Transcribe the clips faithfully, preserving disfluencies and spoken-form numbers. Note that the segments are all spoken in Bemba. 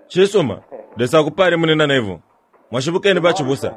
Cisuma, Lesa akupale, Munina Neville. Mwashibukeni, bacibusa.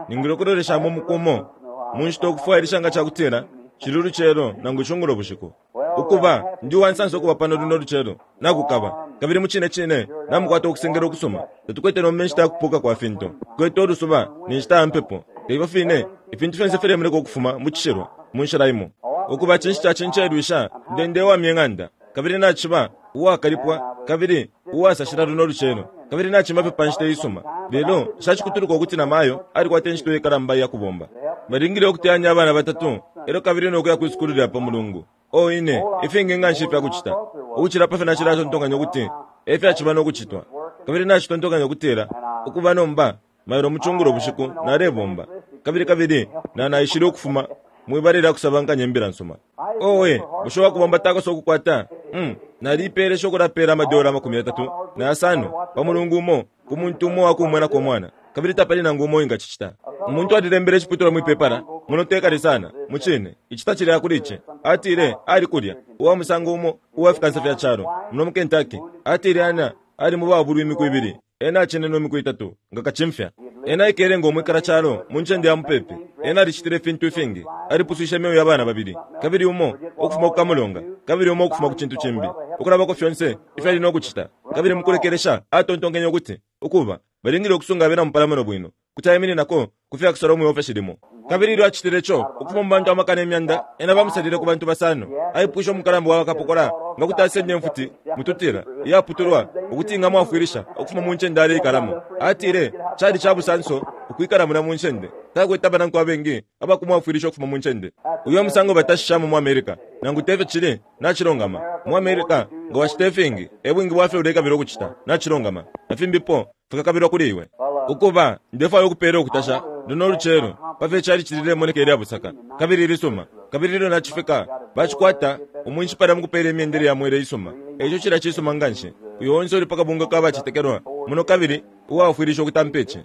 Ningile ukuloleshamo umuku umo mu nshita ukufwailisha nga cakutila cili ulucelo nangu icungulo bushiku. Ukuba, ndi uwansansa ukuba pano luno lucelo nakukaba, kabili mucine cine namukwata ukusengela ukusuma. Tatukwete nomba inshita yakupuka kwa fintu, tukwete ulusuba ni nshita ya mpepo, te ifyo fine ifintu fyonse filemoneka ukufuma mu cishilwa mu nshila imo. Ukuba, cinshi cacincelwisha, nde ndewamya ing'anda, kabili naciba uwakalipwa kabili uwasashila luno lucelo, kabili nacima fye pa nshita iisuma. Lelo nshacikutuluka ukuti namayo alikwata incito iikalamba iya kubomba. Balingile ukuteyanya abana batatu e lyo kabili no kuya kwi sukulu lya pa Mulungu. Oh, ine, ifingi nga nshi ifya kucita ukucila pa fyo nacilatontonkanya ukuti e fyaciba no kucitwa. Kabili nacitontonkanya ukutila, ukuba, nomba, mailo mucungulo bushiku nalebomba, kabili kabili na naishile ukufuma mwibala lya kusabankanya imbila nsuma. Owe, bushe uwakubomba takosa ukukwata? Mm, naliipeelesha ukulapeela amadola amakumi yatatu na yasano pa mulungu umo ku muntu umo uwakumwenako umwana, kabili tapali nangu umo uwingacicita. Umuntu alilembele iciputulwa mwi pepala muno te kale sana, mucine, ici tacileya kuli ici. Atile ali kulya, uwa musango umo uwa fikansa fya calo muno mu Kentucky. Atile ena ali mu babulwi imiku ibili, ena acenenwe imiku itatu nga kacimfya. Ena aikele ngo mwikala calo mu ncende ya mupepi. Ena alicitile ifintu ifingi. Alipuswishe imyeo ya bana babili, kabili umo ukufuma ku kamulonga, kabili umo ukufuma ku cintu cimbi, ukulabako fyonse ifyo ali no kucita. Kabili mukulekelesha atontonkenye ukuti, ukuba, balingile ukusunga abena mupalamano bwino, kuti aimininako ku fya kusala mwi limo. Kabili ilyo acitile co, ukufuma mu bantu amakana imyanda, ena bamusalile ku bantu basano. Aipwishe umukalamba wa bakapokola nga kuti asenda imfuti mututila iyaputulwa ukuti ingamwafwilisha ukufuma mu ncende aleikalamo. Atile cali ca busanso ukwikala mulya mu ncende. Takwete abanankwe abengi abakumwafwilisha ukufuma mu ncende. Uyo musango batashishamo mu America, nangu te fyo cili? Nacilungama. Mu America, nga wacita ifingi, e bwingi bwa fyo ulekabila ukucita, nacilungama, na fimbipo fikakabilwa kuli iwe. Ukuba, ndefwaya ukupeela ukutasha luno lucelo pa fyo icalici lilemoneka ilya busaka kabili ilisuma. Kabili ilyo nacifika, bacikwata umwinshi palya mukupeela imyendele ya mwela isuma. Eico cilya cisuma nganshi. Uyo onse uli pa kabungwe ka bacetekelwa muno kabili uwaafwilisha ukutampa ici,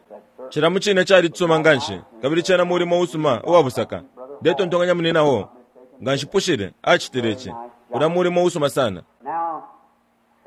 cila mucine cali cisuma nganshi, kabili cena mulimo usuma uwa busaka. Ndetontonkanya munina wo nga nshipushile acitile ici. Ulya mulimo usuma sana. Now,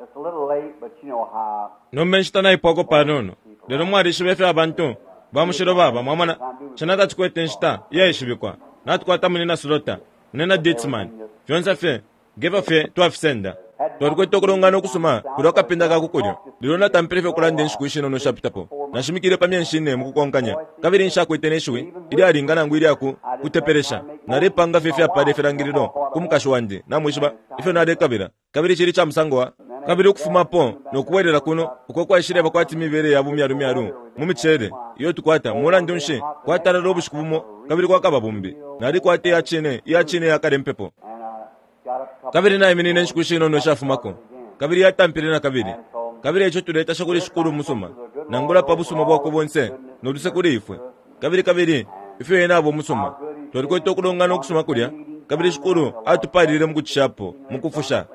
it's a little late, but you know how Nomba inshita naipwako panono, lelo mwalishiba ifyo abantu ba mushilo baba, mwamona. Cena tacikwete inshita iyaishibikwa. Natukwata Munina Slaughter, Munina Dietzman, fyonse fye ngefyo fye twafisenda. Twalikwete ukulongana ukusuma kulya kapinda ka ku kulyo, lelo natampile fye ukulanda inshiku ishinono ishapitapo. Nashimikile pa myeshi ine mukukonkanya, kabili nshakwete ne shiwi ilyalinga nangu ilya ku kutepelesha. Nalepanga fye ifyapala ifilangililo ku mukashi wandi, namwishiba ifyo nalekabila, kabili cili ca musango wa kabili ukufumapo no kubwelela kuno uko kwaishileba kwati mibele ya bumyalumyalu mu miceele iyo tukwata. Mulandu nshi, kwatalala ubushiku bumo kabili kwakaba bumbi. Nalikwata iya cine, iya cine yakale mpepo. And I got up a couple Kabili naiminine inshiku shinono ishafumako, kabili yatampile na kabili. Kabili eico tuletasha kuli Shikulu musuma, nangula pa busuma bwakwe bonse no luse kuli ifwe, kabili kabili ifyo ena aba umusuma. Twalikwete ukulongana ukusuma kulya, kabili Shikulu atupalile mukucishapo mukufusha.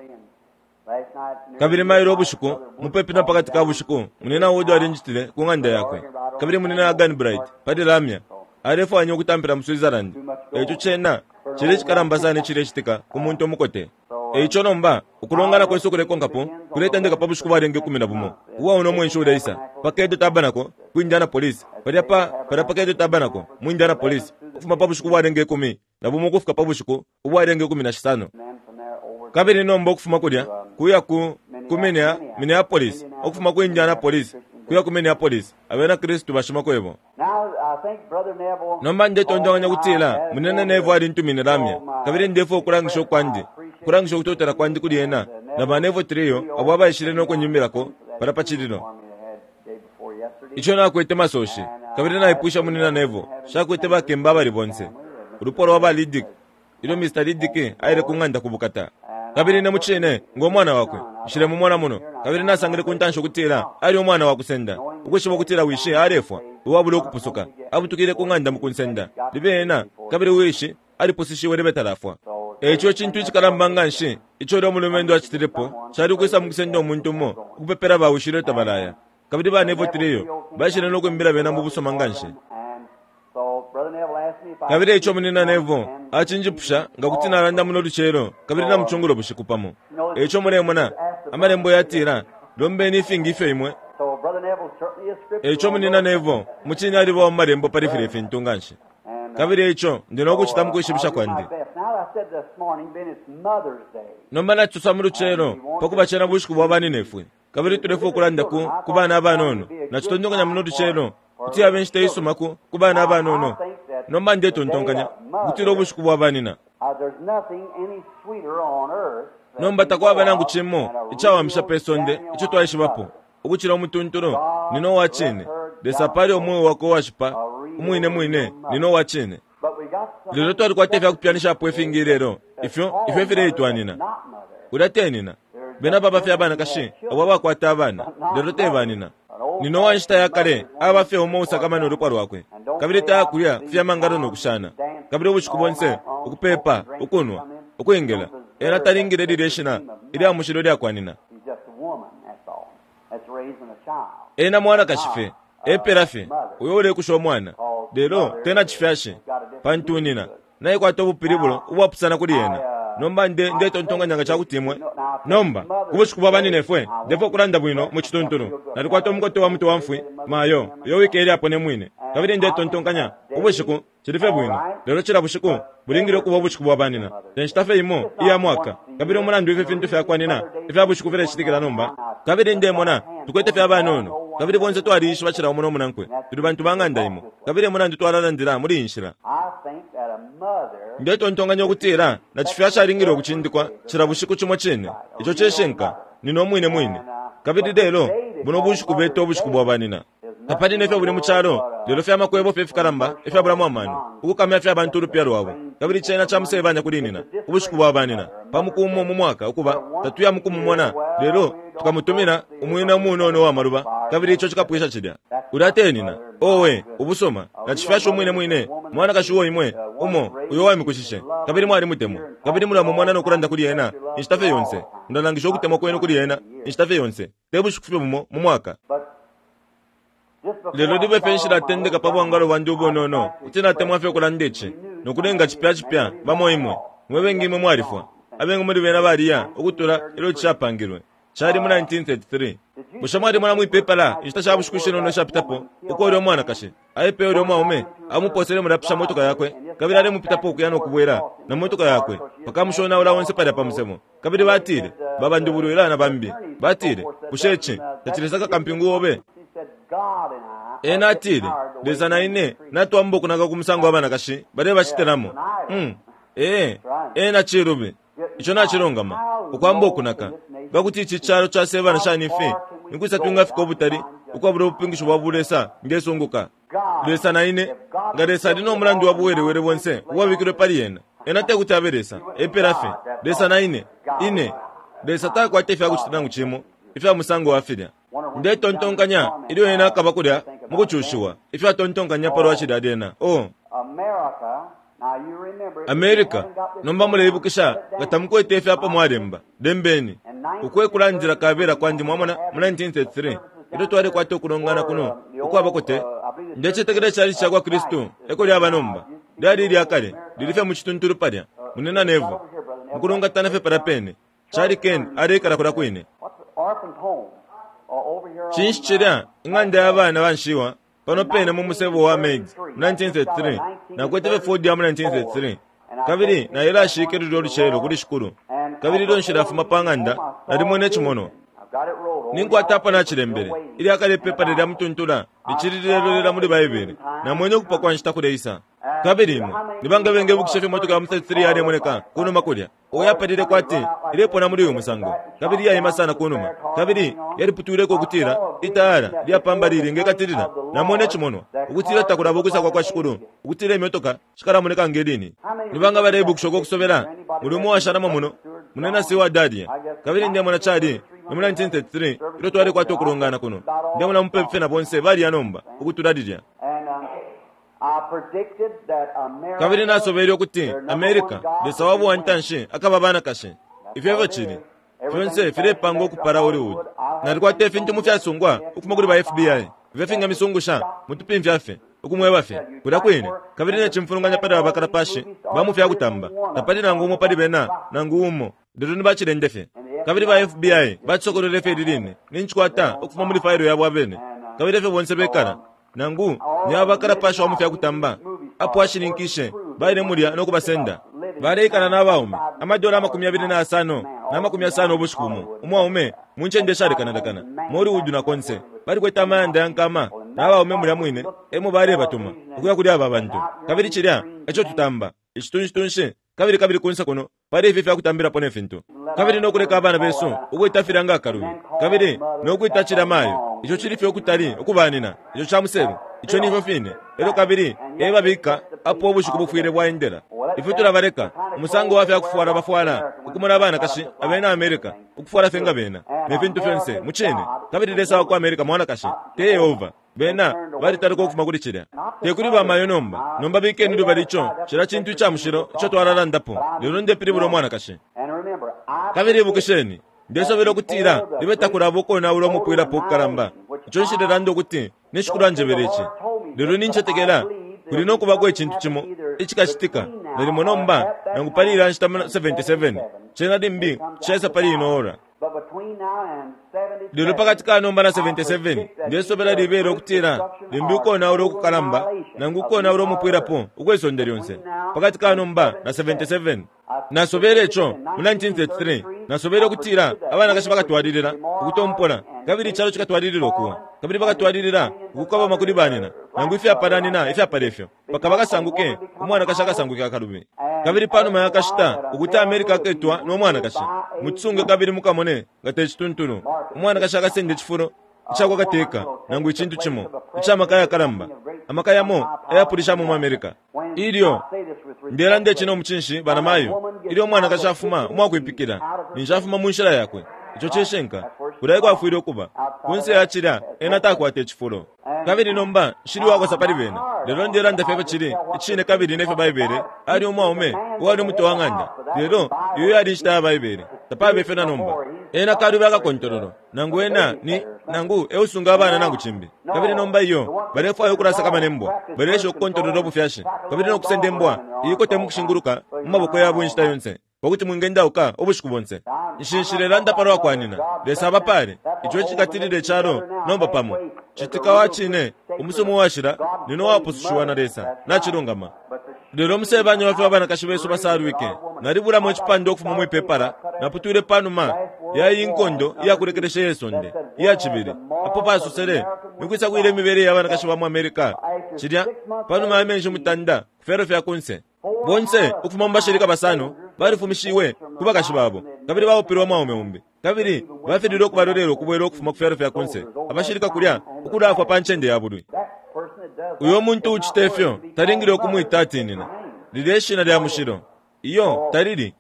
Last night near Kabili mailo ubushiku, mupepi na pakati ka bushiku, Munina Wood alinjitile ku ng'anda yakwe, kabili Munina Arganbright pali lamya alefwanya ukutampila mu Switzerland. Eico cena cili icikalamba sana icilecitika ku muntu umukote. Eico nomba ukulongana kwesu ukulekonkapo kuletendeka pa bushiku bwalenga ikumi na bumo ubwa uno mwenshi uleisa pa Cadle Tabernacle ku Indianapolis, palya pa palya pa Cadle Tabernacle mu Indianapolis, ukufuma pa bushiku bwalenga ikumi na bumo ukufika pa bushiku ubwalenga ikumi na shisano. And then from there over Kabili nomba ukufuma kulya kuya ku ku Minea, Minneapolis, ukufuma ku Indianapolis kuya ku Minneapolis, abena Kristu bashimakwebo. Now I think Brother Neville Nomba ndetontonkanya kutila Munene Neville alintumine lamya, kabili ndefwaya ukulangisha ukwandi ukulangisha ukutotela kwandi kuli ena na ba Neville Trio abo abaishile no kunyimbirako palya pa cililo for me they had day before yesterday. ico nakwete masoshi. Kabili naipusha Munina Neville, shakwete bakemba abali bonse, ulupwa lwa ba Liddick, ilyo Mister Liddick aile ku ng'anda ku bukata. Kabili ine mucine ngo mwana wakwe nshilemumona muno, kabili nasangile ku ntanshi ukutila ali umwana wa kusenda, ukwishiba ukutila wishi alefwa uwabula ukupusuka. Abutukile ku ng'anda mukunsenda libe ena kabili wishi alipusishiwe libe talafwa. Eico icintu icikalamba nga nshi ico ulya umulumendo acitilepo cali ukwisa mukusenda umuntu umo ukupepela ba wishi ilyo tabalaya. Kabili ba Neville Trio baishile no kwimbila bena mu busuma nga nshi. And so Brother Neville asked me if I Kabili eico Munina Neville acinjipusha nga kuti nalanda muno lucelo kabili na mucungulo bushiku pamo. Eico mulemona, Amalembo yatila, lombeni ifingi ifyo imwe Eico munina Nevo mucine aliba mu malembo pali filya ifintu nganshi. Kabili eico ndi nokucita mukwishibisha kwandi. Nomba nacisosa mu lucelo pakuba cena bushiku bwa baninefwe. Kabili tulefwaya ukulanda ku, ku bana abanono. Nacitontonkanya muno lucelo kuti yabe inshita isuma ku, ku bana abanono. Nomba ndetontonkanya ukutila ubushiku bwa banina. Nomba takwaba nangu cimo icawamisha pe sonde ico twaishibapo ukucila umutuntulu nino wa cine. Lesa apale umweo wakwe uwashipa umwine mwine nino wa cine. Lelo twalikwata ifyakupyanishapo ifingi lelo ifyo ifyo fileitwanina. Ulya tenina bena baba fye abanakashi abo abakwata abana lelo tebanina. Nino wa nshita ya kale aba fye umo usakamana ulupwa lwakwe kabili tayakulya kufyamangalo nokushana kabili ubushiku bonse ukupepa ukunwa ukwingila. Ena talingile lilye shina ilya mushilo lyakwanina. Ena mwanakashi fye epela fye uyo ulekusha umwana lelo tena cifyashi pantu nina naikwata ubupilibulo ubwapusana kuli ena. Nomba nde ndetontonkanya nga cakuti imwe nomba ubushiku bwa baninefwe ndefwaya ukulanda bwino mu cituntulu. Nalikwata umukote wa mutwe wa mfwi mayo uyo wikele apo ne mwine kabili ndetontonkanya ubushiku cili fye bwino lelo cila bushiku bulingile ukuba ubushiku bwa banina. Te nshita fye imo iya mwaka kabili umulandu ifi fintu fyakwanina ifya bushiku filecitikila nomba. Kabili ndemona tukwete fye abanono kabili bonse twaliishiba cila umo nomunankwe tuli bantu ba ng'anda imo kabili emulandu twalalandila muli iyi nshila. Ndetontonkanya ukutila na cifyashi alingile ukucindikwa cila bushiku cimo cine. Ico cishinka nino mwine mwine. Kabili lelo buno bushiku beta ubushiku bwa banina. Tapali nefyo buli mu calo lelo fyamakwebo fye fikalamba ifyabulamo amano ukukamya fye abantu ulupya lwabo. Kabili cena camusebanya kuli nina ubushiku bwa banina pa muku umo mu mwaka ukuba tatuya mukumumona lelo tukamutumina umwina umunono wa maluba kabili ico cikapwisha cilya. Ulya tenina owe ubusuma na cifyashi umwine mwine mwanakashi uo imwe umo uyo wamikushishe kabili mwalimutemwa kabili mulamumona nokulanda kuli ena inshita fye yonse. Mulalangisha ukutemwa kwenu kuli ena inshita fye yonse te bushiku fye bumo mu mwaka. Lelo libe fye nshilatendeka pa bwangalo bwandi ubunono kuti natemwa fye ukulanda ici nokulenga cipya cipya bamo imwe mwe bengi imwe mwalifwa. Abengi muli bena baliya ukutula ilyo cishapangilwe cali mu nineteen thirty-three. Bushe mwalimona mwipepala inshita sha bushiku shinono ishapitapo uko ulya umwanakashi aipeye ulya umwaume amuposele mulapisha motoka yakwe kabili alemupitapo ukuya nokubwela na motoka yakwe pakamushonaula onse palya pa musemo. Kabili batile babandubulwila na bambi batile bushe ici tacilesaka kampingu obe. Ena atile Lesa na ine natwamba ukunaka ku musango wa banakashi balebacitilamo. Mm. Ee, ena cilubi ico nacilungama ukwamba ukunaka ngakuti ici calo casebana shani ifi nikwisa twingafika ubutali ukwabula ubupingisho bwa bulesa ngesunguka. Lesa na ine nga Lesa ali no mulandu wa buwelewele bonse uwabikilwe pali ena. Ena tekuti abe Lesa epela fye Lesa na ine ine Lesa takwata ifyakucita nangu cimo ifya musango wa filya. Ndetontonkanya ilyo ena akaba kulya mukucushiwa ifyo atontonkanya palwa cilya lyena. Oh America nomba muleibukisha nga tamukwete ifyapa mwalemba lembeni ukwe kulandila kabela kwandi mwamona mu nineteen thirty-three ilyo twalikwata ukulongana kuno ukwabakote ndecetekela cali cakwa Kristu eko lyaba nomba lyali ilyakale lili fye mu cituntulu palya munena Nevo mukulungatana fye palya pene cali Ken aleikala kulya kwine. Cinshi cilya ing'anda ya bana banshiwa pano pene mu musebo wa Meigs mu nineteen thirty-three nakwete fye Ford ya mu nineteen thirty-three kabili nailashike lulyo olucelo kuli shikulu kabili ilyo nshilafuma pa ng'anda nalimwene icimonwa. Ninkwata apa nacilembele ilyakale ipepa lilya mutuntula licili lilelolela muli Baibele namwene ukupa kwa nshita kuleisa. Kabili imwe nibanga bengebukisha fye motoka ya mu thirty-three yalemoneka kunuma kulya oyapalile kwati ilepona muli uyu musango kabili yaima sana kunuma kabili yaliputwileko ukutila itayala lyapamba lili ngekatilila. Namwene icimonwa ukutila takulaba ukwisa kwa kwa shikulu ukutila imyotoka shikalamoneka ngelini. Nibanga baleibukisha uko kusobela muli umo washalamo muno munena si wa Dadia kabili ndemona cali ni mu nineteen thirty-three ilyo twalikwata ukulongana kuno ndemona mupepe na bonse baliya nomba ukutula lilya. Kabili nasobele ukuti America Lesa wabo wa ntanshi akaba banakashi. Ifyo efyo cili fyonse filepanga ukupala Hollywood. Nalikwata ifintu mu fyasungwa ukufuma kuli ba F B I ifyo fingamisungusha mutupimfya fye ukumweba fye kulya kwine kabili necimfulunganya pali aba bakalapashi ba mu fyakutamba tapali nangu umo pali bena nangu umo lelo ni bacilende fye. Kabili ba F B I bacisokolele fye liline nincikwata ukufuma muli failo yabo abene. Kabili efyo bonse bekala. Nangu ni abakalapasha wa mu fyakutamba apo ashininkishe baile mulya no kubasenda. Baleikala n'abaume amadola amakumi abili na asano na makumi asano ubushiku bumo umwaume mu ncende ishalekanalekana mu Hollywood na konse. Balikwete amayanda ya nkama n'abaume mulya mwine emo balebatuma ukuya kuli aba bantu. Kabili cilya eco tutamba icitunshi kabili kabili kunse kuno pali ifi fyakutambirapo ne fintu. Kabili nokuleka abana besu ukwita filya nga akalubi, kabili nokwita cilya mayo. Ico cili fye ukutali ukubanina ico ca muselu. Ico nifyo fine. Elyo kabili ebabika apo ubushiku bufwile bwaendela. Ifwe tulabaleka umusango wa fyakufwala bafwala ukumona abanakashi abena America ukufwala fye nga bena ne fintu fyonse mu cine. Kabili Lesa wa ku America mwanakashi te Yehova. Bena balitaluka ukufuma kuli cilya. Te kuli bamayo nomba. Nomba bikeni lubali ico cila cintu ica mushilo ico twalalandapo. Lelo ndepilibula umwanakashi. Kabili ibukisheni, ndesobela ukutila libe takulaba ukonaula umupwilapo ukukalamba. Ico nshilelanda ukuti nishikulu anjebele ici. Lelo nincetekela kuli nokubako icintu cimo icikacitika nalimo nomba nangu pali ila nshita seventy-seven cena limbi caisa pali ino ora. Lelo pakati ka nomba na seventy-seven ndesobela libele ukutila limbi ukonaula ukukalamba nangu ukonaula umupwilapo ukwe sonde lyonse. Pakati ka nomba na seventy-seven nasobele ico mu nineteen thirty-three. Nasobele ukutila abanakashi bakatwalilila ukutompola kabili icalo cikatwalilila ukuwa kabili bakatwalilila ukukabama kuli banina nangu ifyapalanina ifyapala ifyo paka bakasanguke umwanakashi akasanguke akalubi. Kabili panuma yakashita ukuti America aketwa no mwanakashi mutsunge kabili mukamone nga te cituntulu. Umwanakashi akasenda icifulo icakwa kateka nangu icintu cimo icamaka yakalamba amaka yamo ayapulishamo mu America. Ilyo ndelanda ici no mucinshi banamayo, ilyo umwanakashi afuma umwakwipikila ninshi afuma mu nshila yakwe. Ico cishinka kulya kwafwile ukuba kunse ya cilya ena takwata icifulo. Kabili nomba nshili wakosa pali bena. Lelo ndelanda fye cili icine kabili nefyo Baibele ali umwaume uwali umutwe wa ng'anda. Lelo iyo yali inshita ya Baibele tapabe fye na nomba. Ena kalubi akakontololo nangu ena ni nangu eusunga abana nangu cimbi. Kabili nomba iyo balefwaya ukulasakamana imbwa, balesha ukukontolola ubufyashi kabili nokusenda imbwa iyikote mukushinguluka mu maboko yabo inshita yonse pakuti mwingendauka ubushiku bonse. Nshinshilelanda palwa kwanina Lesa abapale ico cikatilile icalo nomba pamo citika wa cine umusumu washila nino wapusushiwa na Lesa nacilungama. Lelo musebanya wafye abanakashi besu basalwike. Nalibulamo icipande ukufuma mwipepala naputwile panuma ya iyi nkondo iyakulekelesha ye sonde iya cibili apo pasosele nikwisa kwile imibele y'abanakashi ba mu America cilya panuma ya menshi mutanda ku fyalo fya kunse. Bonse ukufuma mu bashilika basano balifumishiwe ku bakashi babo kabili baupilwe mwaume umbi kabili bafililwe ukubalolela ukubwela ukufuma ku fyalo fya kunse abashilika kulya ukulafwa pa ncende ya bulwi. Uyo muntu ucita ifyo talingile ukumwita atinina lilya ishina lya mushilo iyo talili.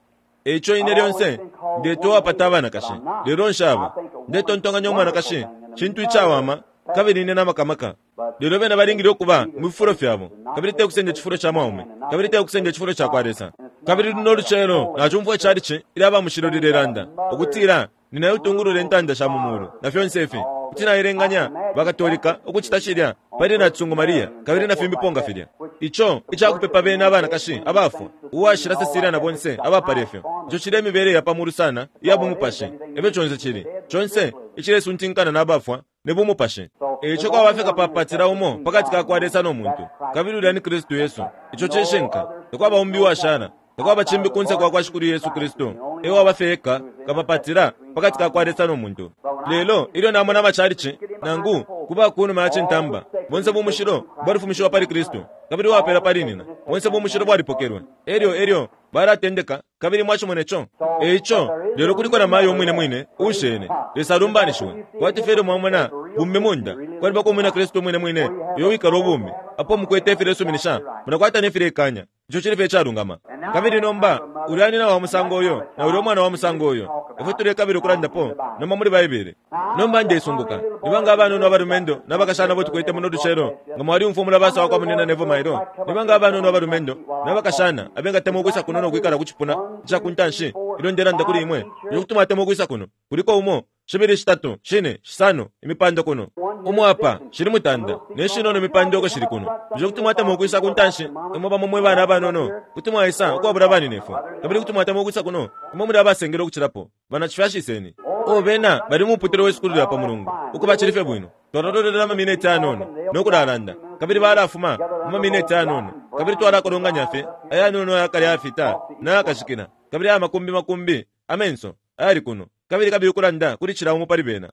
Eico ine lyonse ndetowapata abanakashi lelo nshaba ndetontonkanya umwanakashi cintu icawama kabili ine n'amakamaka. Lelo bena balingile ukuba mu bifulo fyabo kabili te kusenda icifulo ca mwaume kabili te kusenda icifulo ca kwa Lesa. Kabili luno lucelo nacumfwa icalici ilya aba mushilo lilelanda ukutila ninayo utungulula intanda sha mu mulu na fyonse ifi kuti nailenganya bakatolika ukucita cilya pali na Tsungu Maria kabili na fimbipo nga filya. Ico icakupepa bena abanakashi abafwa uwashila Cecilia na bonse abapala ifyo. Ico cili imibele ya pamulu sana iya bumupashi efyo conse cili conse icilesuntinkana n'abafwa ne bumupashi. Eico kwaba kapapatila umo pakati ka kwa Lesa no muntu kabili ulya ni Kristu Yesu. Ico cishinka takwaba umbi uwashala takwaba cimbi kunse kwa kwa Shikulu Yesu Kristu ewaba fye eka kapapatila pakati ka kwa Lesa no muntu. Lelo ilyo namona amacalici nangu kuba kunuma ya cintamba bonse bumushilo bwalifumishiwa pali Kristu kabili wapela pali nina bonse bumushilo bwalipokelwe elyo elyo balatendeka kabili mwacimona ico. Eico lelo kuliko na mayo umwine mwine ushene Lesa alumbanishiwe kwati fye mwamona bumbi munda kwalibako umwina Kristu umwine mwine uyo wikala ubumi apo mukwete ifilesuminisha munakwata nefilekanya ico cili fye icalungama. Kabili nomba ulya nina wa musango uyo na ulya umwana wa musango uyo ifwe tulekabila ukulandapo nomba muli Baibele. Nomba ndesunguka nibanga abanono abalumendo n'abakashana bo tukwete muno lucelo nga mwaliumfwa umulabasa wa kwa munina Nevo Mailo. Nibanga abanono abalumendo n'abakashana abengatemwa ukwisa kuno nokwikala ku cipuna ica ku ntanshi ilyo ndelanda kuli imwe ilyo kuti mwatemwa ukwisa kuno kuliko umo shibili shitatu shine shisano imipando kuno umo apa shili mutanda ne shinono imipando uko shili kuno ilyo kuti mwatemwa ukwisa ku ntanshi imwe bamo mwe bana abanono kuti mwaisa ukwabula baninefwe kabili kuti mwatemwa ukwisa kuno imwe muli abasengela ukucilapo banacifyashiseni. O bena bali mu muputule w'isukulu lya pa mulungu ukuba cili fye bwino. Twalalolela amamineti ayanono nokulalanda, kabili balafuma mu mamineti ayanono, kabili twalakolonganya fye ayanono ayakale ayafita nayakashikila, kabili aya makumbi makumbi amenso ayali kuno, kabili kabili ukulanda kuli cila umo pali bena.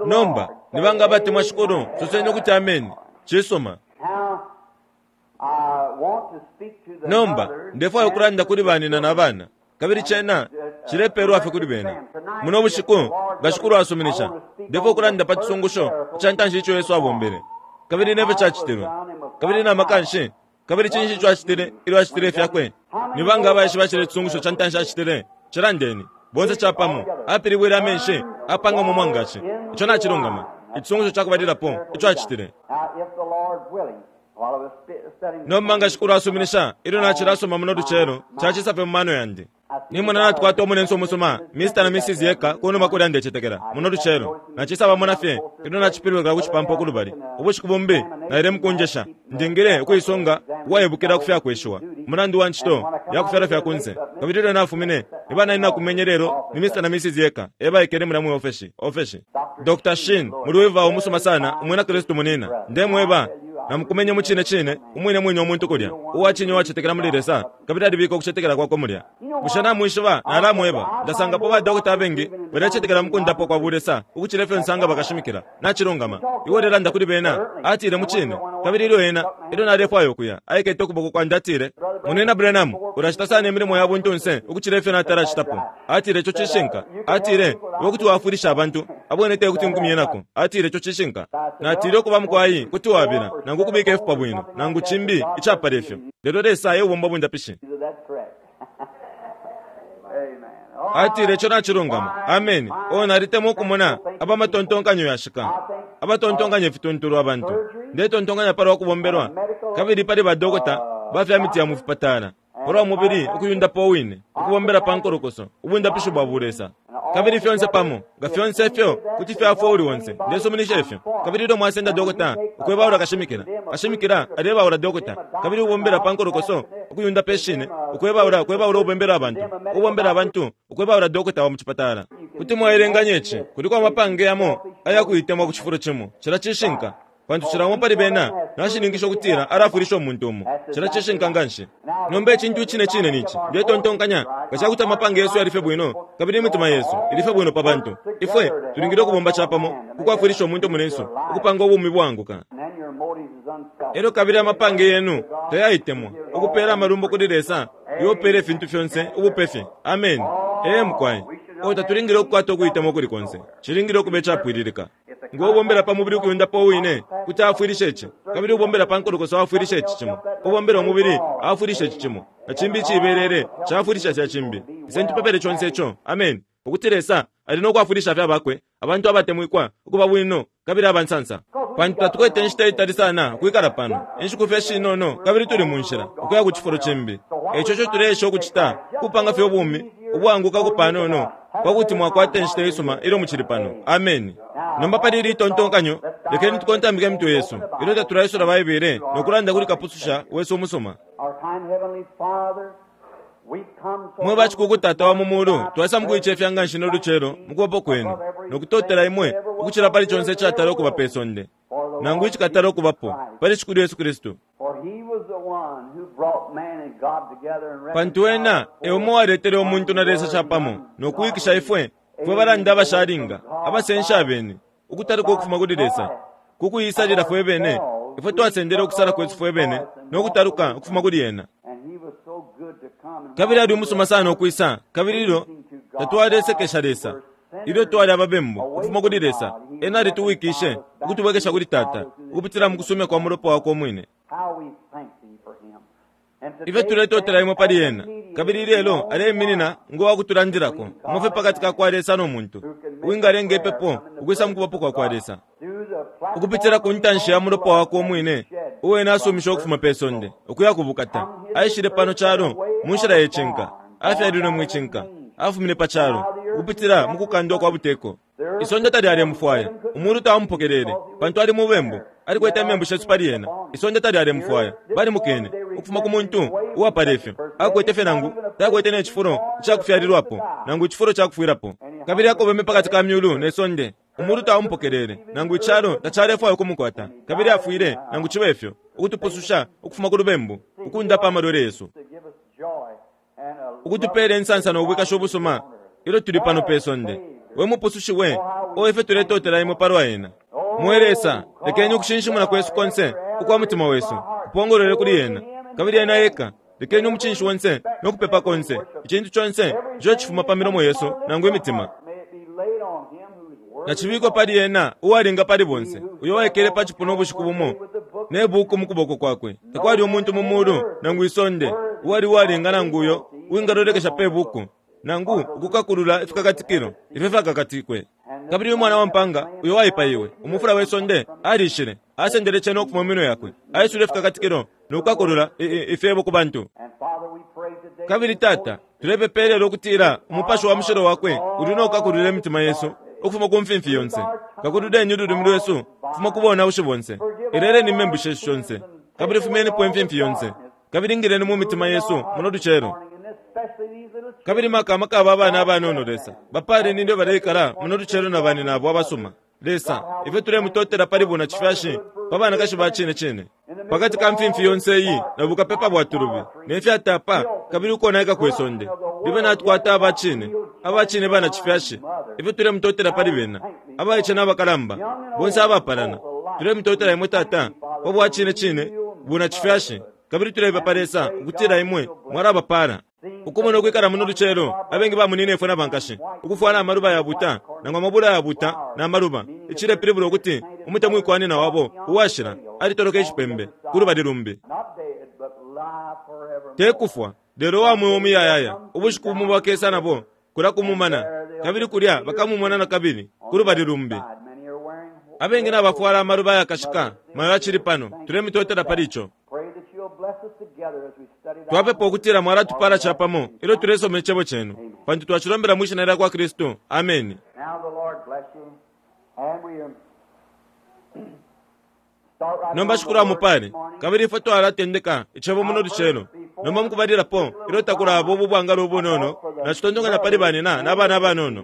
Nomba nibanga abatemwa Shikulu, soseni ukuti ameni. Cisuma. Nomba ndefwaya ukulanda kuli banina na bana, kabili cena cilepelwa fye kuli bena muno bushiku nga Shikulu asuminisha. Ndefwaya ukulanda pa cisungusho ica ntanshi ico Yesu abombele, kabili nefyo cacitilwe, kabili na makanshi, kabili cinshi ico acitile ilyo acitile ifyakwe. Nibanga abaishiba cile cisungusho ca ntanshi acitile? Cilandeni bonse capamo. Apilibwile amenshi apanga mu mwangashi. Ico nacilungama. Icisungusho cakubalilapo ico acitile. Nomba nga Shikulu asuminisha, ilyo nacilasoma muno lucelo, cacisa fye mu mano yandi. Nimona natukwata omunenso umusuma, Mister na Missus Yeka, kunuma kulya ndecetekela muno lucelo. Nacisa bamona fye ilyo nacipilweka ku cipampa kulubali. Ubushiku bumbi naile mukunjesha, ndingile ukuisonga uwaibukila ku fyakweshiwa mulandu wa ncito ya kufyala fya kunse. Kabili ilyo nafumine, niba nali nakumenye lelo ni Mister na Missus Yeka ebaikele mulya mu ofeshi ofeshi. Doctor Shin muli umusuma sana, umwina Kristu munina. Ndemweba namukumenye mu cine cine umwine mwine omuntu kulya uwacinye uwacetekela muli Lesa, kabili alibika ukucetekela kwakwe mulya. Bushe namwishiba nalamweba ndasangapo ba dokota abengi balacetekela mukundapo kwa bulesa ukucila ifyo nsanga bakashimikila. Nacilungama. Iwe lelanda kuli bena, atile mu cine. Kabili ilyo ena ilyo nalefwaya ukuya, aikete ukuboko kwandi atile, Munina Branham, ulacita sana imilimo ya buntunse ukucila ifyo natalacitapo. Atile ico cishinka. Atile iwe kuti wafwilisha abantu abone te kuti nkumyenako. Atile ico cishinka. Natile ukuba mukwayi kuti wabila nangu kubika ifupa bwino nangu chimbi icapala ifyo, lelo Lesa eubomba bundapishi. Atile ico nacilungama. Amen. O nalitemwa ukumona abamatontonkanyo yashika, abatontonkanya ifituntulu abantu. Ndetontonkanya palwa kubombelwa, kabili pali badokota bafya miti ya mufipatala, palwa mubili ukuyundapo wine, ukubombela pa nkolokoso, ubundapishi bwa bulesa, kabili fyonse pamo nga fyonse ifyo kuti fyafwa uli onse. Ndesuminisha ifyo. Kabili ilyo mwasenda dokota ukwebaula kashimikila, kashimikila alebaula dokota, kabili ubombela pa nkolokoso ukuyunda peshine, ukwebaula ukwebaula ubombela abantu, ubombela abantu ukwebaula dokota wa mucipatala. Kuti mwaelenganya ici kuliko amapange yamo ayakuitemwa ku cifulo cimo. Cila cishinka, pantu cila umo pali bena nashininkisha ukutila alafwilisha umuntu umo. Cila cishinka nganshi. Nomba icintu cine cine nici ndetontonkanya nga cakuti amapange yesu yalife bwino, kabili imitima yesu ilife bwino pa bantu, ifwe tulingile ukubomba capamo kukwafwilisha umuntu munensu ukupanga ubumi bwanguka. Elyo kabili amapange yenu tayaitemwa ukupela amalumbo kuli Lesa iwopela ifintu fyonse ubupefe. Amen. Ee mukwai. O tatulingile ukukwata ukuitemwa kuli konse, cilingile ukuba icapwililika. Ngo ubombela pa mubili ukuyundapo wine kuti afwilishe ici, kabili ubombela pa nkolokoso afwilishe ici cimo, ubombela umubili afwilishe ici cimo, na cimbi icibelele cafwilisha fya cimbi. Ise ntupepele conse ico. Amen. Ukuti Lesa ali nokwafwilisha fya bakwe abantu abatemwikwa ukuba bwino kabili abansansa, pantu tatukwete inshita itali sana ukwikala pano, inshiku fye shinono, kabili tuli mu nshila ukuya ku cifulo cimbi. Eco co tuleesha ukucita kupanga fye ubumi ubwanguka kupanono pakuti mwakwata inshita isuma ilyo mucili pano. Amen. Nomba pali ili tontonkanyo, lekeni tukontambike emitwe yesu ilyo tatulaisula Baibele nokulanda kuli Kapususha wesu umusuma. Mwe bacikuku Tata wa mu mulu, twasa mukuicefya nganshi no lucelo mukubapo kwenu nokutotela imwe ukucila pali conse icatala ukuba pe sonde nangu icikatala ukubapo pali Shikulu Yesu Kristu. Pantu ena eumo waletele umuntu na Lesa capamo nokuwikisha ifwe fwe balanda abashalinga abasensha abene ukutaluka ukufuma kuli Lesa kukuyisalila fwe bene. Ifwe twasendele ukusala kwesu fwe bene nokutaluka ukufuma kuli ena. Kabili ali umusuma sana ukwisa, kabili ilyo tatwalesekesha Lesa, ilyo twali ababembu ukufuma kuli Lesa, ena alituwikishe ukutubwekesha kuli Tata ukupitila mu kusumya kwa mulopa wakwe umwine. Ifwe tuletotela imwe pali ena, kabili ilelo aleiminina ngo wakutulandilako umufe pakati ka kwa Lesa no muntu uwingalenga ipepo ukwisa mukubapo kwa kwa Lesa ukupitila ku ntanshi ya mulopa wakwe umwine uwena asumisha ukufuma pe sonde ukuya kubukata. Aishile pano calo mu nshila yecinka, afyalilwe mwicinka, afumine pa calo ukupitila mukukandwa kwa buteko. Isonde talyalemufwaya, umulu tawamupokelele pantu ali mubembu, alikwete imembu shesu pali ena. Isonde talyalemufwaya, balimukene ukufuma ku muntu uwapala ifyo akwete fye nangu takwete ne cifulo icakufyalilwapo nangu icifulo cakufwilapo. Kabili akobeme pakati ka myulu ne sonde Umulu taumupokelele, nangu icalo tacalefwaya ukumukwata, kabili afwile, nangu cibe ifyo, ukutupususha ukufuma ku lubembu, ukundapa amalwele yesu, ukutupela insansa no bwikasho busuma ilyo tuli pano pe sonde. We mupusushi we, o ife tuletotela imwe palwa ena. Mwe Lesa, lekeni ukushinshimuna kwesu konse ukwa mutima wesu kupongolole kuli ena, kabili ena eka. Lekeni umucinshi wonse no kupepa konse, icintu conse ico cifuma pa milomo yesu nangu imitima, na cibikwe pali ena uwalinga pali bonse, uyo waikele pa cipuna ubushiku bumo ne buku mu kuboko kwakwe. Takwali umuntu mu mulu nangu isonde uwali uwalinga nangu uyo uwingalolekesha pe buku nangu ukukakulula ifikakatikilo ifyo fyakakatikwe. Kabili umwana wa mpanga uyo waipaiwe, umufula we sonde, alishile, asendele cena ukufuma mu minwe yakwe, aisule ifikakatikilo no kukakulula ifyebo ku bantu. Kabili Tata, tulepepelelo ukutila umupashi wa mushilo wakwe uli no kukakulula imitima yesu ukufuma ku mfimfi yonse. Kakululeni ululimi lwesu kufuma ku bonaushi bonse. Eleleni imembu shesu shonse, kabili fumyenipo imfimfi yonse, kabili ingileni mu mitima yesu muno lucelo. Kabili maka maka aba abana abanono Lesa, bapaleni ilyo baleikala muno lucelo na bani nabo abasuma. Lesa, ifyo tulemutotela pali buna cifyashi pa banakashi ba cine cine, pakati ka mfimfi yonse iyi na bukapepa bwa tulubi ne fyatapa kabili ukonaika kwe sonde, libe natukwata aba cine, aba cine bana cifyashi. Ifyo tulemutotela pali bena, abaice n'abakalamba bonse abapalana, tulemutotela imwe Tata pa bwa cine cine buna cifyashi, kabili tulepepa Lesa ukutila imwe mwalabapala. Ukumona ukwikala muno lucelo, abengi bamunine ifwe na bankashi ukufwala amaluba ya buta nangu amabula ya buta na maluba, icilepilibula ukuti umutemwikwanina wabo uwashila alitoloka icipembe ku lubali lumbi, tekufwa lelo wa mweo muyayaya. Ubushiku bumo bakesa nabo kula kumumana, kabili kulya bakamumona na kabili ku lubali lumbi. Abengi nabafwala amaluba yakashika mayo acili pano, tulemitotela pali ico. Twapepa ukutila mwalatupala capamo ilyo tulesoma icebo cenu, pantu twacilombela mwi shina lya kwa Kristu. Ameni. Nomba shikulu amupale, kabili ifwe twalatendeka icebo muno lucelo. Nomba mukubalilapo ilyo takulaba ubu bwangalo ubunono, nacitontonkanya pali banina n'abana abanono,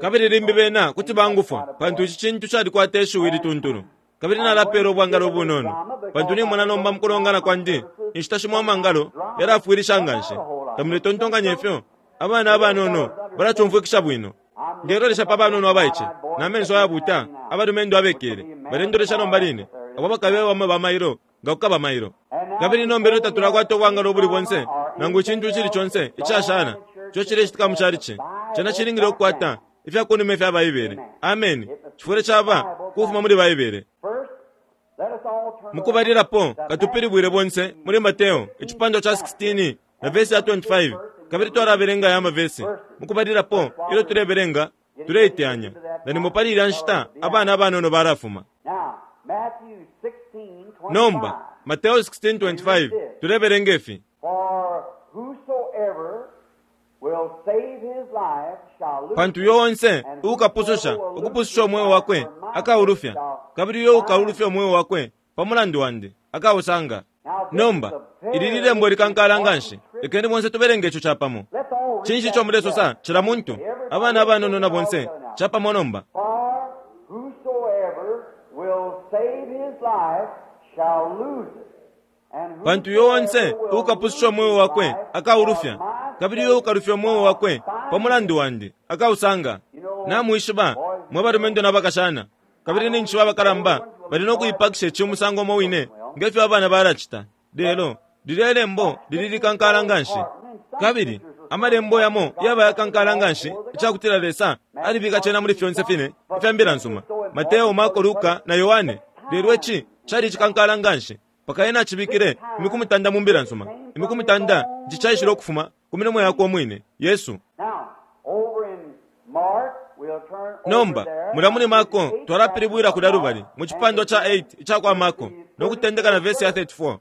kabili limbi bena kuti bangufwa, pantu ici cintu calikwata ishiwi lituntulu. Kabili nalapela ubwangalo ubunono, pantu nimona nomba mukulongana kwandi inshita shimo amangalo yalafwilisha nganshi. Tamuletontonkanya ifyo abana abanono balacumfwikisha bwino. Ndelolesha pa banono abaice na menso ayabuta, abalumendo abekele balendolesha nomba line, abo bakabe bamwe bamailo nga kukaba mailo. Kabili nomba ilyo tatulakwata ubwangalo ubuli bonse nangu icintu icili conse icashana ico cilecitika mu calici, cena cilingile ukukwata ifyakunuma ifya Baibele. Ameni. Cifwile caba kufuma muli Baibele. Mukubalilapo katupilibwile bonse muli Mateo icipandwa ca sixteen na vesi ya twenty-five, kabili twalabelenga aya mavesi. Mukubalilapo ilyo tulebelenga tuleiteyanya, na nimo pali ilya nshita abana abanono balafuma. Nomba Mateo sixteen twenty-five tulebelenga ifi: pantu uyo onse uukapususha ukupususha umweo wakwe akaulufya, kabili uyo ukaulufya umweo wakwe pa mulandu wandi akausanga. Nomba ili lilembo likankala nganshi, lekeni bonse tubelenge ico capamo. Cinshi ico mulesosa cila muntu, abana abanono na bonse capamo nomba? Pantu uyo onse uukapususha umweo wakwe akaulufya, kabili uyo ukalufya umweo wakwe pa mulandu wandi akausanga. Namwishiba mwe balumendo n'abakashana, kabili ninshi abakalamba bali no kuipakisha ici umusango umo wine ngefyo abana balacita. Lelo lilya ilembo lili likankala nganshi, kabili amalembo yamo yaba yakankala nganshi icakutila Lesa alibika cena muli fyonse fine ifya mbila nsuma, Mateo, Marko, Luka na Yohane. Lelo ici cali icikankala nganshi paka ena acibikile imiku mutanda mu mbila nsuma, imiku mutanda ici caishile ukufuma ku milomo yakwe umwine Yesu. Nomba mulya muli Marko twalapilibwila kulya lubali mu cipandwa ca eight ica kwa Marko no kutendeka na vesi ya thirty-four.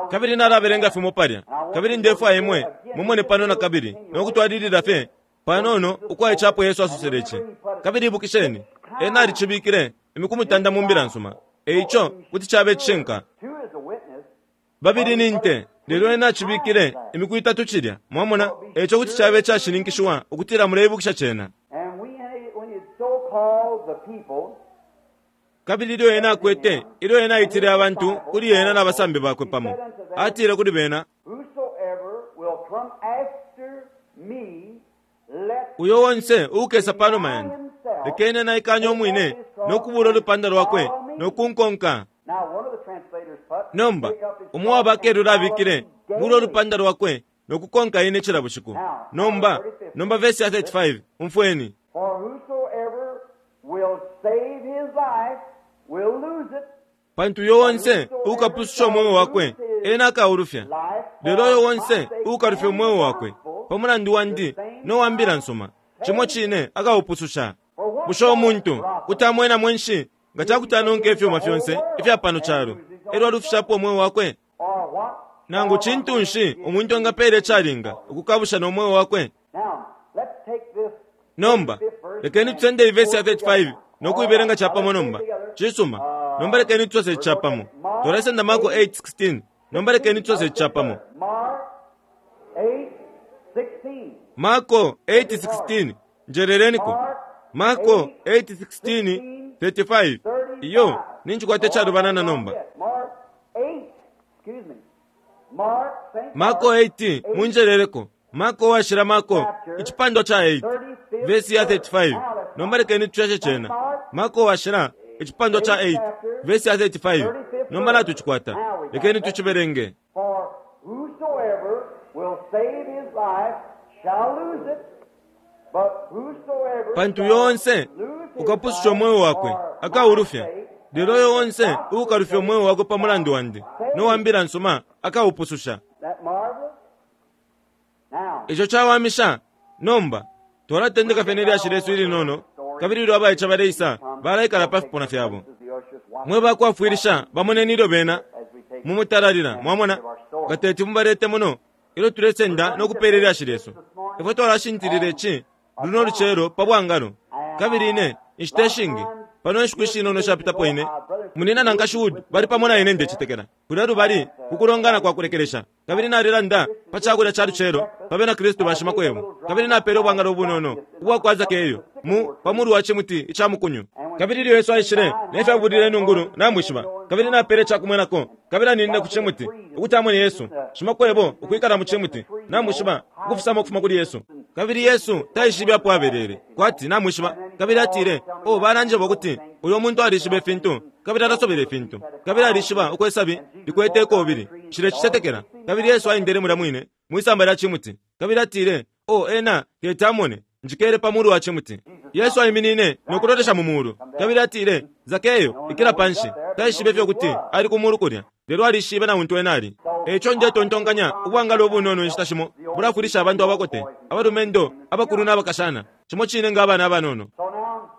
Kabili nalabelenga fimo palya, kabili ndefwaya imwe mumone pano na kabili no kutwalilila fye panono ukwa icapo Yesu asosele ici. Kabili ibukisheni, ena alicibikile imiku mutanda mu mbila nsuma, eico kuti cabe icishinka. Babili ni nte, lelo ena acibikile imiku itatu cilya, mwamona, eico kuti cabe icashininkishiwa ukutila muleibukisha cena. called the people, Kabili ilyo ena akwete, ilyo ena aitile abantu kuli ena n'abasambi bakwe pamo, atile kuli bena, whosoever will come after me, let uyo wonse uukesa panuma yandi, lekeni naikanye umwine nokubula ulupanda lwakwe nokunkonka. Now one of the translators put, Nomba pick up his umwe wabakelula cross and abikile follow me bula daily. ulupanda lwakwe nokukonka ine cila bushiku. Nomba nomba vesi ya thirty-five, umfweni. For whosoever will save his life will lose it. Pantu uyo wonse uukapususha umweo wakwe ena akaulufya, lelo uyo wonse uukalufya umweo wakwe pamulandu wandi nowambila nsuma, cimo cine akaupususha. Bushe umuntu kuti amwena mwenshi nga cakuti anonka ifyuma fyonse ifya pano calo elyo alufishapo umweo wakwe? Or what? Nangu cintu nshi umuntu angapeela icalinga ukukabusha nomweo wakwe? Now, let's take this Nomba lekeni tusende ivesi ya thirty-five nokuibelenga capamo nomba. Cisuma, nomba lekeni tusose capamo. Twalesenda Marko eight sixteen. Nomba lekeni tusose capamo. Mark eight sixteen. Marko eight sixteen, njerereniko. Marko eight sixteen thirty-five. Iyo ninchikwate calubana nomba. Mark eight, excuse me. Mark, Saint Marko Mark, eight, munjerereko. Marko washira Marko icipandwa ca eight vesi ya thirty-five. Nomba lekeni tushashe cena. Marko washira icipandwa ca eight vesi ya thirty-five. Nomba natucikwata, lekeni tuciberenge. For whosoever will save his life shall lose it, but whosoever Pantu shall yonse lose his ukapususha life umweo wakwe for my akaulufya, sake lelo uyo onse uukalufya umweo wakwe pamulandu wandi nowambila nsuma akaupususha. That marvelous? Now, Ico cawamisha. Nomba twalatendeka fye nelyashi lesu ilinono, kabili ilyo abaica baleisa balaikala pa fipuna fyabo. Mwe bakwafwilisha bamoneni ilyo bena mumutalalila, mwamona nga teti mubalete muno ilyo tulesenda nokupeela ilyashi lyesu. Ifwe twalashintilila ici luno lucelo pa bwangalo. Kabili ine inshita ishingi pano inshiku ishinono shapitapo ine munina na nkashi Wood bali pamo na ine ndecitekela kulya lubali kukulongana kwa kulekelesha, kabili nalilanda pa cakulya ca lucelo pa bena Kristu bashimakwebo, kabili napele ubwangalo ubunono ubwa Zakeyo mu pamulu wa cimuti ica mukunyu. Kabili ilyo Yesu aishile nefyabulile inungulu namwishiba, kabili napele cakumwenako, kabili aninine ku cimuti ukuti amone Yesu shimakwebo ukwikala mu cimuti namwishiba, ukufisama ukufuma kuli Yesu. Kabili Yesu taishibe apo abelele kwati namwishiba, kabili atile, o balanjeba ukuti uyo muntu alishiba ifintu, kabili alasobela ifintu, kabili alishiba ukwesabi likwete ikobili, nshilecicetekela. Kabili Yesu aendele mulya mwine mwisamba lya cimuti, kabili atile, o ena teti amone, njikele pamulu wa cimuti. Yesu aiminine nokulolesha mu mulu, kabili atile, Zakeyo, ikila panshi. Taishibe fye ukuti ali ku mulu kulya, lelo alishibe na untu ena ali. Eco ndetontonkanya ubwangalo ubunono inshita shimo bulafwilisha abantu abakote, abalumendo, abakulu n'abakashana, cimo cine nga abana abanono. so now,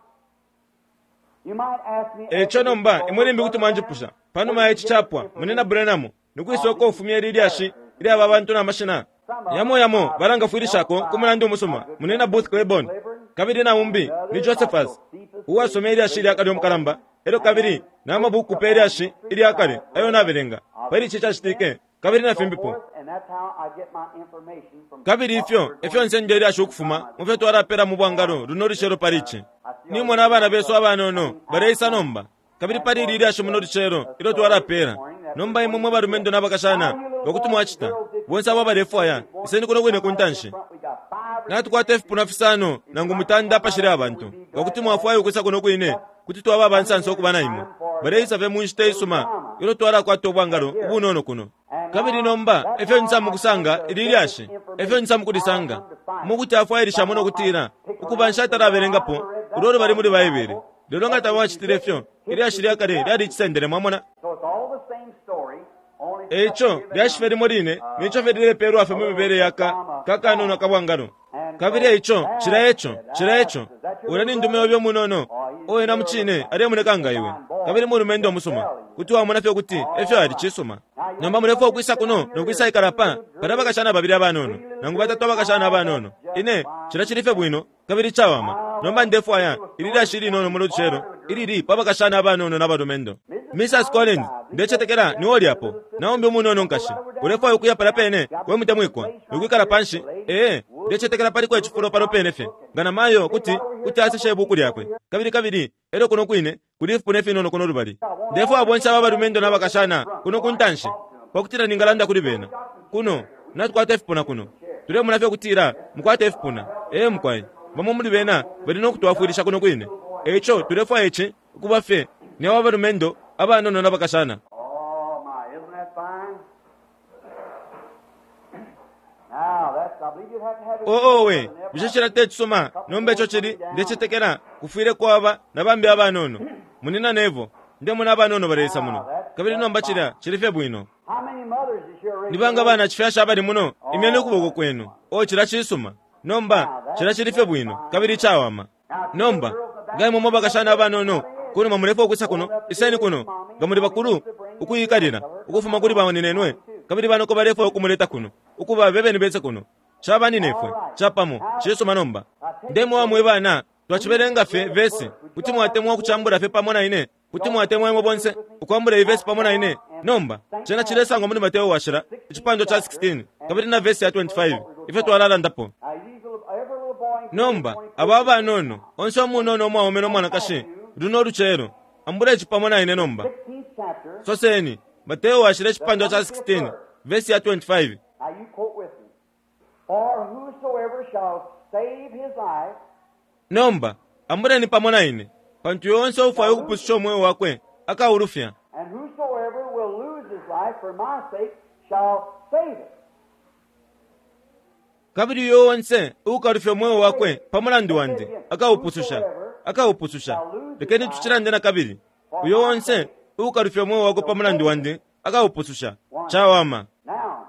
you might ask me Eco nomba imwe limbi kuti mwanjipusha panuma ya ici capwa, munena Branham, nikwisa ufumya ili lyashi ilyaba abantu n'amashina yamo yamo balangafwilishako ku mulandu umusuma, munena Booth Claiborne, kabili na umbi ni Josephus uwasoma ilyashi ilyakale omukalamba, elyo kabili n'amabuku pe ilyashi ilyakale ayo nabelenga pali ici cacitike, kabili na fimbipo. and that's how I get my information from Kabili ifyo efyo nsende ilyashi ukufuma mu fyo twalapela mu bwangalo luno lucelo pali ici. Nimona abana besu abanono baleisa nomba, kabili pali ili ilyashi muno lucelo ilyo twalapela. Nomba imwe mwe balumendo n'abakashana bakuti mwacita bonse abo abalefwaya iseni kuno kwine ku ntanshi. we got five Natukwata ifipuna fisano nangu mutanda apashili abantu, ngakuti mwafwaya ukwisa kuno kwine kuti twaba abansansa okuba na imwe. Baleisa fye mu nshita isuma ilyo twalakwata ubwangalo ubunono kuno. Kabili nomba efyo nsa mukusanga ili lyashi, efyo nsa mukulisanga mukuti afwailishamo nokutila ukuba nshatalabelengapo ulo lubali muli Baibele. Lelo nga tabwacitile ifyo, ilyashi lyakale lyalicisendele, mwamona. So it's all the same story, only Eco lyashi fye limo line nico fye lilepeelwa fye mu mibele yaka kakanono akabwangalo. Kabili eico cila eco cila eco ulya ni ndume obe omunono oena mucine alemoneka nga iwe, kabili mulumendo omusuma, kuti wamona fye ukuti efyo ali cisuma. Nomba mulefwaya ukwisa kuno nokwisa ikala pa pali abakashana babili abanono nangu batatu abakashana abanono. Ine cila cili fye bwino kabili cawama. Nomba ndefwaya ili lyashi linono muno lucelo ilili pa bakashana abanono n'abalumendo. Missus Collins, ndecetekela niwo lyapo naumbi umunono nkashi, ulefwaya ukuya pala pene we mutemwikwa nokwikala panshi? Ee, Ndecetekela paliko icifulo pano pene fye nga na mayo kuti kuti aseshe ibuku lyakwe. Kabili kabili elyo kuno kwine kuli ifipuna ifinono kuno lubali. Ndefwaya bonse aba balumendo n'abakashana kuno ku ntanshi pakutila ningalanda kuli bena. Kuno natukwata ifipuna kuno. Tulemona fye ukutila mukwate ifipuna. Ee mukwai, bamo muli bena bali no kutwafwilisha kuno kwine. Eico tulefwaya ici ukuba fye ni aba balumendo abanono n'abakashana. Oh my, isn't that fine? Now that's, I believe you'd have to have it. Oo we, bushe cila te cisuma nomba ico cili ndecetekela kufwile kwaba na bambi abanono. Munina nevo, ndemona abanono baleisa muno. Kabili nomba cilya cili fye bwino. How many mothers is here raising Ni banga bana chifyasha abali muno, imyeni ukuboko kwenu. O cila cisuma. Nomba cila cili fye bwino, kabili cawama. Nomba nga imwe mwabakashana abanono, kunuma mulefwa ukwisa kuno, iseni kuno, nga muli bakulu ukuyikalila ukufuma kuli baninenwe, kabili banoko balefwa ukumuleta kuno, ukuba bebeni bese kuno. Chabaninefwe, chapamo, cisuma nomba. Ndemwe mwe bana, twachibelenga fye vesi, kuti mwatemwa ukuchambula fye pamo na ine, kuti mwatemwa imwe bonse ukwambula ivesi pamo na ine. Nomba cena cilesangwa muli Mateo washila icipando cha sixteen kabili na vesi ya twenty-five ifyo twalalandapo. Now these little, every little boy and Nomba aba abanono onse omunono omwaume n'omwanakashi luno olucelo ambula ici pamo na ine nomba. sixteenth chapter. Soseni Mateo washila icipando cha sixteen vesi ya twenty-five. Now you quote with me. For whosoever shall save his life Nomba ambuleni pamo na ine, pantu yonse ufwaya ukupususha omweo wakwe akaulufya, and whosoever will lose his life for my sake shall save it. kabili uyo onse ukalufya omweo wakwe pa mulandu wandi akaupususha, akaupususha. Lekeni tucilande na kabili, uyo onse ukalufya omweo wakwe pa mulandu wandi akaupususha. Cawama. Now,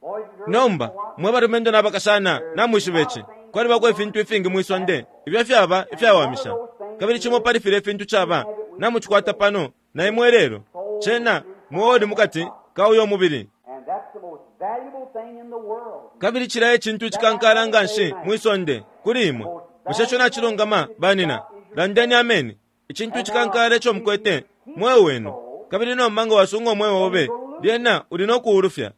boys and girls, Nomba mwe balumendo n'abakashana namwishiba ici, kwalibako ifintu ifingi mwisonde ibyo fyaba ifyawamisha, kabili cimo pali filya ifintu caba namucikwata pano na imwe lelo, cena mweo uli mukati ka uyo mubili. and that's the most valuable thing in the world. Kabili cila ecintu icikankala nga nshi mwisonde kuli imwe. Bushe ico nacilungama banina? Landeni ameni. Icintu icikankala ico mukwete mweo wenu. Kabili nomba nga wasunga omweo obe, lyena uli no kuulufya.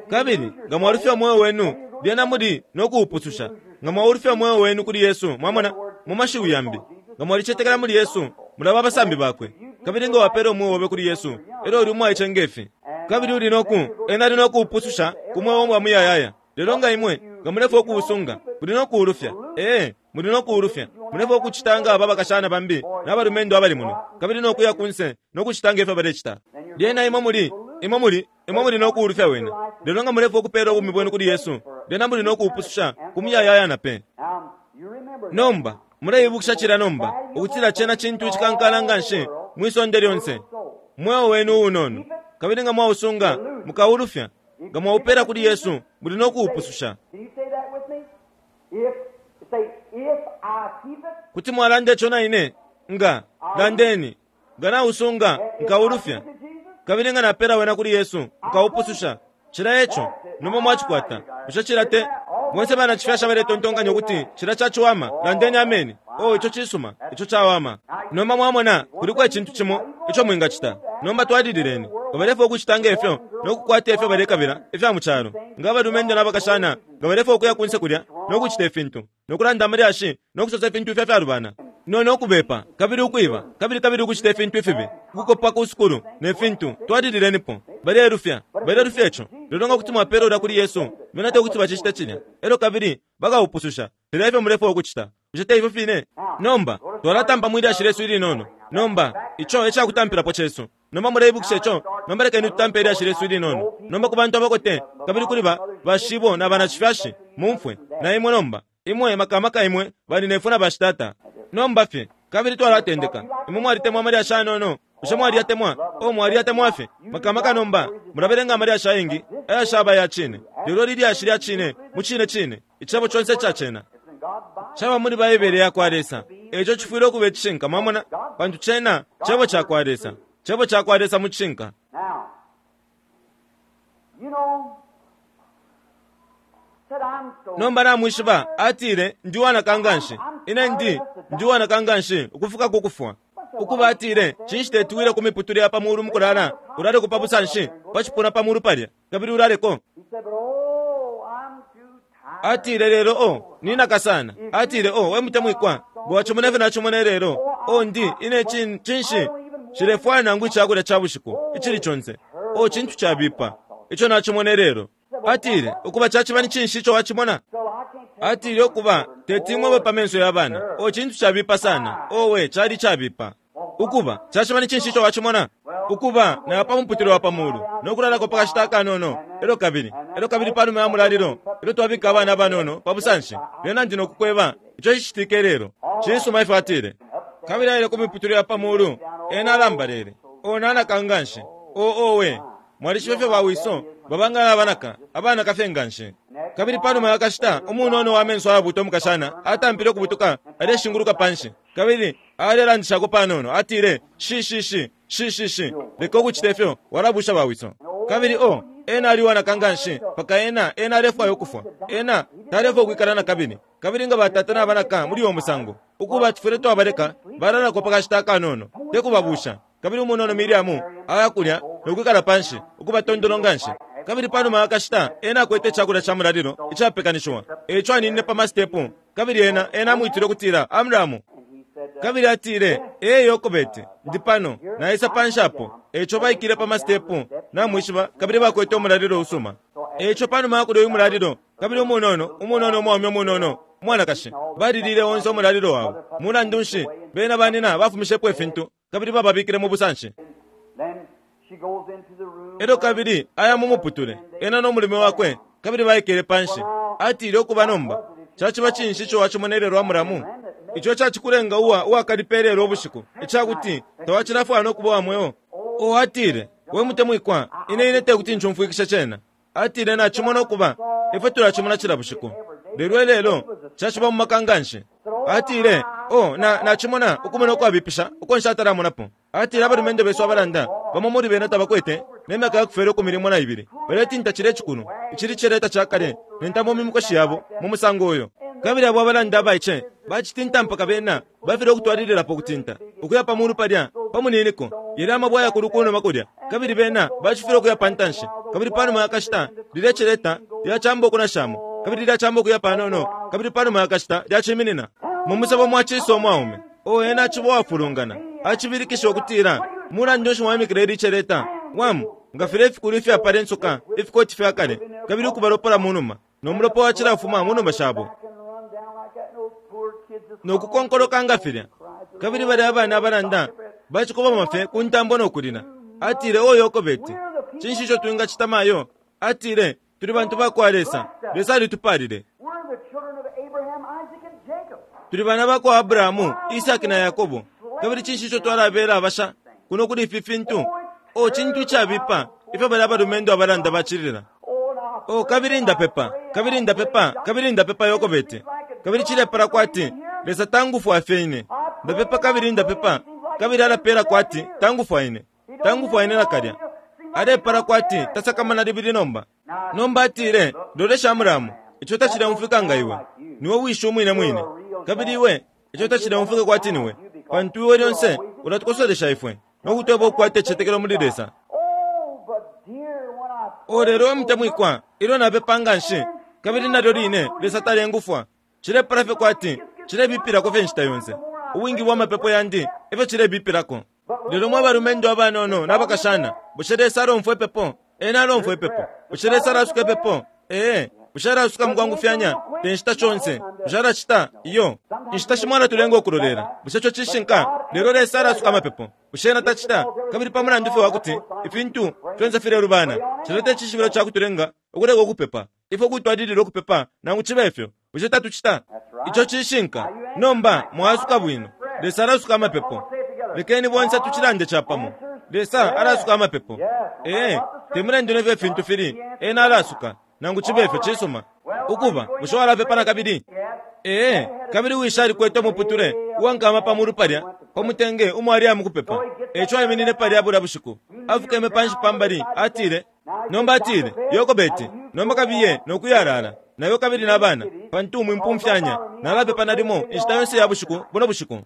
Kabili nga mwalufya omweo wenu, lyena muli no kuupususha. Nga mwaulufya omweo wenu kuli Yesu, mwamona, mu mashiwi yambi, nga mwalicetekela muli Yesu, mulaba abasambi bakwe. Kabili nga wapela omweo obe kuli Yesu, elyo uli umwaice ngefi. Kabili uli noku, ena ali no kuupususha ku mweo wa muyayaya. Lelo nga imwe, nga mulefwa ukuusunga, muli no kuulufya. Ee, muli no kuulufya. Mulefwa ukucita nga aba bakashana bambi n'abalumendo abali muno, kabili no kuya kunse no kucita nga ifyo balecita. Lyena imwe muli, imwe muli, imwe muli no kuulufya wene. Lelo nga mulefwa ukupeela ubumi bwenu kuli Yesu, lyena muli no kuupususha ku muyayaya na pe. Now, you remember that. Nomba muleibukisha cila nomba ukutila cena cintu icikankala nga nshi mwisonde lyonse, mweo wenu uunono. Kabili nga mwausunga mukaulufya, nga mwaupela kuli Yesu muli no kuupususha. Can you say that with me? If say if I keep it, Kuti mwalanda ico na ine, nga landeni, nga nausunga nkaulufya, to Jesus, kabili nga napela wena kuli Yesu nkaupususha. Cila eco nomba mwacikwata. Bushe cila te bonse bana chifyasha baletontonkanya ukuti cila caciwama? Landeni ameni. Oh, ico cisuma, ico cawama. Nomba mwamona kuliko icintu cimo ico mwingacita. Nomba twalilileni nga balefwa ukucita ngefyo no kukwata ifyo balekabila ifya mu calo, nga abalumendo n'abakashana nga balefwa ukuya kunse kulya no kucita ifintu no kulanda amalyashi no kusosa ifintu ifya fyalubana no no kubepa kabili ukwiba kabili kabili ukucita ifintu ifibi, ukukopa ku sukulu ne fintu. Twalililenipo, balelufya, balelufya ico. Lelo nga kuti mwapela ulya kuli Yesu, bena te kuti bacicita cilya, elyo kabili bakaupususha. Filya ifyo mulefwa ukucita. Bushe te ifyo fine? Nomba twalatampa mwilyashi lyesu ilinono. Nomba ico ecakutampilapo cesu. Nomba muleibukisha ico. Nomba lekeni tutampe ilyashi lyesu ilinono. Nomba ku bantu abakote kabili kuli ba bashibo na banacifyashi, mumfwe na imwe nomba, imwe makamaka imwe baninefwe na bashitata. Nomba fye kabili twalatendeka. Imwe mwalitemwa amalyashi anono. Bushe mwaliyatemwa? O mwaliyatemwa fye makamaka. Nomba mulabelenga amalyashi ayengi ayashaba ya cine, lelo lilyashi lya cine mu cine cine, icebo conse ica cena it's in God's Bible. caba muli Baibele ya kwa Lesa. Eco cifwile ukuba icishinka, mwamona, pantu cena cebo ca kwa Lesa, cebo ca kwa Lesa mu cishinka. Now, you know, said I'm so Nomba namwishiba atile ndi uwanaka nganshi, ine ndi ndi uwanaka nganshi ukufika ku kufwa. Ukuba atile cinshi tetuwile ku miputule ya pamulu mukulala, ulaleko pa busanshi pa cipuna pamulu palya, kabili ulaleko. He said, but oh, I'm too tired. Atile lelo o ninaka sana. Atile o we mutemwikwa bwachimona ifyo nachimona lelo o ndi ine chin, chinshi chilefwaya nangu ichakulya cha bushiku ichili chonse o chintu chabipa icho nachimona lelo. Atile ukuba chachiba ni chinshi icho wachimona. Atile ukuba tetimwe pamenso ya bana o chintu chabipa sana owe chali chabipa. Ukuba chachiba ni chinshi icho wachimona. Ukuba na pa muputilo wa pamulu nokulalako pakashita kanono elo kabili elo kabili palume ya mulalilo elo twabika abana banono pabusanshi lyena ndi nokukweba icho chichitike lero chisuma ife. Atile kabili aile ku miputilo ya pamulu ena alambalele ona anakanganshi o owe mwalishiba fye bawiso babanga abanaka abana kafye nganshi. Kabili panuma yakashita umunono wa menso ayabuta omukashana atampile okubutuka aleshinguluka panshi kabili alelandishako panono. Atile shi shi shi shi shi shi leka okuchita ifyo walabusha bawiso. Kabili o ena aliwanaka nganshi paka ena ena alefwaya ukufwa ena talefwa okwikala na kabili. Kabili nga batata nabanaka muli uwo musango ukuba tifwile twabaleka balalako pakashita akanono tekubabusha. Kabili umunono Miriamu ayakulya nokwikala panshi ukuba tondolo nganshi. Kabili panuma yakashita ena akwete ichakulya cha mulalilo ichapekanishiwa echo aninine pa masitepu. Kabili ena ena amwitile okutila Amramu. Kabili atile ee Yokobeti ndi pano naisa panshi apo. Echo baikile pa masitepu namwishiba kabili bakwete umulalilo usuma. Echo panuma yakulya uyu mulalilo kabili umunono umunono umwaume umunono umwanakashi balilile onse umulalilo wabo. Mulandu nshi bena banina bafumishepo ifintu kabili bababikile mu busanshi. Elo kabili aya mumuputule ena n'omulimi wakwe kabili baikele panshi. Atile okuba nomba chachiba chinshi icho wachimonelelwa Amuramu icho chachikulenga uwa uwakalipelelo obushiku ichakuti tawachilafwana nokuba wamweo. O atile we mutemwikwa ine ine tekuti nchumfwikisha chena. Atile nachimona okuba ifwe tulachimona chila bushiku lelo lelo chachiba mu makanganshi. Atile o na nachimona okumona okwabipisha uko nshatalamonapo. Atile abalumendo besu abalanda bamo muri bena tabakwete nemyaka yakufera okumilimo na ibili baletinta chile chikulu ichili cheleta chakale nentamo mimikoshi yabo mu musango oyo. Kabili abo abalanda abaiche bachitinta mpaka bena bafile okutwalililapo kutinta okuya pamulu palya pamuniniko yali amabwa yakulu kunuma kulya kabili bena bachifile okuya pantanshi. Kabili panuma yakashita lilya cheleta lyachamba okunashamo kabili lyachamba okuya panono kabili panuma yakashita lyachiminina mu musabo mwachisa omwaume o ena achiba wafulungana achibilikisha okutila mulandu nshi mwamikile ili cheleta wamu ngafile ifikulu ifyapala ensoka ifikoti fyakale kabili okubalopola munuma nomulopo wachilafuma munuma shabo nokukonkoloka ngafilya. Kabili bali abana abalanda bachikoba mafe ku ntambo nokulila. Atile o Yokobeti chinshi icho twingachita mayo. Atile tuli bantu bakwa Lesa Lesa alitupalile tuli bana bakwa Abrahamu Isaki na Yakobo kabili chinshi icho twalabela abasha kuno kuli ifi fintu o chintu ichabipa ifyo bali abalumendo abalanda bachilila. O kabili ndapepa kabili ndapepa kabili ndapepa Yokobeti kabili chilepala kwati Lesa tangufwa afye ndapepa kabili ndapepa kabili alapela kwati tangufwa ine tangufwa ine nakalya alepala kwati tasakamana libili nomba. Nomba atile lolesha Amuramu icho tachilemufika nga iwe niwe wisha umwine mwine kabili iwe icho tachilemufika kwati niwe pantu iwe lyonse ulatukosolesha ifwe nokutweba okukwata echichetekelo muli Lesa. O lelo mutemwikwa ilyo napepa nganshi kabili nalyo line Lesa talengufwa chilepala fye kwati chilebipilako fye nshita yonse ubwingi bwa mapepo yandi efyo chilebipilako. Lelo mwe abalumendo abanono n'abakashana bushe Lesa alomfwa epepo ena alomfwa epepo bushe Lesa alasuka epepo ee bushe alasuka mukwangufyanya tenshita chonse bushe alachita iyo inshita shimo alatulenga okulolela bushe icho chishinka. Lelo Lesa alasuka amapepo bushe ena tachita kabili pamulandu fye wakuti ifintu fyonse filelubana chileta echishibilo chakutulenga okuleka okupepa ifwe kutwalilila okupepa nangu chiba ifyo bushe tatuchita icho chishinka. Nomba mwasuka bwino Lesa alasuka amapepo lekeni bonse tuchilande chapamo Lesa alasuka amapepo ee temulandu nefyo ifintu fili ena alasuka nangu chiba ifyo chisuma. Ukuba bushe walapepa na kabili ee kabili wisha alikwete omuputule uwankama pamulu palya pamutenge umwali amukupepa echo aiminine palya bula bushiku afukeme panshi pambali. Atile nomba atile Yokobeti nomba kabiye nokuyalala nayo kabili nabana pantu mwimpumfyanya nalapepa nalimo inshita yonse ya bushiku buno bushiku.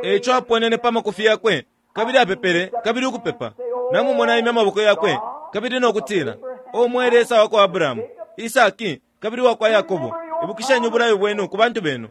Echo aponene pamakufi yakwe kabili apepele kabili ukupepa namumona aimya amaboko yakwe kabili nokutila O mwe Lesa wa kwa Abrahamu, Isaki, kabili wa kwa Yakobo, ibukisheni ubulayo bwenu ku bantu benu.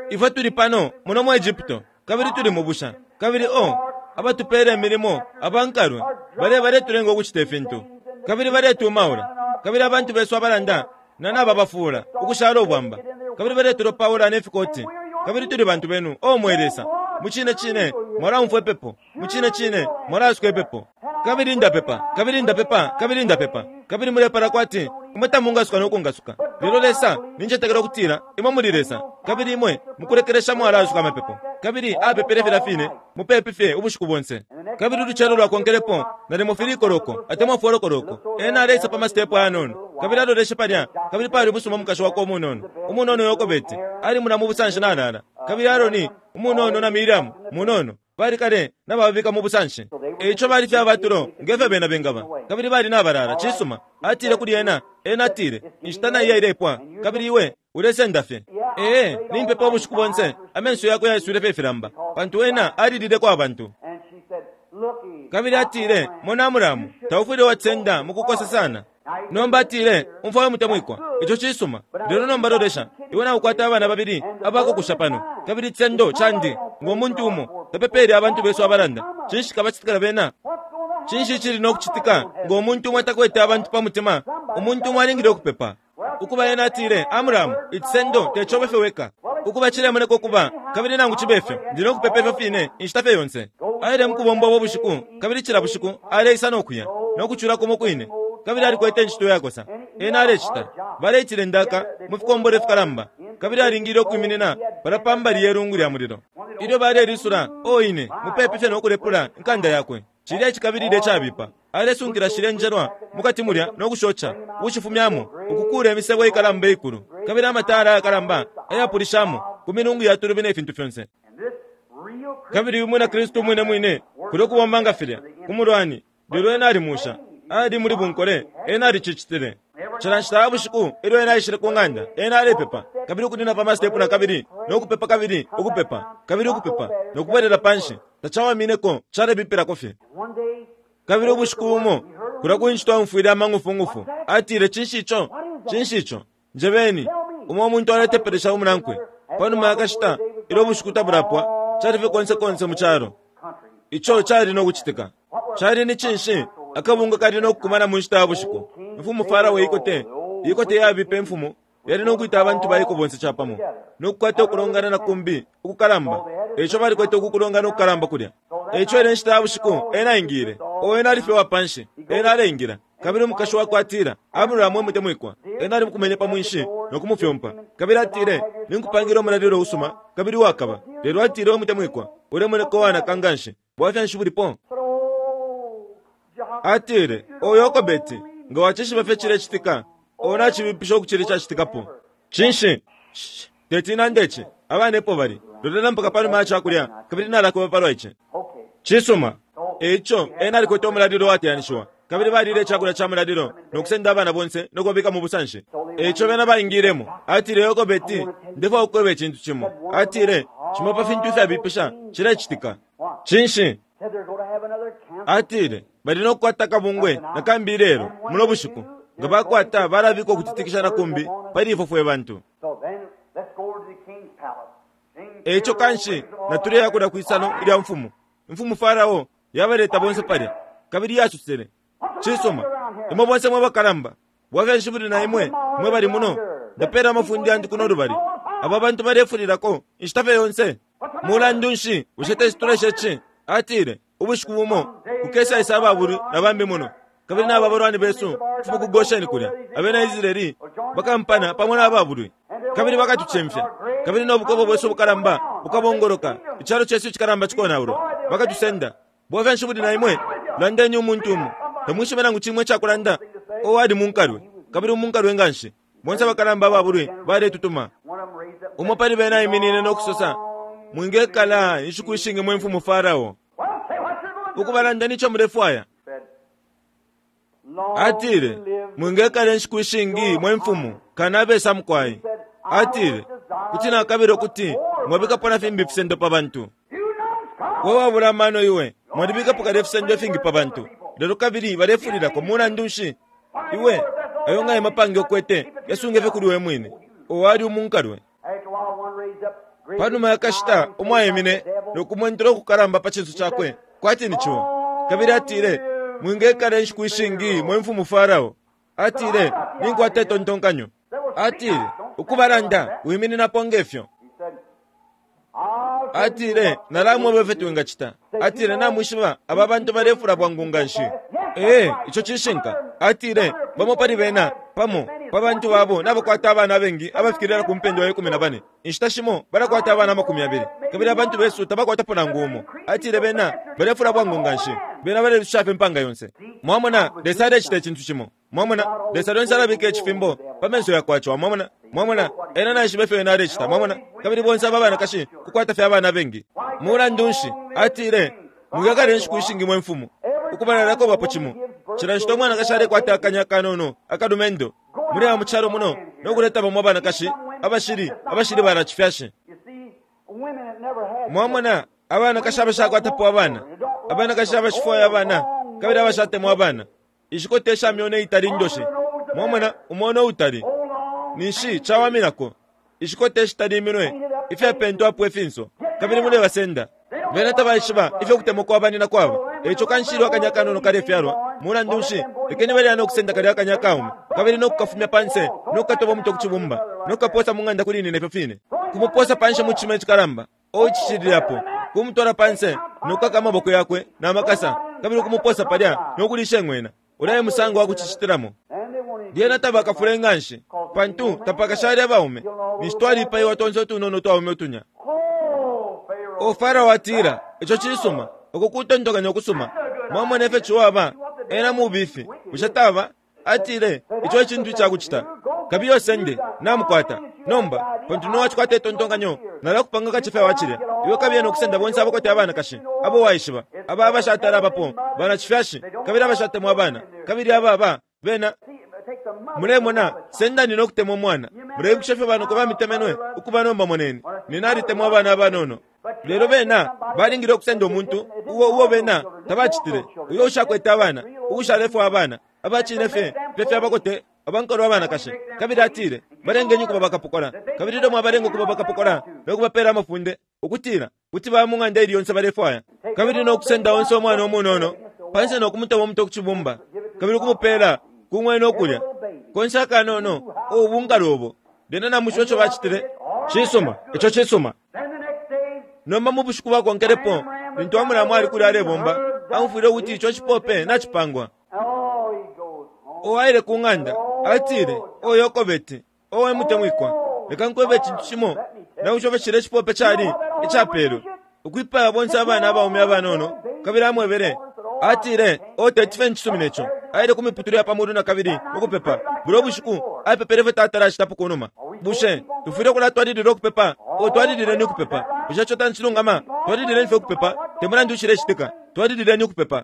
Ifwe tuli pano muno mu Egypto, kabili tuli mu busha, kabili o abatupele imilimo abankalwe bale baletulenga ukucita ifintu, kabili baletumaula, kabili abantu besu abalanda na nababafula ukushala ubwamba, kabili baletulopaula nefikoti, kabili tuli bantu benu. O mwe Lesa, mucine cine mwalaumfwa ipepo, mucine cine mwalaasuka ipepo. Kabili ndapepa, kabili ndapepa, kabili ndapepa, kabili mulepala kwati imwe tamungasuka nokungasuka. Lelo Lesa, nincetekela ukutila imwe muli Lesa, kabili imwe mukulekelesha mwalaasuka amapepo. Kabili apepele filya fine mupepi fye ubushiku bonse. Kabili ulucelo lwakonkelepo nalimo filikoloko atemwa folokoloko, ena aleisa pa masitepu ayanono, kabili aloleshe palya, kabili pali ubusuma umukashi wakwe umunono umunono Yokobeti ali muna mu busanshi nalala, kabili Aroni umunono na Miriamu munono bali kale nabababika mu busanshi. Eico bali fye abatulo ngefyo bena bengaba, kabili bali nabalala. Cisuma, atile kuli ena, ena atile, inshita naiya ilepwa, kabili iwe ulesenda fye. Ee, nimpepa ubushiku bonse, amenso yakwe yaiswile fye ifilamba, pantu ena alilileko abantu. Kabili atile, mona Amuramu, taufwile watsenda mukukosa sana. Nomba atile, umfwa we mutemwikwa, ico cisuma, lelo nomba lolesha, iwe naukwata abana babili abakukusha pano, kabili icendo candi ngo muntu umo tapepele abantu besu abalanda. Cinshi kabacitikila bena? Cinshi cili nokucitika ngo muntu umo atakwete abantu pa mutima? Umuntu umo alingile ukupepa. Ukuba ena atile, Amuramu, icisendo tecobe fye weka. Ukuba cilemoneka ukuba, kabili nangu cibe fyo, ndi nokupepa ifyo fine inshita fye yonse. Aile mukubomba ubo bushiku, kabili cila bushiku aleisa nokuya, nokucula kumo kwine. Kabili alikwete incito yakosa. Ena alecita. Baleitile ndaka mu fikombole fikalamba, kabili alingile ukwiminina pala pambali ye lungu lya mulilo. Ilyo balelisula, o ine, mupepi fye nokulepula inkanda yakwe. Cilya icikabilile cabipa. Alesunkila shile njelwa mukati mulya nokushoca, ukushifumyamo, ukukula imisebo ikalamba ikulu, kabili amatala ayakalamba ayapulishamo ku milungu ya tulubi ne fintu fyonse. Kabili uyu mwina Kristu mwine mwine kuli kubomba nga filya ku mulwani, lelo ena alimusha. Ali muli bunkole, ena alicicitile. Cila nshita ya bushiku ilyo ena aishile ku ng'anda, ena alepepa, kabili ukunina pa masitepu na kabili, nokupepa kabili, ukupepa, kabili ukupepa, nokubwelela panshi. Tacawamineko, calebipilako fye. Kabili ubushiku bumo, kulya ku nshita aumfwile amang'ufungufu. Atile, cinshi ico? Cinshi ico? Njebeni. Umo umuntu aletepelesha umunankwe. Panuma yakashita, ilyo ubushiku tabulapwa, cali fye konse konse mu calo. Ico cali nokucitika. Cali ni cinshi? Akabunga kali nokukumana mu nshita ya bushiku. Imfumu Farao ikote, ikote yabipa imfumu, yali nokwita abantu baiko bonse capamo, nokukwata ukulongana na kumbi ukukalamba. Eico balikwete ukukulongana ukukalamba kulya. Eico ile nshita ya bushiku ena aingile. O ena ali fye wapanshi, ena aleingila. Kabili umukashi wakwe atila, Aburahamu mutemwikwa. Ena alimukumenye pa mwinshi nokumufyompa. Kabili atile, ninkupangila umulalilo usuma, kabili wakaba. Lelo atile, we mutemwikwa, ulemoneka uwanaka nganshi. Bwafya nshi bulipo? Atile, o Yokobeti, nga wacishiba fye cilecitika, o nacibipisha ukucili cacitikapo. Cinshi? Tetina ndeci, abana epo bali. Lolela mpaka panuma ya cakulya, kabili nalakuba palwa ici. Cisuma. Eico, ena alikwete umulalilo wateyanishiwa, kabili balile icakulya ca mulalilo, nokusenda abana bonse nokubabika mu busanshi. Eico bena baingilemo. Atile, Yokobeti, ndefwaya ukukweba icintu cimo. Atile, cimo pa fintu ifyabipisha cilecitika. Cinshi? Atile, bali nokukwata akabungwe nakambi ilelo muno bushiku. Nga bakwata balabika ukutitikisha na kumbi pali ifwe fwe bantu. Eico kanshi natuleya kulya kwisano ilya mfumu. Imfumu Farao yabaleta bonse palya, kabili yasusele, cisuma, imwe bonse mwe bakalamba, bwafya nshi buli na imwe mwe bali muno? Ndapela amafundi yandi kuno lubali. Aba bantu balefulilako inshita fye yonse. Mulandu nshi bushe tecituleshe ci? Atile, ubushiku bumo kukesaisa ababulwi na bambi muno, kabili naba balwani besu kufuma ku Gosheni kulya. Abena Israeli bakampana pamo n'ababulwi, kabili bakatucimfya, kabili n'obukobo bwesu bukalamba bukabongoloka, icalo cesu icikalamba cikonaulwa, bakatusenda. Bwafya nshi buli na imwe? Landeni umuntu umo. Tamwishibe nangu cimwe icakulanda. O ali munkalwe, kabili umunkalwe nganshi. Bonse abakalamba ababulwi baletutuma. Umo pali bena aiminine nokusosa, mwingekala inshiku ishingi mwe mfumu Farao. Ukubalanda nico mulefwaya. Atile, mwingekala inshiku ishingi mwe mfumu, kanabesa mukwai. Atile, kuti nakabila ukuti mwabikapo na fimbi ifisendo pa bantu. We wabula amano iwe, mwalibikapo kale ifisendo ifingi pa bantu. Lelo kabili balefulilako mulandu nshi? Iwe ayo nga emapange ukwete yasunge kuli we mwine. Owali umunkalwe. Panuma yakashita umwaimine nokumwentula ukukalamba pa cinso cakwe kwati ni ciwa. Kabili atile, mwingekala inshiku ishingi mwe mfumu Farao. Atile, ninkwata itontonkanyo. Atile, ukubalanda wimininapo ngefyo. Atile, nalamweba ifyo twingacita. Atile, namwishiba aba bantu balefula bwangu nga nshi. Ee, ico cishinka. Atile, bamo pali bena pamo pa bantu babo nabakwata abana abengi abafikirira ku mpendwa ya ikumi na bane. Inshita shimo balakwata abana amakumi abili. Kabili abantu besu tabakwatapo nangu umo. Atile bena balefula bwangu nga nshi. Bena balelusha fye impanga yonse. Mwamona, Lesa alecita icintu cimo. Mwamona, Lesa lyonse alabika icifimbo pa menso yakwa ciwa. Mwamona, mwamona, ena naishiba ifyo ena alecita. Mwamona, kabili bonse aba banakashi kukwata fye abana abengi. Mulandu nshi? Atile, mwikakale inshiku ishingi mwe mfumu. Ukubalalako bapo cimo. Cila nshita umwanakashi alekwata akanya kanono akalumendo muri aba mucalo muno nokuleta bamwe abanakashi abashili abashili barachifyashi. Mwamona, abanakashi abashakwatapo abana, abanakashi abashifwaya abana, kabili abashatemwa abana. Ishikotesha myone itali ndoshe. Mwamona, umono utali ninshi chawaminako. Ishikotesha tali iminwe ifyapentwapo ifinso kabili mulebasenda. Bena tabaishiba ifyo kutemwa kwabanina kwabo. Eco kanshilwa akanya kanono kalefyalwa. Mulandu nshi? Lekeni balya nokusenda kalya akanya kaume kabili nokukafumya panse nokukatoba omutwe ku cibumba nokukaposa mu ng'anda kuli nine ifyo fine. Kumuposa panse mu cima icikalamba oicishilirapo kumutwala panse nokukaka amaboko yakwe namakasa kabili kumuposa palya nokulisha eng'wena. Ulaye musango wa kucicitilamo. Lyena tabakafule nga nshi pantu tapakashali abaume. Ninshi twalipaiwa tonse utunono twaume utunya. O Farao atila, ico cisuma, uku kutontokanya ukusuma. Mwamona ifyo ciwaba, ena mubifi, bushe taba? Atile, ico ecintu icakucita. Kabiye osende, namukwata. Nomba, pantu nowacikwata itontonkanyo, nalakupanga kacefya wacilya. Iwe kabiye nokusenda bonse abakwete abanakashi, abo waishiba, aba abashatala abapo, banacifyashi, kabili abashatemwa abana, kabili ababa, bena. Mulemona, sendani nokutemwa omwana. Muleibukisha ifyo banoko bamitemenwe, ukuba nomba moneni. Nina alitemwa abana abanono. Lelo bena balingile okusenda omuntu uwo uwo bena tabacitile, uyo ushakwete abana, uushalefwa abana, abacine fye fye abakote abankolo abanakashi. Kabili atile, balengenyi ukuba bakapokola. Kabili ilyo mwabalenga ukuba bakapokola nokubapela amafunde ukutila kuti baya mu ng'anda ili yonse balefwaya. Kabili nokusenda onse omwana omunono panse nokumutema omutwe ku cibumba kabili okumupela kung'wena okulya konse akanono obunkalo obo. Lyena namwishiba ico bacitile? Cisuma, ico cisuma. Nomba mu bushiku bwakonkelepo lintu Amulamu ali kuli alebomba, amufwile ukuti ico cipope nacipangwa. Owaile ku ng'anda atile, o Yokobeti, owe mutemwikwa, leka nkwebe icintu cimo. Nakushofe cile cipope cali icapelwe ukwipaya bonse abana abaume abanono. Kabili amwebele atile, o teti ncisumine ico. Aile ku miputule ya pamulu na kabili ukupepa. Bulo bushiku apepele fye tata acitapo kunuma. Bushe tufwile ukulatwalilila ukupepa? O twalilileni ukupepa. Bushe ico tancilungama? Twalilileni fye ukupepa. Te mulandu ucilecitika, twalilileni ukupepa.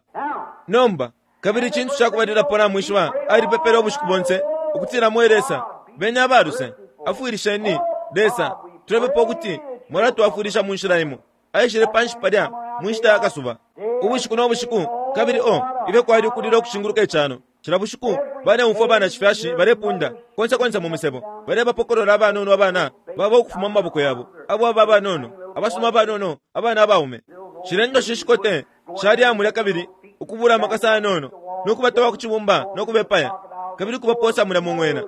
Nomba kabili icintu cakubalilapo namwishiba, alipepele ubushiku bonse ukutila mwe Lesa beni abaluse, afwilisheni Lesa. Tulepepa ukuti mwalatwafwilisha mu nshila imo. Aishile panshi palya mu nshita ya kasuba ubushiku no bushiku. Kabili o ifyo kwali ukulila ukushinguluka icano cila bushiku, baleumfwa abana cifyashi balepunda konse konse mu misebo, balebapokolola abanono abana baba ukufuma mu maboko yabo, abo aba abanono abasuma abanono abana abaume. Cilendo shishikote shali amulya kabili ukubula amakasa anono nokubatoba ku cibumba nokubepaya kabili kubaposa mulya mu ng'wena.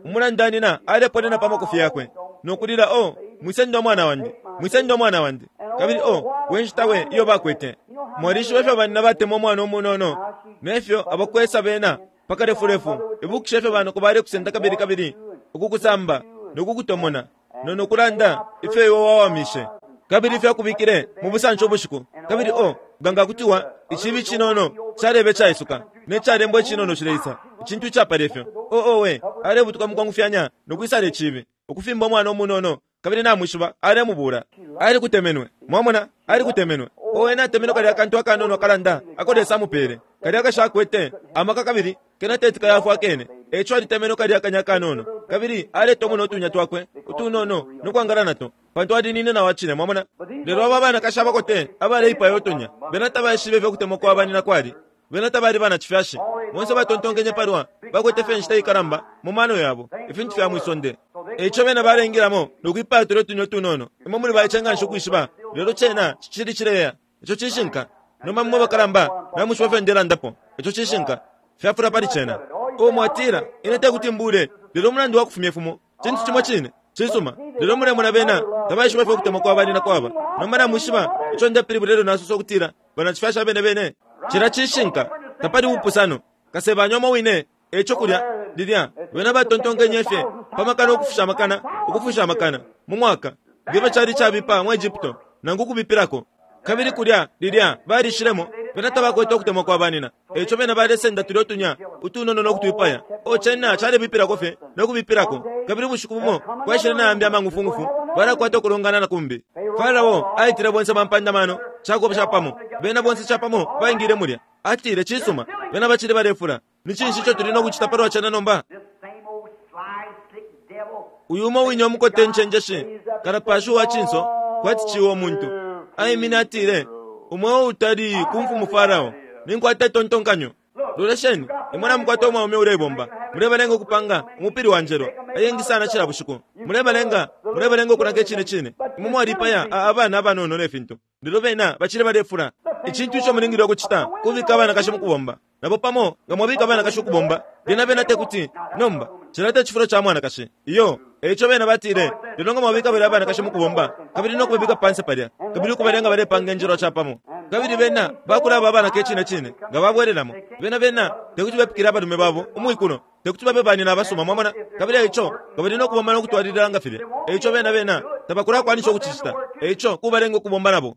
Umulandanina aleponena pa makofi yakwe nokulila, o mwisenda omwana wandi, mwisenda omwana wandi. Kabili o wenshita we iyo bakwete. Mwalishiba ifyo banina batemwa omwana omunono nefyo abakwesa bena pakalefulefu. Ibukisha ifyo banoko balekusenda kabili kabili ukukusamba nokukutomona nonokulanda ifyo iwe wawamishe kabili ifyo akubikile mu busanso ubushiku. Kabili o ganga kutiwa icibi cinono calebe caisuka necalembwa icinono cileisa icintu icapala ifyo. O owe alebutuka mukwangufyanya nokwisala icibi ukufimba omwana omunono. Kabili namwishiba alemubula. Alikutemenwe. Mwamona, alikutemenwe. Owe natemenwe kalya akantu akanono akalanda ako Lesa amupele kalya akashakwete amaka kabili kena teti kayafwa akene. Eco alitemenwe kalya akanya akanono kabili aletomona utunya twakwe utunono nokwangala nato pantu alinine na wacine. Mwamona, lelo aba banakashi abakote abaleipaya utunya bena tabaishibe ifyo kutemwa kwa banina kwali. Bena tabali bana chifyashi. Bonse batontonkenye palwa bakwete fye inshita ikalamba mu mano yabo, ifintu fya mwisonde. Eico bena balengilamo nokwipaya tulyo tunyo tunono. Imwe muli baice nganshi ukwishiba, lelo cena cicili cileya. Ico cishinka. Nomba mwe bakalamba namwishiba ifyo ndelandapo. Ico cishinka. Fyafula pali cena. O mwatila, ine tekuti mbule, lelo umulandu wa kufumya ifumo cintu cimo cine. Cisuma, lelo mulemona bena tabaishiba ifyo kutemwa kwa bani na kwaba. Nomba namwishiba ico ndepilibula lelo nasosa ukutila banacifyasha abene bene. Cila cishinka, tapali ubupusano. Kasebanya umo wine, eco kulya lilya bena batontonkenye fye pamakana ukufusha amakana, ukufusha amakana mu mwaka ngefyo cali cabipa mu Egypto nangu ukubipilako. Kabili kulya lilya balishilemo bena tabakwete ukutemwa kwa banina. Eco bena balesenda tulyo tunya utunono nokutwipaya. O cena calebipilako fye nokubipilako. Kabili ubushiku bumo kwaishile nayambi amangufungufu balakwata ukulongana na kumbi. Farao aitile bonse bampandamano cakuba capamo. Bena bonse capamo baingile mulya. Atile cisuma, bena bacili balefula. Ni cinshi ico tuli nokucita palwa cena nomba? This same old sly, sick devil. Uyu umo wine umukote ncenjeshi kalapashi uwa cinso kwati ciwa umuntu. Aimine atile, umweo utali ku mfumu Farao, ninkwata itontonkanyo. Lolesheni, imwe namukwata umwaume ulebomba. Mulebalenga ukupanga umupili wa njelo ayengi sana cila bushiku. Mulebalenga, mulebalenga ukunaka icine cine. Imwe mwalipaya abana abanono ne fintu. Lelo bena bacili balefula. Icintu ico mulingile ukucita kubika abanakashi mu kubomba. Nabo pamo nga mwabika abanakashi ukubomba, lyena bena tekuti nomba cilata icifulo ca mwanakashi. Iyo, eico bena batile, lelo nga mwabika bale abanakashi mu kubomba, kabili nokubabika panse palya, kabili ukubalenga balepanga injelo capamo. Kabili bena bakulaba abanaka icine cine nga babwelelamo. Bena bena tekuti bepikile abalume babo umwikulo, tekuti babe banina abasuma, mwamona. Kabili eico nga bali nokubomba nokutwalilila nga filya. Eico bena bena tabakulakwanisha ukucicita. Eico kubalenga ukubomba nabo.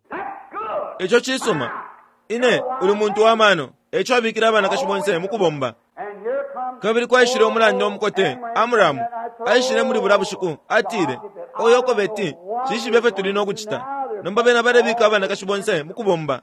Ico cisuma. Ine uli muntu wa mano. Eico abikile abanakashi bonse mu kubomba. And here comes Kabili kwaishile umulanda umukote Amramu aishile muli bula bushiku atile, oyo kobeti cishibe fye tuli nokucita. Nomba bena balebika abanakashi bonse mu kubomba.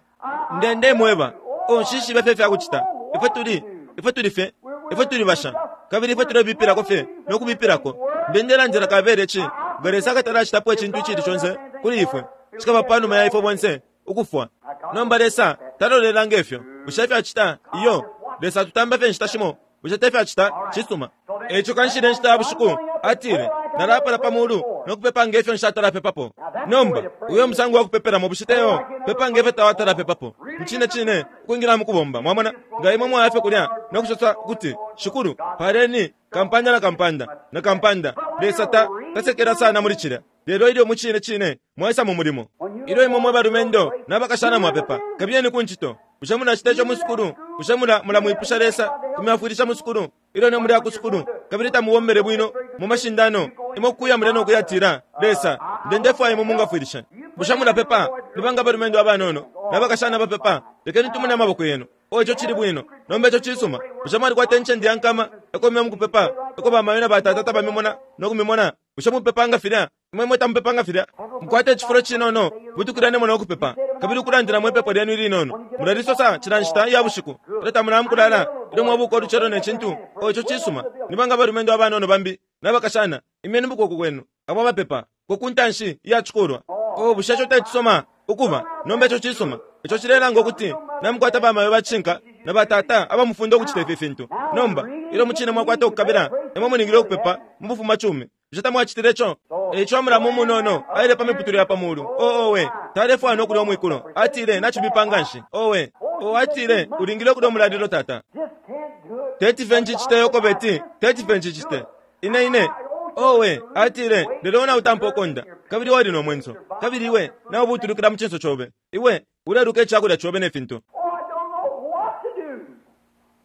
Ndende mweba, o nshishibe fye fyakucita. Ifwe tuli, ifwe tuli fye, ifwe tuli basha. Kabili ifwe tulebipilako fye nokubipilako. Ndendelandila kabele ci, nga Lesa akatalacitapo icintu icili conse kuli ifwe. Cikaba panuma ya ifwe bonse ukufwa. Nomba Lesa talolela ngefyo. Bushe fyacita? Iyo. Lesa tutamba fye inshita shimo. Bushe tefyacita? Cisuma. Eico kanshile inshita ya bushiku atile, nalapala pa mulu nokupepa ngefyo nshatalapepapo. Nomba uyo musango wa kupepelamo bushe teyo? Pepa ngefyo tawatalapepapo. Mucine cine ukwingila mu kubomba. Mwamona nga imwe mwaya fye kulya nokusosa kuti shikulu paleni kampanda na kampanda na kampanda. Lesa ta tasekela sana muli cilya. Lelo ilyo mucine cine mwaisa mu mulimo, ilyo imwe mwe balumendo n'abakashana mwapepa, kabiyeni ku ncito. Bushe munacita ico mu sukulu? Bushe mula mulamwipusha Lesa kumyafwilisha mu sukulu? Ilyo ne muli ku sukulu kabili tamubombele bwino mu mashindano, imwe kuya mulya nokuyatila Lesa ndendefwaya imwe mungafwilisha. Bushe mulapepa? Nibanga balumendo abanono n'abakashana bapepa? Lekeni tumone amaboko yenu. O ico cili bwino. Nomba ico cisuma. Bushe mwalikwata incende ya nkama eko mwe mukupepa, eko bamayo na batata tabamimona nokumimona? Bushe mupepanga filya? Imwe mwe tamupepanga filya? Mukwate icifulo cinono, butukilanemo nokupepa, kabili ukulandila mwepepo lyenu ilinono. Mulalisosa cila nshita ya bushiku, ilyo tamulamukulala, ilyo mwabuka ulucelo ne cintu. O ico cisuma. Nibanga balumendo abanono bambi n'abakashana, imyeni mukuboko kwenu abo abapepa ko ku ntanshi iya cikulwa. O bushe ico tecisoma ukuba? Nomba ico cisuma. Ico cilelanga ukuti namukwata bamayo bacinka na batata abamufunda ukucita ifi fintu. Nomba ilyo mucine mwakwata ukukabila, imwe mulingile ukupepa mu bufumacumi. Bushe tamwacitile ico? Eico Amramu umunono aile pa miputule ya pa mulu. O owe, talefwaya nokulya umwikulo. Atile nacibipa nganshi. Owe, o atile ulingile ukulya umulalilo tata. Just can't do it. Teti fye ncicite yokobeti, teti fye ncicite. Ine ine. Owe, atile lelo nautampa ukonda, kabili wali no mwenso. Kabili iwe naubutulukila mu cinso cobe. Iwe uleluka icakulya cobe ne fintu. Oh, I don't know what to do.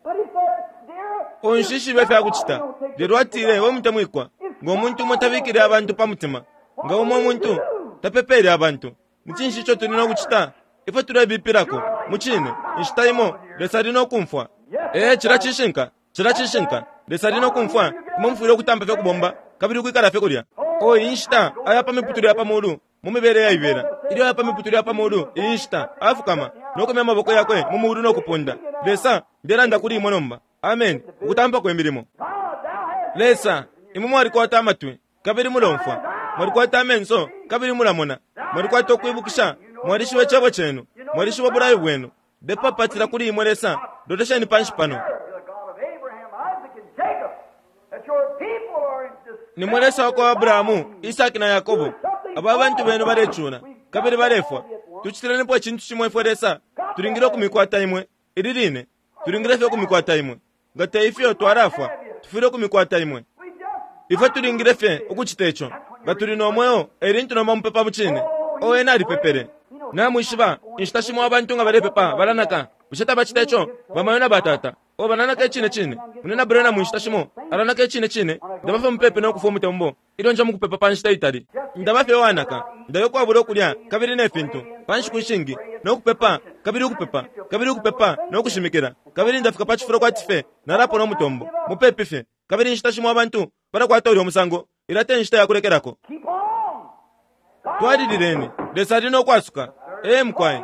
But he said, dear, Onshishibe fyakucita. Lelo atile we mutemwikwa, nga umuntu umo tabikile abantu pa mutima, nga umo umuntu tapepele abantu. Ni cinshi ico tuli nokucita? Ifwe tulebipilako mucine inshita imo Lesa ali nokumfwa. Ee, cila cishinka, cila cishinka. Lesa ali nokumfwa. Imwe mufwile ukutampa fye kubomba kabili ukwikala fye kulya. O iyi nshita aya pa miputule ya pa mulu mu mibele yaibela. Ilyo aya pa miputule ya pa mulu iyi nshita afukama nokumya amaboko yakwe mu mulu nokupunda. Lesa, ndelanda kuli imwe nomba. Amen. Ukutampa kwe milimo. God, thou hast Lesa, imwe mwalikwata amatwi kabili mulomfwa, mwalikwata amenso kabili mulamona, mwalikwata ukwibukisha, mwalishiba icebo cenu, mwalishiba ubulayo bwenu. Ndepapatila kuli imwe Lesa, Lolesheni panshi pano. Nimwe Lesa wakwa Abrahamu, Isaki na Yakobo. Aba bantu benu balecula kabili balefwa. Tucitilenipo icintu cimo ifwe Lesa. Tulingile ukumikwata imwe ili line. Tulingile fye ukumikwata imwe. Nga te ifyo twalafwa, tufwile ukumikwata imwe. Ifwe tulingile fye ukucita ico. Nga tuli no mweo, elintu nomba mupepa mucine. Owe nalipepele. Namwishiba, inshita shimo abantu nga balepepa balanaka. Bushe tabacita ico? Bamayo na batata. O balanaka icine cine. Munena Brena mu nshita shimo alanaka icine cine. Ndaba fye mupepe no kufwa umutembo. Ilyo nja mukupepa pa nshita itali. Ndaba fye wanaka. Ndayo kwabula ukulya kabili ne fintu. Pa nshiku ishingi no kupepa kabili ukupepa kabili ukupepa no kushimikila. Kabili ndafika pa cifulo kwati fye nalapo no mutombo. Mupepe fye. Kabili inshita shimo abantu balakwata ulyo musango. Ilate inshita ya kulekelako. Twalilileni. Lesa ali no kwasuka. Ee mkwai.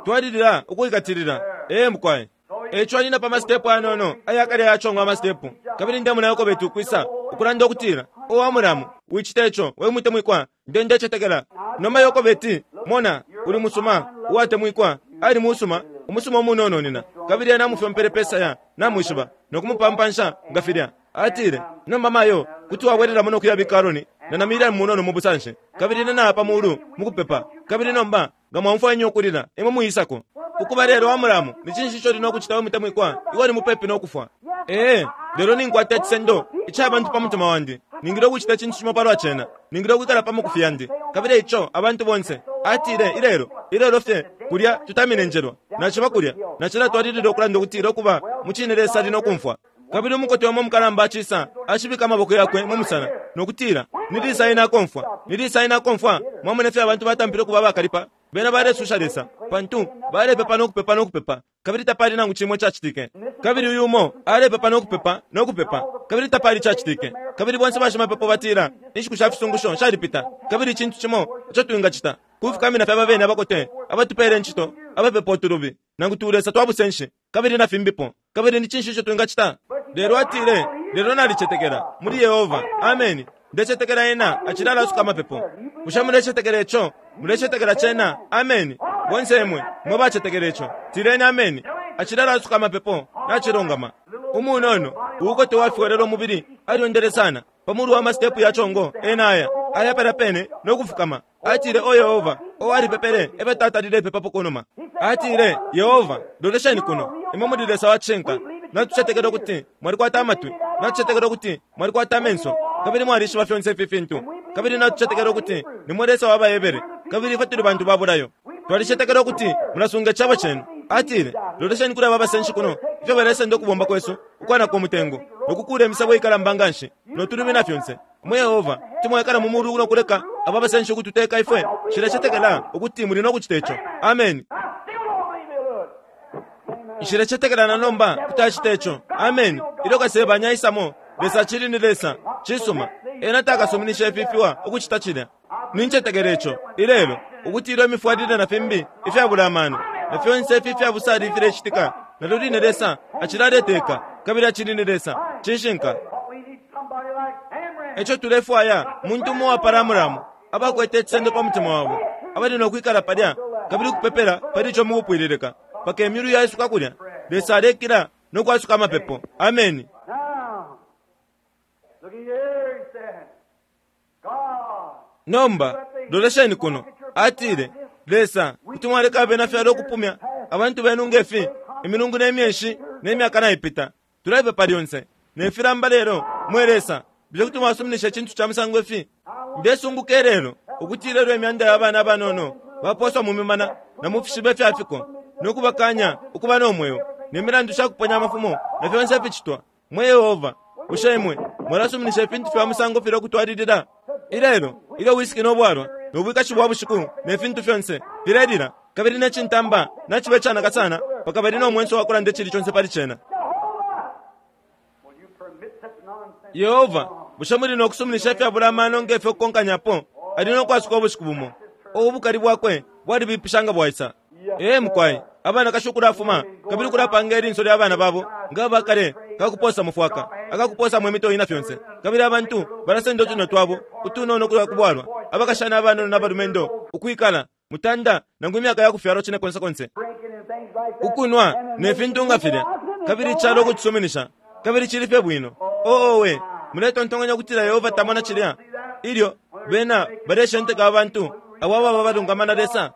Twalilila ukuikatilila. Ee mkwai. Eco alina pa masitepu anono ayakale yachongwa amasitepu. Kabili ndemuna Yokobe ukwisa ukulanda ukutila o Amuramu wicita ico we mutemwikwa nde ndecetekela. Noma Yokobe mona uli musuma uwatemwikwa ali musuma umusuma umunono nina. Kabili ena amufyompele pesa ya namwishiba nokumupampansha nga filya. Atile nomba mayo kuti wabwereramo nokuyabika Aroni na Miriam munono mu busanshi. Kabili ena pa mulu mukupepa. Kabili nomba nga mwamfwanya ukulila imwe muyisako. Ukuba lelo Amuramu ni cinshi ico lino kucita we mutemwikwa iwe ni mupepi nokufwa. Ee lelo ninkwata icisendo ica abantu pa mutima wandi. Ningile ukucita icintu cimo palwa cena. Ningile ukwikala pa mukufi yandi. Kabili ico abantu bonse atile ilelo ilelo fye kulya tutamine njelwa. Naciba kulya nacila twalilile ukulanda ukutila ukuba mucine Lesa ali nokumfwa. Kabili umukote wamo mukalamba acisa ashibika amaboko yakwe mu musana nokutila nilisa ina akomfwa nilisa ina akomfwa. Mwamone fye abantu batampile kuba bakalipa. Bena balesusha Lesa pantu balepepa nokupepa nokupepa kabili tapali nangu cimwe cacitike. Kabili uyu umo alepepa nokupepa nokupepa kabili tapali cacitike. Kabili bonse bashimapepo batila inshiku sha fisungusho shalipita. Kabili icintu cimo ico twingacita kufukamina fye ababene abakote abatupele incito abapepa utulubi nangu tulesa twabusenshi kabili na fimbipo. Kabili ni cinshi ico twingacita? Lelo atile lelo nalicetekela muli Yehova. Ameni. Ndecetekela ena acilala asuka amapepo. Bushe mulecetekela ico? Mulecetekela cena? Ameni. Bonse imwe mwe bacetekela ico tileni ameni. Acilala asuka amapepo nacilongama. Umunono uukote wafyolelo umubili alyondele sana pamulu wa masitepu ya chongo ena aya aya pala pene nokufukama. Atile o Yehova o alipepele ebe tata lilepepa kunuma. Atile Yehova lolesheni kuno imwe muli Lesa wacishinka. Natucetekela ukuti mwalikwata amatwi. Natucetekela ukuti mwalikwata amenso. Kabili mwalishiba fyonse ifi fintu. Kabili natucetekela ukuti nimwe Lesa w'Abahebere. Kabili ifwe tuli bantu babulayo. Twalicetekela ukuti mulasunga icabo cenu. Atile lolesheni kuli aba basenshi kuno ifyo balesenda ukubomba kwesu ukwanaka umutengo nokukula imisebo ikalamba nganshi notulumi na fyonse. Mwe Yehova kuti mwekala mu mulu nokuleka aba basenshi ukututeka ifwe. Nshilecetekela ukuti muli nokucita ico. Ameni. Nshilecetekela na nomba kuti acita ico. Ameni. Ilyo kasebanya aisamo Lesa acili ni Lesa. Cisuma. Ena takasuminisha ififiwa ukucita cilya. Nincetekela ico ilelo ukuti ilyo imifwalile na fimbi ifyabula amano na fyonse ifi ifyabusali ifilecitika nalyo line Lesa acilaleteka kabili acili ni Lesa. Cishinka. Eco tulefwaya muntu umo uwapala Amuramu abakwete icisendo pa mutima wabo abali nokwikala palya kabili ukupepela pali ico mukupwililika paka imyulu yaisuka kulya. Lesa alekila nokwasuka amapepo. Ameni. Nomba lolesheni kuno. Atile Lesa kuti mwaleka abena fyalo ukupumya abantu benu ngefi imilungu ne myeshi ne myaka naipita. Tulepepa lyonse ne filamba lelo mwe Lesa bushe kuti mwasuminisha icintu ca musango ifi? Ndesunguka lelo ukuti lelo imyanda ya bana abanono baposwa mu mimana na mu fishiba ifyafiko nokubakanya ukuba no mweo ne milandu shakuponya amafumo na fyonse ificitwa. Mwe Yehova bushe imwe mwalasuminisha ifintu fya musango file ukutwalilila? Ilelo ilyo wisiki nobwalwa nobwikashi bwa bushiku ne fintu fyonse filelila kabili ne cintamba nacibe canaka sana paka bali no mwenso wakulanda icili conse pali cena. Yehova bushe muli nokusuminisha ifyabula amano ngefyo kukonkanyapo? Ali nokwasuka ubushiku bumo. Ubukali bwakwe bwalibipisha nga bwaisa. Ee mukwai abanakashi ukulafuma kabili ukulapanga ilinso lya bana babo nga bakale kakuposa mufwaka akakuposa mu mitoyi na fyonse. Kabili abantu balasenda utuno twabo utunono kulwa kubwalwa abakashana abanono n'abalumendo ukwikala mutanda nangu imyaka ya kufyalwa cine konse konse ukunwa ne fintu nga filya. Kabili icalo ukucisuminisha, kabili cili fye bwino. Oo owe, muletontonkanya ukutila Yehova tamona cilya ilyo bena baleshenteka abantu abo ababa balungama na Lesa?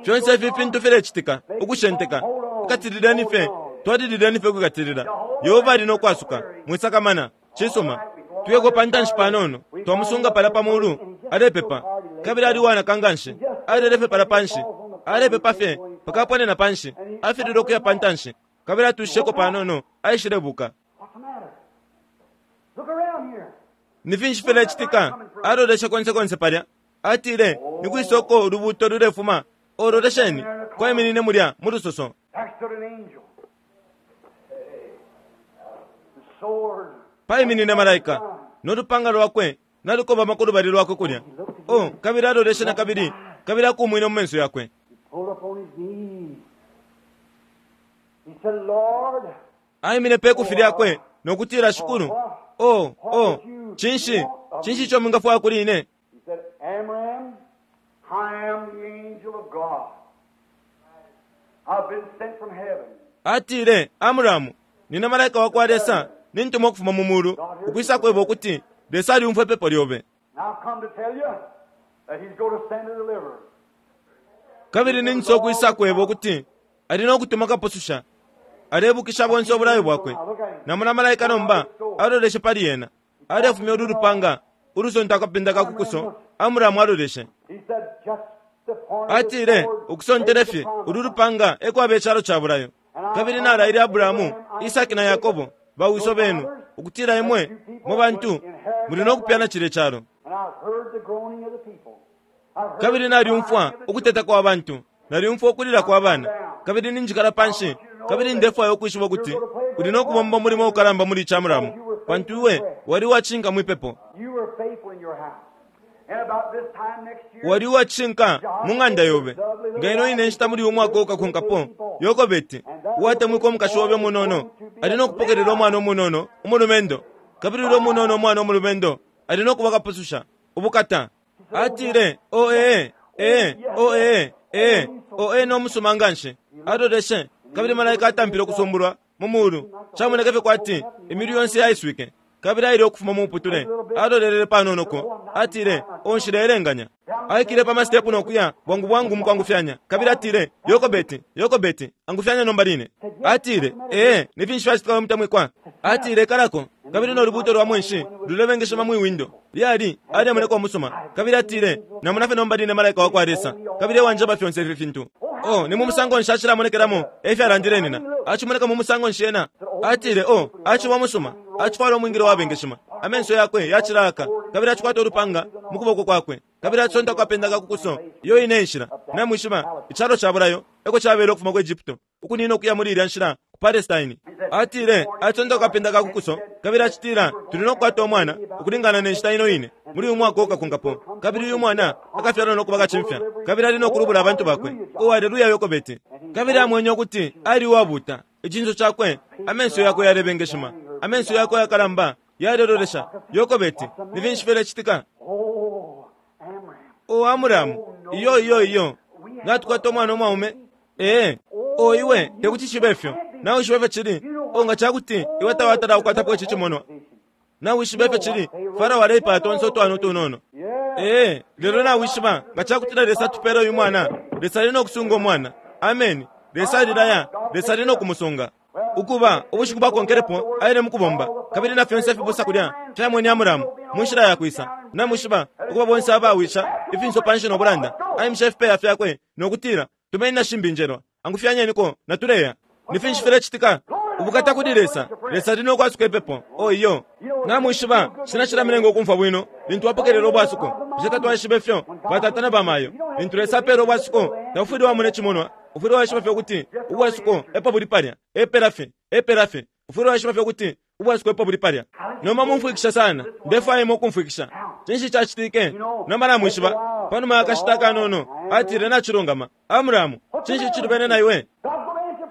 Fyonse ifi fintu filecitika, ukushenteka. Ikatilileni fye, twalilileni fye kwikatilila. Yehova ali no kwasuka, mwisakamana. Cisuma, tuyeko pa ntanshi panono. Twamusunga pala pa mulu alepepa, kabili ali wanaka nganshi, alele fye pala panshi, alepepa fye pakaponena panshi, afilile ukuya pa ntanshi, kabili atushisheko panono, aishilebuka. What's the matter? Look around here. Ni finshi filecitika? Aloleshe konse konse palya. Atile, ni kwisoko ulubuto lulefuma? Ololesheni, kwaiminine mulya mu lusoso. There stood an angel. The sword. Paiminine malaika nolupanga lwakwe nalukobama ku lubali lwakwe kulya. O kabili aloleshe na kabili, kabili akumwine mu menso yakwe. He pulled up on his knees. He said, Lord, Aimine pe kufi lyakwe nokutila, Shikulu, o o cinshi cinshi ico mwingafwaya kuli ine? He said, Amram, I am the angel of God. I've been sent from heaven. Atile, Amuramu, nina malaika wa kwa Lesa, nintumwa ukufuma mu mulu ukwisa kweba ukuti Lesa alyumfwa ipepo lyobe. And I've come to tell you that he's going to send a deliverer. Kabili ninso ukwisa kweba ukuti ali no kutuma kapususha. Alebukisha bonse obulayo bwakwe. Namona malaika nomba aloleshe pali yena, alefumya ulu lupanga ulusonta akapinda ka kukuso. Amuramu aloleshe. He said, just the point of the Atile, sword ukusontele takes fye the promise. ulu lupanga ekwaba icalo ca bulayo, kabili nalaile Aburahamu, Isaki na Yakobo, bawiso benu, ukutila imwe mwe bantu muli no kupyana cile calo. And I've heard the groaning of the people. I've heard Kabili the nalyumfwa crying of the ukuteta kwa bantu, nalyumfwa ukulila kwa bana, kabili ninjikala panshi, kabili ndefwaya ukwishiba ukuti uli no kubomba umulimo ukalamba muli icamulamu, pantu iwe wali uwacinka mwipepo. You were faithful in your house. And about this time next year, Wali uwacinka mu ng'anda yobe. Nga ino ine nshita muli umwaka ukakonkapo, Yokobeti uwatemwika umukashi obe munono ali no kupokelela umwana umunono umulumendo, kabili ulya umunono umwana umulumendo ali no kuba kapususha. Ubukata! Atile, o ee ee, o ee ee, o ee, nomusuma nganshi. Aloleshe, kabili malaika atampile ukusumbulwa mu mulu. Camoneke fye kwati imilu yonse yaiswike, kabili aile ukufuma mu muputule. Alolelele panonoko, atile, onshileelenganya. Aikile pa masitepu nokuya bwangu bwangu mukwangufyanya, kabili atile, Yokobeti, Yokobeti, angufyanya nomba line. Atile, ee, ni finshi fyacitika, we mutemwikwa? Atile, kalako, kabili nolubuto lwa mwenshi lulebengeshema mwi windo lyali aliamoneka umusuma. Kabili atile, namona fye nomba line malaika wa kwa Lesa, kabili ewanjeba fyonse ifi fintu. O ni mu musango nshi acilamonekelamo? Efyalandile nina. Acimoneka mu musango nshi ena? Atile, o aciba umusuma, acifwala umwingilo wabengeshima, amenso yakwe yacilaka, kabili acikwata ulupanga mu kuboko kwakwe, kabili acisonta kwapenda ka kukuso. Iyo ine nshila namwishiba icalo ca bulayo eko cabele ukufuma ku Egypto ukunina ukuya muli ilya nshila ku Palestine. Atile, acisonta kwapenda ka kukuso, kabili acitila, tuli no kukwata umwana ukulingana ne nshita ino ine muli uyu mwaka ukakonkapo, kabili uyu mwana akafyalwa no kuba kacimfya, kabili ali no kulubula abantu bakwe. O aleluya, Yokobeti! Kabili amwenye ukuti ali uwabuta icinso cakwe, amenso yakwe yalebengeshima, amenso yakwe yakalamba yalelolesha. Yokobeti, ni finshi filecitika? Oh, Amram. O Amuramu, iyo iyo iyo, natukwata umwana umwaume. Ee, o iwe tekuti cibe fyo. Nawishiba ifyo cili. O nga cakuti iwe tawatala kukwatapo ici cimonwa, nawishiba ifyo cili. Farao aleipaya tonse utwana utunono. Ee, lelo nawishiba nga cakutila Lesa atupela uyu mwana, Lesa ali no kusunga umwana. Ameni. Lesa alilaya, Lesa ali no kumusunga. Ukuba ubushiku bwakonkelepo aile mukubomba, kabili na fyonse ifibusa kulya fyamwene Amuramu mu nshila yakwisa. Namwishiba ukuba bonse abawisha ifinso panshi no bulanda. Aimisha ifipeya fyakwe nokutila, tumeni na shimbi njelwa, angufyanyeniko, natuleya. Ni finshi filecitika? Ubukata kuli Lesa! Lesa ali no kwasuka ipepo. O iyo, namwishiba cina cilamilenga ukumfwa bwino lintu wapokelela ubwasuko. Bushe tatwaishiba ifyo batata na bamayo, lintu Lesa apela ubwasuko, taufwile wamona icimonwa? Ufwile waishiba fye ukuti ubwasuko epo buli palya. Epela fye, epela fye. Ufwile waishiba fye ukuti ubwasuko epo buli palya. Nomba mumfwikisha sana, ndefwaya imwe ukumfwikisha. Cinshi cacitike? Nomba namwishiba, panuma yakashita kanono, atile, nacilungama, Amuramu, cinshi cilubene na iwe?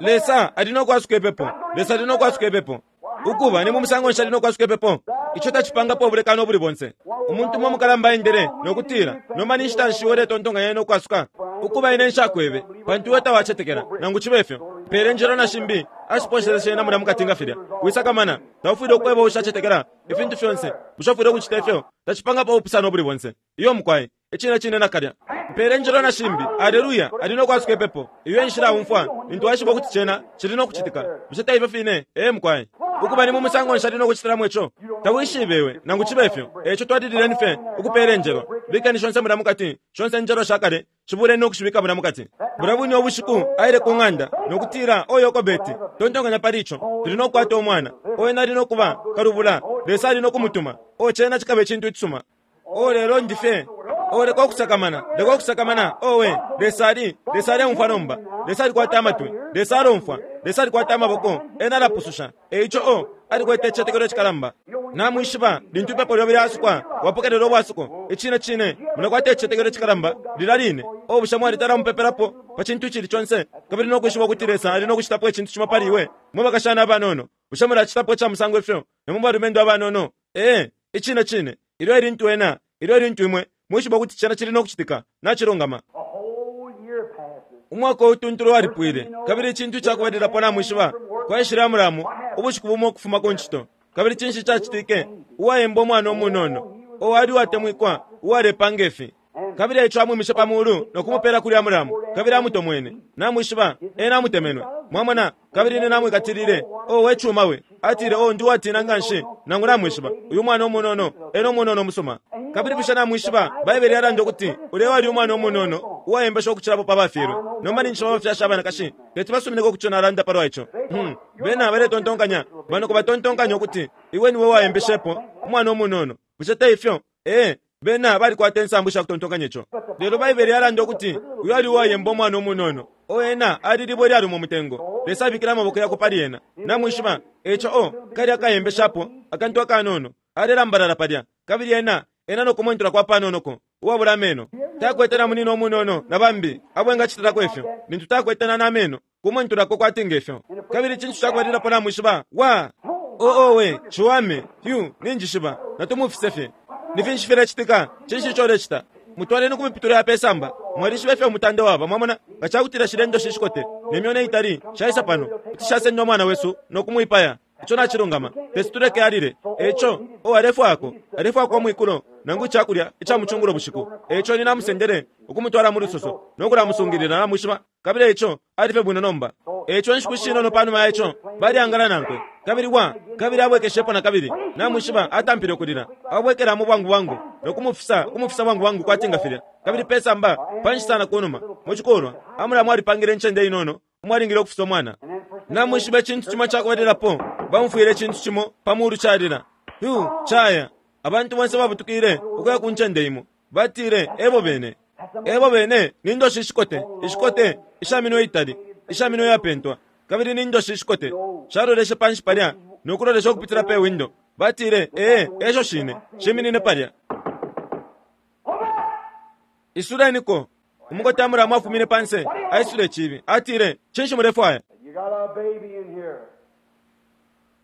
God's going to answer prayer. Lesa ali no kwasuka ipepo. Lesa ali no kwasuka ipepo. Ukuba ni mu musango nshi ali no kwasuka ipepo? Ico tacipangapo ubulekano ubuli bonse. Umuntu umwe mukalamba aendele nokutila, nomba ni nshita nshi uletontonkanya no kwasuka? Ukuba ine nshakwebe, pantu iwe tawacetekela. Nangu cibe fyo, Mpele njelo na shimbi ashiposheleshe na mulya mukati nga filya. Wisakamana, taufwile ukweba ushacetekela ifintu fyonse. Bushafwile ukucita ifyo tacipangapo ubupusano buli bonse. Iyo mukwai, icine cine nakalya. Mpele njelo na shimbi, aleluya, ali no kwasuka ipepo. Iyo enshila umfwa lintu aishiba ukuti cena cili no kucitika. Bushe taife fine? Ee mukwai. Ukuba ni mu musango nshali no kucitilamo ico. Tawishibewe nangu cibe ifyo. Eco twalilileni fye ukupela enjelo. Bikeni shonse mulya mukati, shonse njelo shakale, shibuleni no kushibika mulya mukati. Bulya bwine ubushiku aile ku ng'anda nokutila oyo Yokobeti, tontonkanya pali ico, tuli no kukwata umwana. Oyo nali no kuba kalubula, Lesa ali no kumutuma. O cena cikaba icintu icisuma. O lelo ndi fye. O leka okusakamana, leka okusakamana. Owe, Lesa ali, Lesa aleumfwa nomba. Lesa alikwata amatwi, Lesa alomfwa, Lesa alikwata amaboko, ena alapususha. Eico o, alikwete icicetekelo icikalamba. Namwishiba, lintu ipepo lyobe lyasukwa, wapokelela ubwasuko. Icine cine, mulakwata icicetekelo icikalamba, lila line. O bushe mwalitala mupepelapo pa cintu icili conse, kabili no kwishiba ukuti Lesa ali no kucitapo icintu cimo pali iwe. Mwe bakashana abanono, bushe mulacitapo ica musango ifyo, na mwe balumendo abanono? Ee, icine cine, ilyo elintu ena, ilyo elintu imwe, mwishiba ukuti cena cili no kucitika, nacilungama. A whole year passes. Umwaka utuntulu walipwile, kabili icintu icakubalilapo namwishiba, kwaishile Amuramu ubushiku bumo ukufuma ku ncito. Kabili cinshi cacitike? Uwayemba umwana umunono, owali uwatemwikwa, uwalepanga ifi. Kabili eico amwimishe pa mulu no kumupela kuli Amuramu, kabili amutomwene. Namwishiba, ena amutemenwe. Mwamona, kabili ine namwikatilile. O we cuma we. Atile, o ndi uwatina nganshi, nangu namwishiba. Uyu mwana umunono, ena umunono musuma. Kabili bushe namwishiba, Baibele yalanda ukuti ulya wali umwana umunono uwayembesha ukucilapo pa bafyelwe. Nomba ninshi abafyashi abanakashi teti basumineko kuco nalanda palwa ico. Hmm. Bena baletontonkanya, bano kubatontonkanya ukuti iwe niwe wayembeshepo umwana umunono. Bushe te ifyo? Ee, bena balikwata insambu sha kutontonkanya ico. Lelo Baibele yalanda ukuti uyu ali uwayemba umwana umunono. O ena ali libwe lyaluma umutengo. Lesa abikile amaboko yakwe pali ena. Namwishiba, eco o kali akayembeshapo akantu akanono. Alelambalala palya. Kabili ena, ena no kumwentula kwa panonoko, uwabula ameno. Takwete na munino umunono na bambi abo engacitilako ifyo. Lintu takwete na nameno, kumwentulako kwati ngefyo. Kabili icintu cakubalilapo namwishiba, wa! O owe, ciwame, yu, ninjishiba, natumufise fye. Ni finshi filecitika? Cinshi ico ulecita? Mutwaleni ku miputule ya pesamba. Mwalishiba ifyo umutande waba, mwamona? Nga cakutila shile ndoshi ishikote, ne myona itali, shaisa pano, kuti shasenda umwana wesu no kumwipaya. Ico nacilungama, tesi tuleke alile. Eco, o alefwako, alefwako omwikulo, nangu icakulya ica mucungulo bushiku. Eco ni namusendele ukumutwala mu lusoso, no kulamusungilila namwishiba. Kabili eco, alife bwino nomba. Eco nshiku shinono panuma ya ico, balyangala nankwe. Kabili wa, kabili abwekeshepo na kabili. Namwishiba atampile ukulila. Abwekelamo bwangu bwangu, no kumufisa, kumufisa bwangu bwangu kwati nga filya. Kabili pesamba, panshi sana kunuma, mu cikulwa, Amuramu alipangile incende inono, umwalingile ukufisa umwana. Namwishiba icintu cimo cakubalilapo, bamufwile icintu cimo pa mulu calila. Yu, caya. Abantu bonse babutukile ukuya ku ncende imo. Batile, ebo bene. Ebo bene, ni ndoshi ishikote, ishikote, ishaminwe itali, ishaminwe yapentwa. Kabili ni ndoshi ishikote. Shaloleshe panshi palya, no kulolesha ukupitila pe window. Batile, ee, esho shine, shiminine palya. Isuleniko. Umukote Amuramu afumine panse, aisule icibi. Atile, cinshi mulefwaya? You got a baby in here.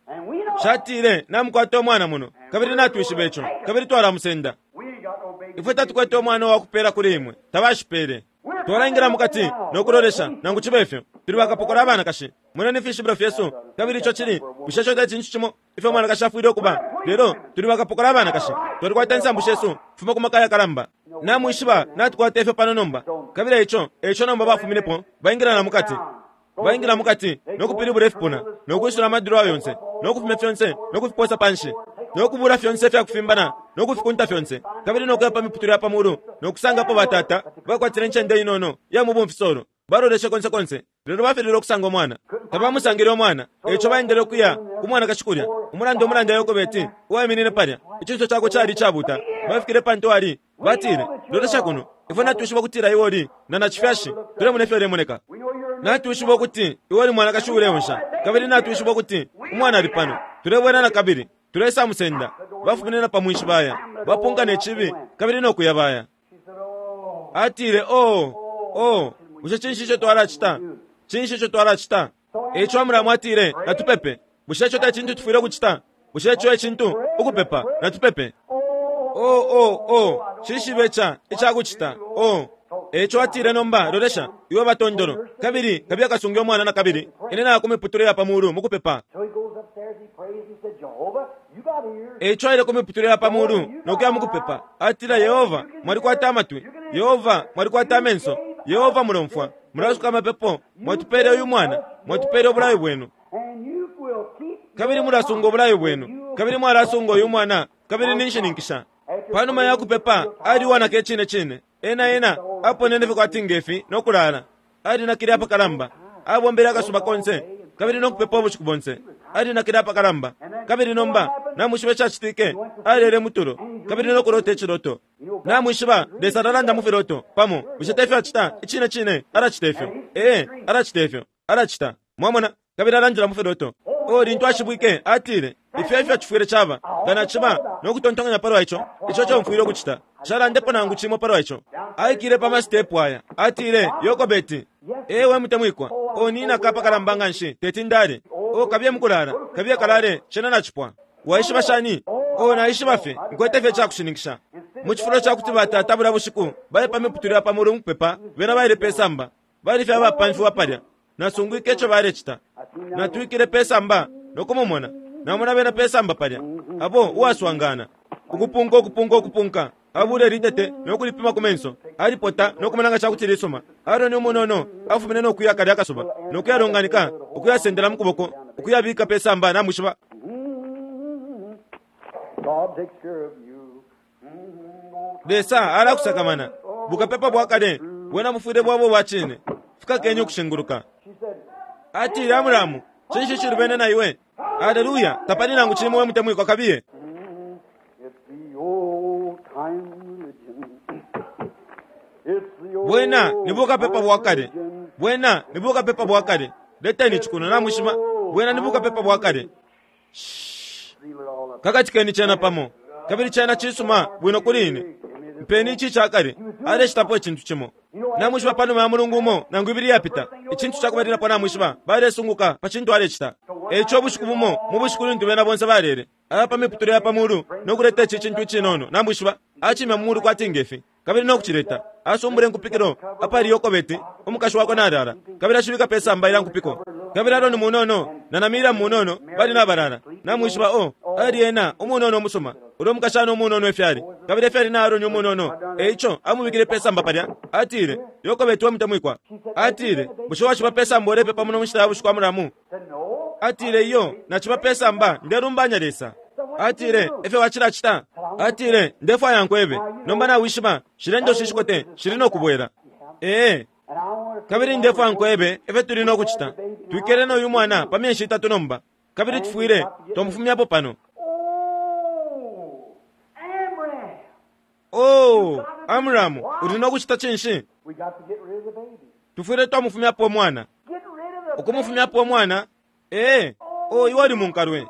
And we know Shatile, namukwata umwana muno, kabili natwishiba ico, kabili twalamusenda. we ain't got no baby. Ifwe tatukwete umwana wakupela kuli imwe, tabashipele. Twalaingira mukati no kulolesha, nangu cibe ifyo. Tuli bakapokola abanakashi. Mwene ni fishibilo fyesu, kabili ico cili, bushe ico te cintu cimo ifyo umwanakashi afwile ukuba. Lelo tuli bakapokola abanakashi. Twalikwata insambu shesu, fuma ku maka yakalamba. Namwishiba, natukwata ifyo pano nomba. Kabili ico, ico nomba bafuminepo, baingira na mukati. Baingira mukati, no kupilibula ifipuna, no kwisula amadiro yonse, no kufumya fyonse, no kufiposa panshi, no kubula fyonse fyakufimbana, no kufikunta fyonse, kabili no kuya pa miputule ya pamulu, no kusangapo batata, bakwatile incende inono, ya mubumfisolo. Baloleshe konse konse, lelo bafilile okusanga omwana. Tabamusangile omwana, eco baendele okuya ku mwana kashikulya. Umulanda omulanda Yokobeti, uwayiminine palya, icinso cakwe cali icabuta. Bafikile pantu ali, batile, lolesha kuno, ifwe natwishiba ukutila iwe oli na nacifyashi, tulemona ifyo ulemoneka. We know you're a Natwishiba ukuti iwe oli mwanakashi uleonsha, kabili natwishiba ukuti umwana ali pano. Tulebwela na kabili, tulesamusenda. Bafumine na pamwinshi baya, bapunka ne cibi, kabili no kuya baya. She said, oh, Atile, oh, oh, bushe cinshi ico twalacita? Cinshi ico twalacita? Eico Amuramu atile, natupepe. Bushe ico te cintu tufwile ukucita? Bushe ico e cintu ukupepa? Natupepe. oh, Oh, oh, oh, cishibe ca, icakucita. Oh, Eco atile nomba lolesha iwe batondolo kabili kabiye kasunge umwana na kabili ine nakumiputule ya pamulu mukupepa. Eco aile kumiputule ya pamulu nokuya mukupepa atila Yehova mwalikwata amatwi, Yehova mwalikwata amenso, Yehova mulomfwa mulasuka amapepo, mwatupele uyu mwana, mwatupele obulayo bwenu kabili mulasunga obulayo bwenu kabili mwalasunga uyu mwana kabili ninshininkisha. Panuma ya kupepa aliwanaka icine cine ena ena aponene fye kwati ngefi nokulala alinakile apakalamba abombele akasuba konse kabili nokupepa ubushiku bonse alinakile apakalamba kabili nomba namwishiba icacitike alele mutulo kabili nokulota iciloto. Namwishiba Lesa alalanda mu filoto pamo bushe tefyo acita icine cine alacita ifyo ee alacita ifyo alacita mwamona kabili alandila mu filoto. O lintu ashibwike atile ifyo ifyo acifwile caba nga naciba nokutontonkanya palwa ico ico comfwile ukucita shalandepo nangu cimo palwa ico. Aikile pa masitepu aya atile Yokobeti ewe mutemwikwa o ninaka apakalamba nga nshi teti ndale o kabiye mukulala kabiye kalale cena nacipwa. Waishiba shani? O naishiba fye nkwete fye cakushininkisha. Mu cifulo cakuti batata bula bushiku bali pa miputule ya pamulu mukupepa bena baile pe samba bali fye abapamfiwa palya nasungwike ico balecita natwikile pe samba nokumumona namona bena pe samba palya abo uwaswangana ukupunka ukupunka ukupunka abule litete nokulipima ku menso alipota nokumona nga cakuti lisuma. Aroni umunono afumine nokuya kalya akasuba nokuyalonganika ukuyasendela mu kuboko ukuyabika pe samba namwishiba. Lesa alakusakamana bukapepa bwakale bwena bufwile bwabo bwa cine fikakenye ukushinguluka. Atile Amuramu cinshi cilubene na iwe? Haleluya tapali nangu cimo we mutemwikwa kabiye. Bwena ni bukapepa bwakale bwena ni bukapepa bwakale leteni cikuno namwishiba bwena ni bukapepa bwakale. Kakatikeni cena pamo kabili cena cisuma bwino kuli ine mpeni ici cakale alecitapo icintu cimo. Namwishiba panuma ya mulungu umo nangu ibili yapita icintu cakubalilapo namwishiba balesunguka pa cintu alecita. Eco ubushiku bumo mu bushiku lintu bena bonse balele aya pa miputule ya pamulu nokuleta ici cintu icinono namwishiba acimya mu mulu kwati ngefi kabili nokucileta asumbule nkupikilo apali Yokobeti umukashi wakwe nalala kabili ashibika pe samba ila nkupiko kabili Aroni munono na Namira munono bali nabalala namwishiba o ali ena umunono umusuma ulwo umukashana umunono efyali kabili efyali na Aroni umunono. Eico amubikile pe samba palya atile Yokobeti we mutemwikwa atile bushe waciba pe samba ulepepa muno munshita ya bushiku Amuramu? Atile iyo naciba pe samba ndelumbanya Lesa. Atile efyo wacilacita? Atile ndefwaya nkwebe nomba nawishiba shile ndoshi shikote shili nokubwela ee kabili ndefwaya nkwebe efyo tuli nokucita twikele noyu mwana pa myeshi itatu nomba kabili tufwile twamufumyapo pano. Oh Amramu uli nokucita cinshi? Tufwile twamufumyapo umwana ukumufumyapo umwana ee o iwe uli munkalwe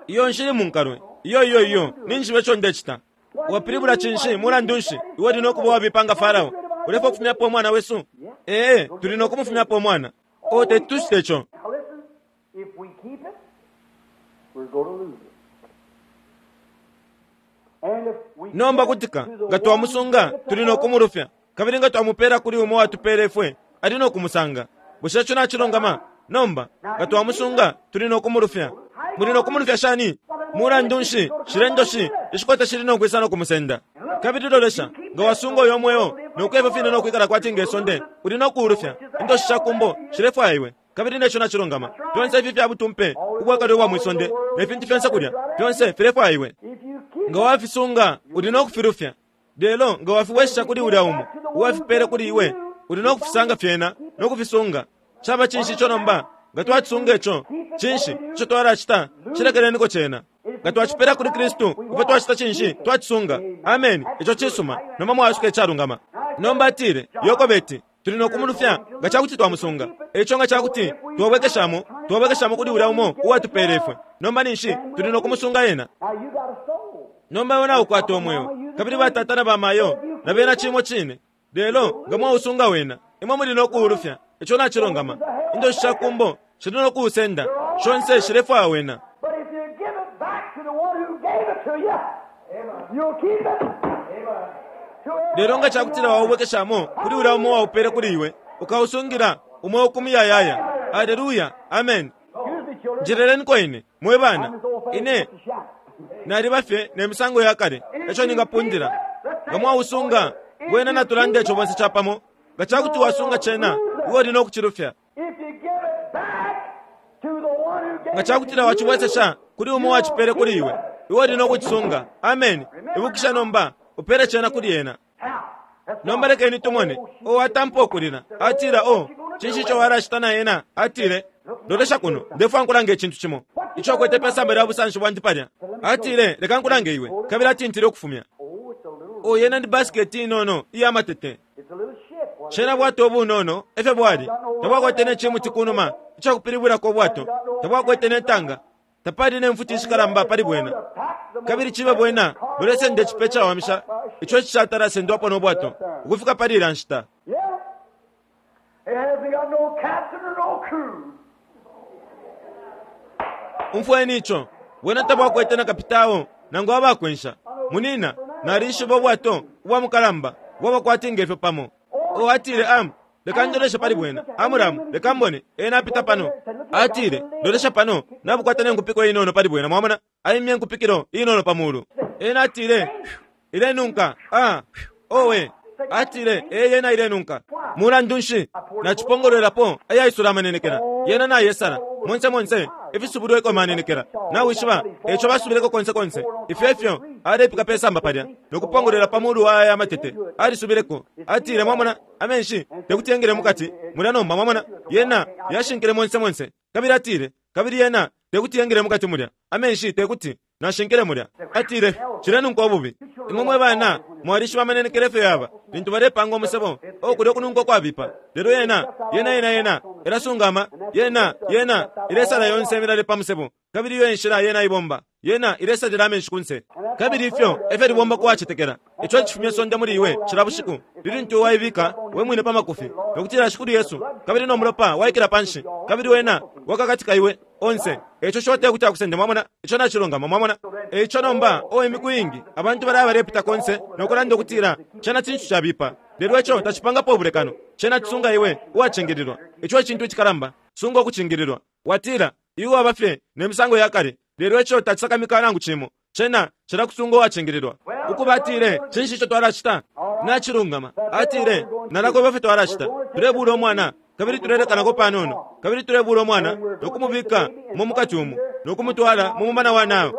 iyo nshili munkalwe iyo iyo iyo ninshibe ico ndecita wapilibula cinshi mulandu nshi iwe uli nokuba wabipanga Farao ulefwa kufumyapo umwana wesu ee tuli nokumufumyapo umwana o teti tucite ico. Nomba kutika nga twamusunga tuli nokumulufya kabili nga twamupela kuli umo watupele ifwe ali nokumusanga. Bushe ico nacilongama? Nomba nga twamusunga tuli nokumulufya muli nokumulufya shani? Mulandu nshi shile ndoshi ishikota shili nokwisa nokumusenda kabili lolesha nga wasunga uyo mweo nokwefyo fine nokwikala kwati ngesonde uli nokuulufya indoshi shakumbo shilefwaya iwe kabili neco nacilongama. Fyonse ifi fya butumpe ubwakale ubwa mwisonde ne fintu fyonse kulya fyonse filefwaya iwe nga wafisunga uli nokufilufya lelo nga wafiwesha kuli ulya umo uwafipele kuli iwe uli nokufisanga fyena nokufisunga. Caba cinshi ico nomba nga twacisunga ico cinshi ico twalacita cilekeleniko cena nga twacipela kuli Kristu ifwe twacita cinshi twacisunga. Ameni ico cisuma nomba mwasuka icalungama. Nomba atile Yokobeti tuli nokumulufya nga cakuti twamusunga eco nga cakuti twabwekeshamo twabwekeshamo kuli ulya umo uwatupele ifwe nomba ninshi tuli nokumusunga ena. Nomba iwe naukwata umweo kabili batata na bamayo na bena cimo cine lelo nga mwausunga wena imwe muli nokuulufya ico nacilongama. Indoshi shakumbo shili nokuusenda shonse shilefwaya wena. Lelo nga cakutila waubwekeshamo kuli ulya umo waupele kuli iwe, ukausungila umweo ku muyayaya. Aleluya, amen. Njeleleniko ine mwe bana, ine naliba fye ne misango ya kale eco ningapundila. Nga mwausunga wena, natulande ico bonse capamo. Nga cakuti wasunga cena, iwe uli no kucilufya. Nga cakutila wacibwesesha kuli umo wacipele kuli iwe, iwe uli no kucisunga. Amen. Ibukisha nomba, upele cena kuli ena. Nomba lekeni tumone. O atampa ukulila, atila, o cinshi ico walacita na ena? Atile, lolesha kuno, ndefwa nkulanga icintu cimo ico akwete pe samba lya busanshi bwandi palya. Atile, leka nkulange iwe. Kabili atintile ukufumya. O yena ndi basiketi inono iya matete. Cena bwato ubunono efyo bwali. Tabwakwete ne cimuti kunuma icakupilibwilako ubwato, tabwakwete ne tanga, tapali ne mfuti ishikalamba pali bwena. Kabili cibe bwena bulesenda icipe cawamisha ico cishatala sendwapo no bwato ukufika pali ila nshita. Umfweni ico, bwena tabwakwete na kapitao nangu abakwensha. Munina, nalishiba ubwato ubwa mukalamba bwabakwati ngefyo pamo. O atile, am leka ndoleshe pali bwena. Amuramu, leka mbone ena apita pano. Atile, lolesha pano, nabukwata ne nkupiko inono pali bwena. Mwamona, aimye nkupikilo inono pa mulu. Ena atile, ilenunka. Ah, owe. Atile, e yena ilenunka. Mulandu nshi nacipongolwelapo ayaisula amanenekela. Yena nayesala monse monse ifisubulwe eko manenekela. Nawishiba eco basubileko konse konse. Ifyo ifyo alepika pesamba palya nokupongolwela pa mulu wa aya matete. Alisubileko. Atile, mwamona, amenshi tekuti yengele mukati mulya nomba. Mwamona, yena yashinkile monse monse. Kabili atile, kabili yena tekuti yengele mukati mulya amenshi tekuti nashinkile mulya. Atile, cilenunka ububi. Imwe mwe bana mwalishiba amanenekela efyo yaba lintu balepanga umusebo okulya okununka okwabipa. Lelo yena yena yena yena ilasungama yena yena ilesala yonse imilale pa musebo. Kabili iyo enshila yena ibomba, yena ilesalila amenshi kunse. Kabili ifyo efyo libomba kuwacetekela. Ico cifumya sonde muli iwe cila bushiku lilintu waibika we mwine pa makufi nokutila Shikulu Yesu, kabili no mulopa waikila panshi, kabili wena wakakatika iwe onse. Eco shote kuti akusende. Mwamona, ico nacilungama. Mwamona, eco nomba o imiku ingi abantu balaya balepita konse nokulanda ukutila cena cintu cabipa. Lelo ico tacipangapo ubulekano. Cena cisunga iwe uwacingililwa. Ico ecintu icikalamba, sunga ukucingililwa. Watila iwe waba fye ne misango ya kale, lelo ico tacisakamika nangu cimo. Cena cilakusunga uwacingililwa. Ukuba atile, cinshi ico twalacita? Nacilungama. Atile, nalakoba fye twalacita. Tulebula umwana kabili tulelekanako panono, kabili tulebula umwana nokumubika mu mukati umu nokumutwala mu mumana wa Nile.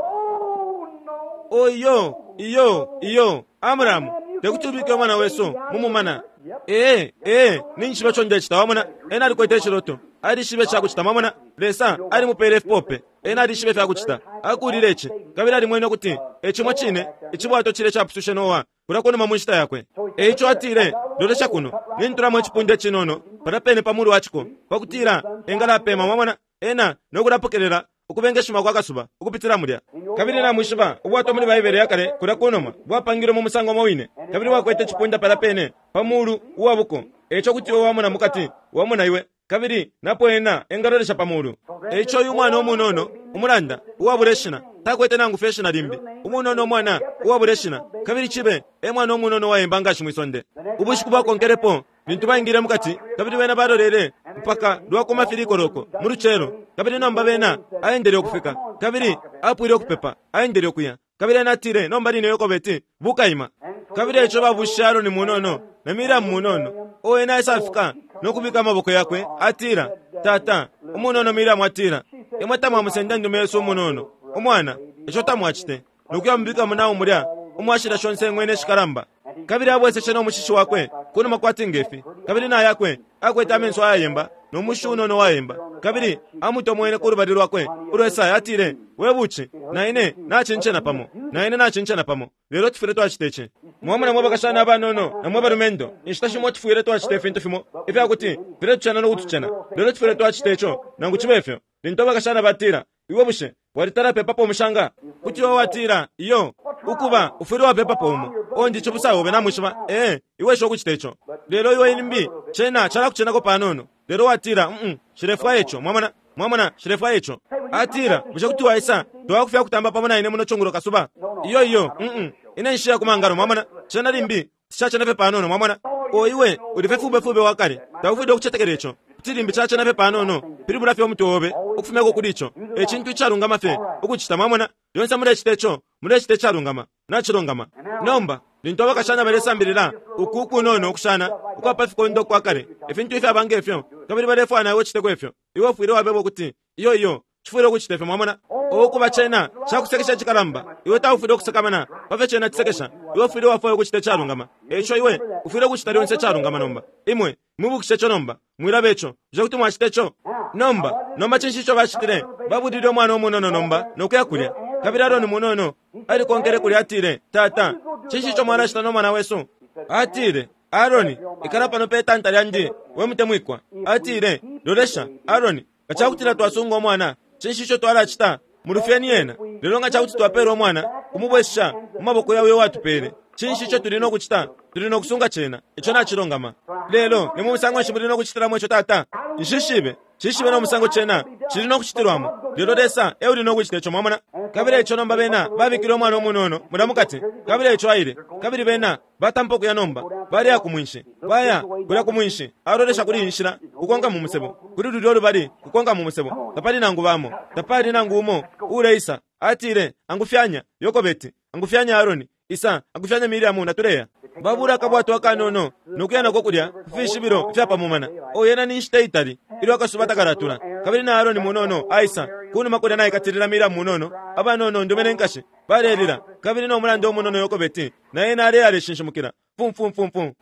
Oyo iyo iyo Amuramu, tekuti ubike umwana wesu mu mumana. Ee ee ninshi baco ndecita. Wamona, ena alikwete iciloto, alishibe cakucita. Mwamona, Lesa alimupele ifipope, ena alishibe fyakucita. Akulile ici kabili alimwene ukuti ecimo cine icibwato cile capusushe Noa kulya kunuma mu nshita yakwe. Eico atile, lolesha kuno, nintulamo icipunda icinono palya pene pa mulu wa ciko pakutila engalapema. Mwamona, ena nokulapokelela ukubengeshima kwa kasuba ukupitila mulya. Kabili namwishiba ubwato muli Baibele yakale kulya kunuma bwapangilwe mu musango umo wine, kabili bwakwete icipunda palya pene pa mulu uwa buko. Eico kuti iwe wamona mukati, wamona iwe, kabili napo ena engalolesha pa mulu. Eico uyu mwana umunono umulanda uwabula ishina takwete nangu fye ishina limbi, umunono umwana uwabula ishina, kabili cibe e mwana umunono uwayemba ngashi mwisonde. Ubushiku bwakonkelepo lintu baingile mukati, kabili bena balolele mpaka lwakuma filikoloko mu lucelo. Kabili nomba bena aendele ukufika, kabili apwile ukupepa, aendele ukuya. Kabili ena atile, nomba line Yokobeti bukaima. Kabili eco babushishe Aroni munono na Miriamu munono. O ena aisafika nokubika amaboko yakwe, atila, tata umunono Miriamu atila, imwe tamwamusenda ndume Yesu umunono umwana, ico tamwacite nokuya mubika munawo mulya umwashila shonse ng'wene ishikalamba. Kabili abweseshe no mushishi wakwe kunuma kwati ngefi, kabili na yakwe akwete amenso ayayemba no mushi unono wayemba. Kabili amutomwene ku lubali lwakwe ulwesaya, atile, we buci na ine nacincena pamo, na ine nacincena pamo, lelo tufwile twacita ici. Mwamona mwe bakashana abanono na mwe balumendo, inshita shimo tufwile twacita ifintu fimo ifyakuti filetucena nokutucena, lelo tufwile twacita ico nangu cibe ifyo. Lintu abakashana batila, iwe bushe walitala pepapo umushanga? Kuti iwe watila, iyo, ukuba ufwile wapepapo umo. Ondi cibusa obe namwishiba, ee, iwe sho kucita ico. Lelo iwe limbi cena calakucenako panono. Lelo watila, mm, shilefwaya ico. Mwamona, mwamona, shilefwaya ico. Atila, bushe kuti waisa twakufya kutamba pamo na ine muno cungulo kasuba? Iyo iyo, mm, ine nshiya kumangalo. Mwamona, cena limbi Tishacenafe panono, mwamona. O iwe ulife fube wakale, taufwile ukucetekela ico. Kuti limbi cacenafe panono, pilibula fye umutwe obe ukufumyako kuli ico. Ecintu icalungama fye ukucita, mwamona. Lyonse mulecita ico, mulecita icalungama, nacilungama. Nomba lintu abakashana balesambilila uku kunono ukushana ukwapa fikondo kwa kale, ifintu ifyaba ngefyo, kabili balefwaya nawe uciteko ifyo, iwe ufwile wabeba ukuti iyo iyo cifwile ukucita ifyo, mwamona. Okuba cena cakusekesha cikalamba, iwe taufwile ukusakamana pafyo cena cisekesha, iwe ufwile wafwaya ukucita icalungama. Eico iwe ufwile ukucita lyonse icalungama. Nomba imwe mwibukishe ico, nomba mwilaba ico. Bushe kuti mwacita ico? Nomba nomba cinshi ico bacitile? Babulile umwana umunono nomba nokuya kulya. Kabili Aroni munono alikonkele kulya, atile, tata, cinshi ico mwanacita no mwana wesu? Atile, Aroni, ikala pano pe tanta lyandi, we mutemwikwa. Atile, lolesha, Aroni, nga cakutila twasunga umwana, cinshi ico twalacita? Mulufyeni yena. Lelo nga cakuti twapela umwana, kumubwesha mu maboko yawe watupele, cinshi ico tuli no kucita? Tuli no kusunga cena. Ico nacilungama. Lelo ni mu musango nshi muli no kucitilamo ico, tata? Nshishibe. Nshishibe no musango cena cili no kucitilwamo. Lelo Lesa e uli no kucita ico, mwamona. Kabili ico nomba bena babikile umwana umunono mulya mukati, kabili ico aile. Kabili bena batampa ukuya nomba, baleya ku mwinshi, baya kulya ku mwinshi. Alolesha kuli inshila kukonka mu musebo, kuli lulyo lubali kukonka mu musebo, tapali nangu bamo, tapali nangu umo uleisa. Atile, angufyanya Yokobeti, angufyanya Aroni, isa, angufyanya Miriamu, natuleya. Babula akabwato akanono nokuya nako kulya kufishibilo ifyapamumana. O yena ni nshita itali ilyo akasuba takalatula. Kabili na Aroni munono aisa kunuma kulya naikatilila Miriamu munono, abanono ndume ne nkashi balelila. Kabili no mulando umunono Yokobeti na yena aleya aleshinshimukila fum fum fum fum.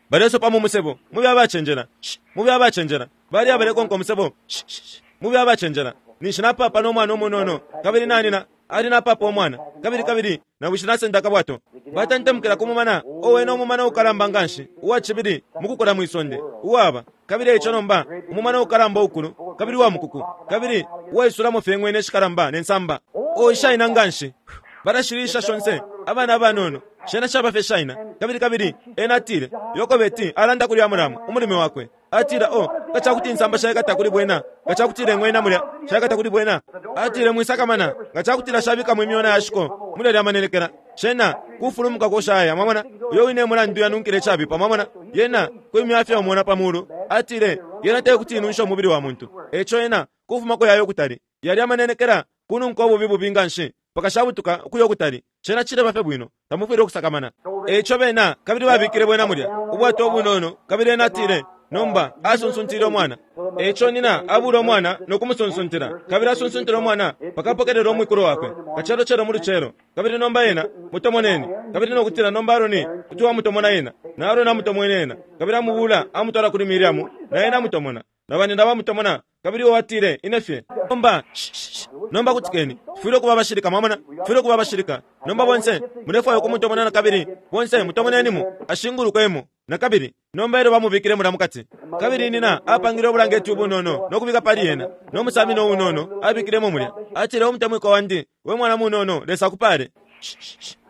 Balesopa mu musebo, mube abacenjela, mube abacenjela. Bali abalekonka umusebo, mube abacenjela. Ninshi napapa no mwana umunono, kabili nanina ali napapa umwana, kabili kabili nawishi nasenda akabwato. Batantamukila ku mumana, owe no mumana ukalamba nganshi uwa cibili mukukula mwisonde uwaba. Kabili ico nomba umumana ukalamba ukulu, kabili wa mukuku, kabili uwaisulamo fye ng'wene shikalamba ne nsamba o ishaina nganshi. Balashilisha shonse abana abanono, shena shaba fye shaina. Kabili kabili ena atile, Yokobeti alanda kuli Amuramu umulimi wakwe, atila, o nga cakuti insamba shaikata kuli bwena, nga cakutila ing'wena mulya shaikata kuli bwena. Atile, mwisakamana, nga cakutila shabikamo imyona yashiko mulya lyamanenekela, shena kufulumuka koshaya, mwamona. Uyo wine mulandu yanunkile cabipa, mwamona. Yena kwimyafya umona pa mulu. Atile, yena tekuti inunsha umubili wa muntu. Eco yena kufumako yayo kutali yali amanenekela kununka ububi bubi nganshi pakashabutuka ukuya ukutali. Cena cileba fye bwino, tamufwile ukusakamana. Eco bena kabili babikile bwena mulya ubwato obunono. Kabili ena atile, nomba asunsuntile umwana. Eco nina abula umwana nokumusunsuntila, kabili asunsuntile umwana pakapokelela umwikulo wakwe kacelocelo mu lucelo. Kabili nomba yena mutomoneni, kabili nokutila nomba Aroni kuti wamutomona yena, na Aroni amutomwene yena, kabili amubula amutwala kuli Miriamu, na yena amutomona, na banina bamutomona. Kabili uwo atile, ine fye nomba nomba kutikeni, tufwile ukuba abashilika, mwamona, tufwile ukuba abashilika. Nomba bonse mulefwaya ukumutomona na kabili, bonse mutomonenimo ashingulukwemo na kabili. Nomba ilyo bamubikile mulya mukati, kabili nina apangile ubulangeti ubunono nokubika pali yena, no musamino unono abikilemo mulya. Atile, umutemwiko wandi, we mwana munono, Lesa akupale.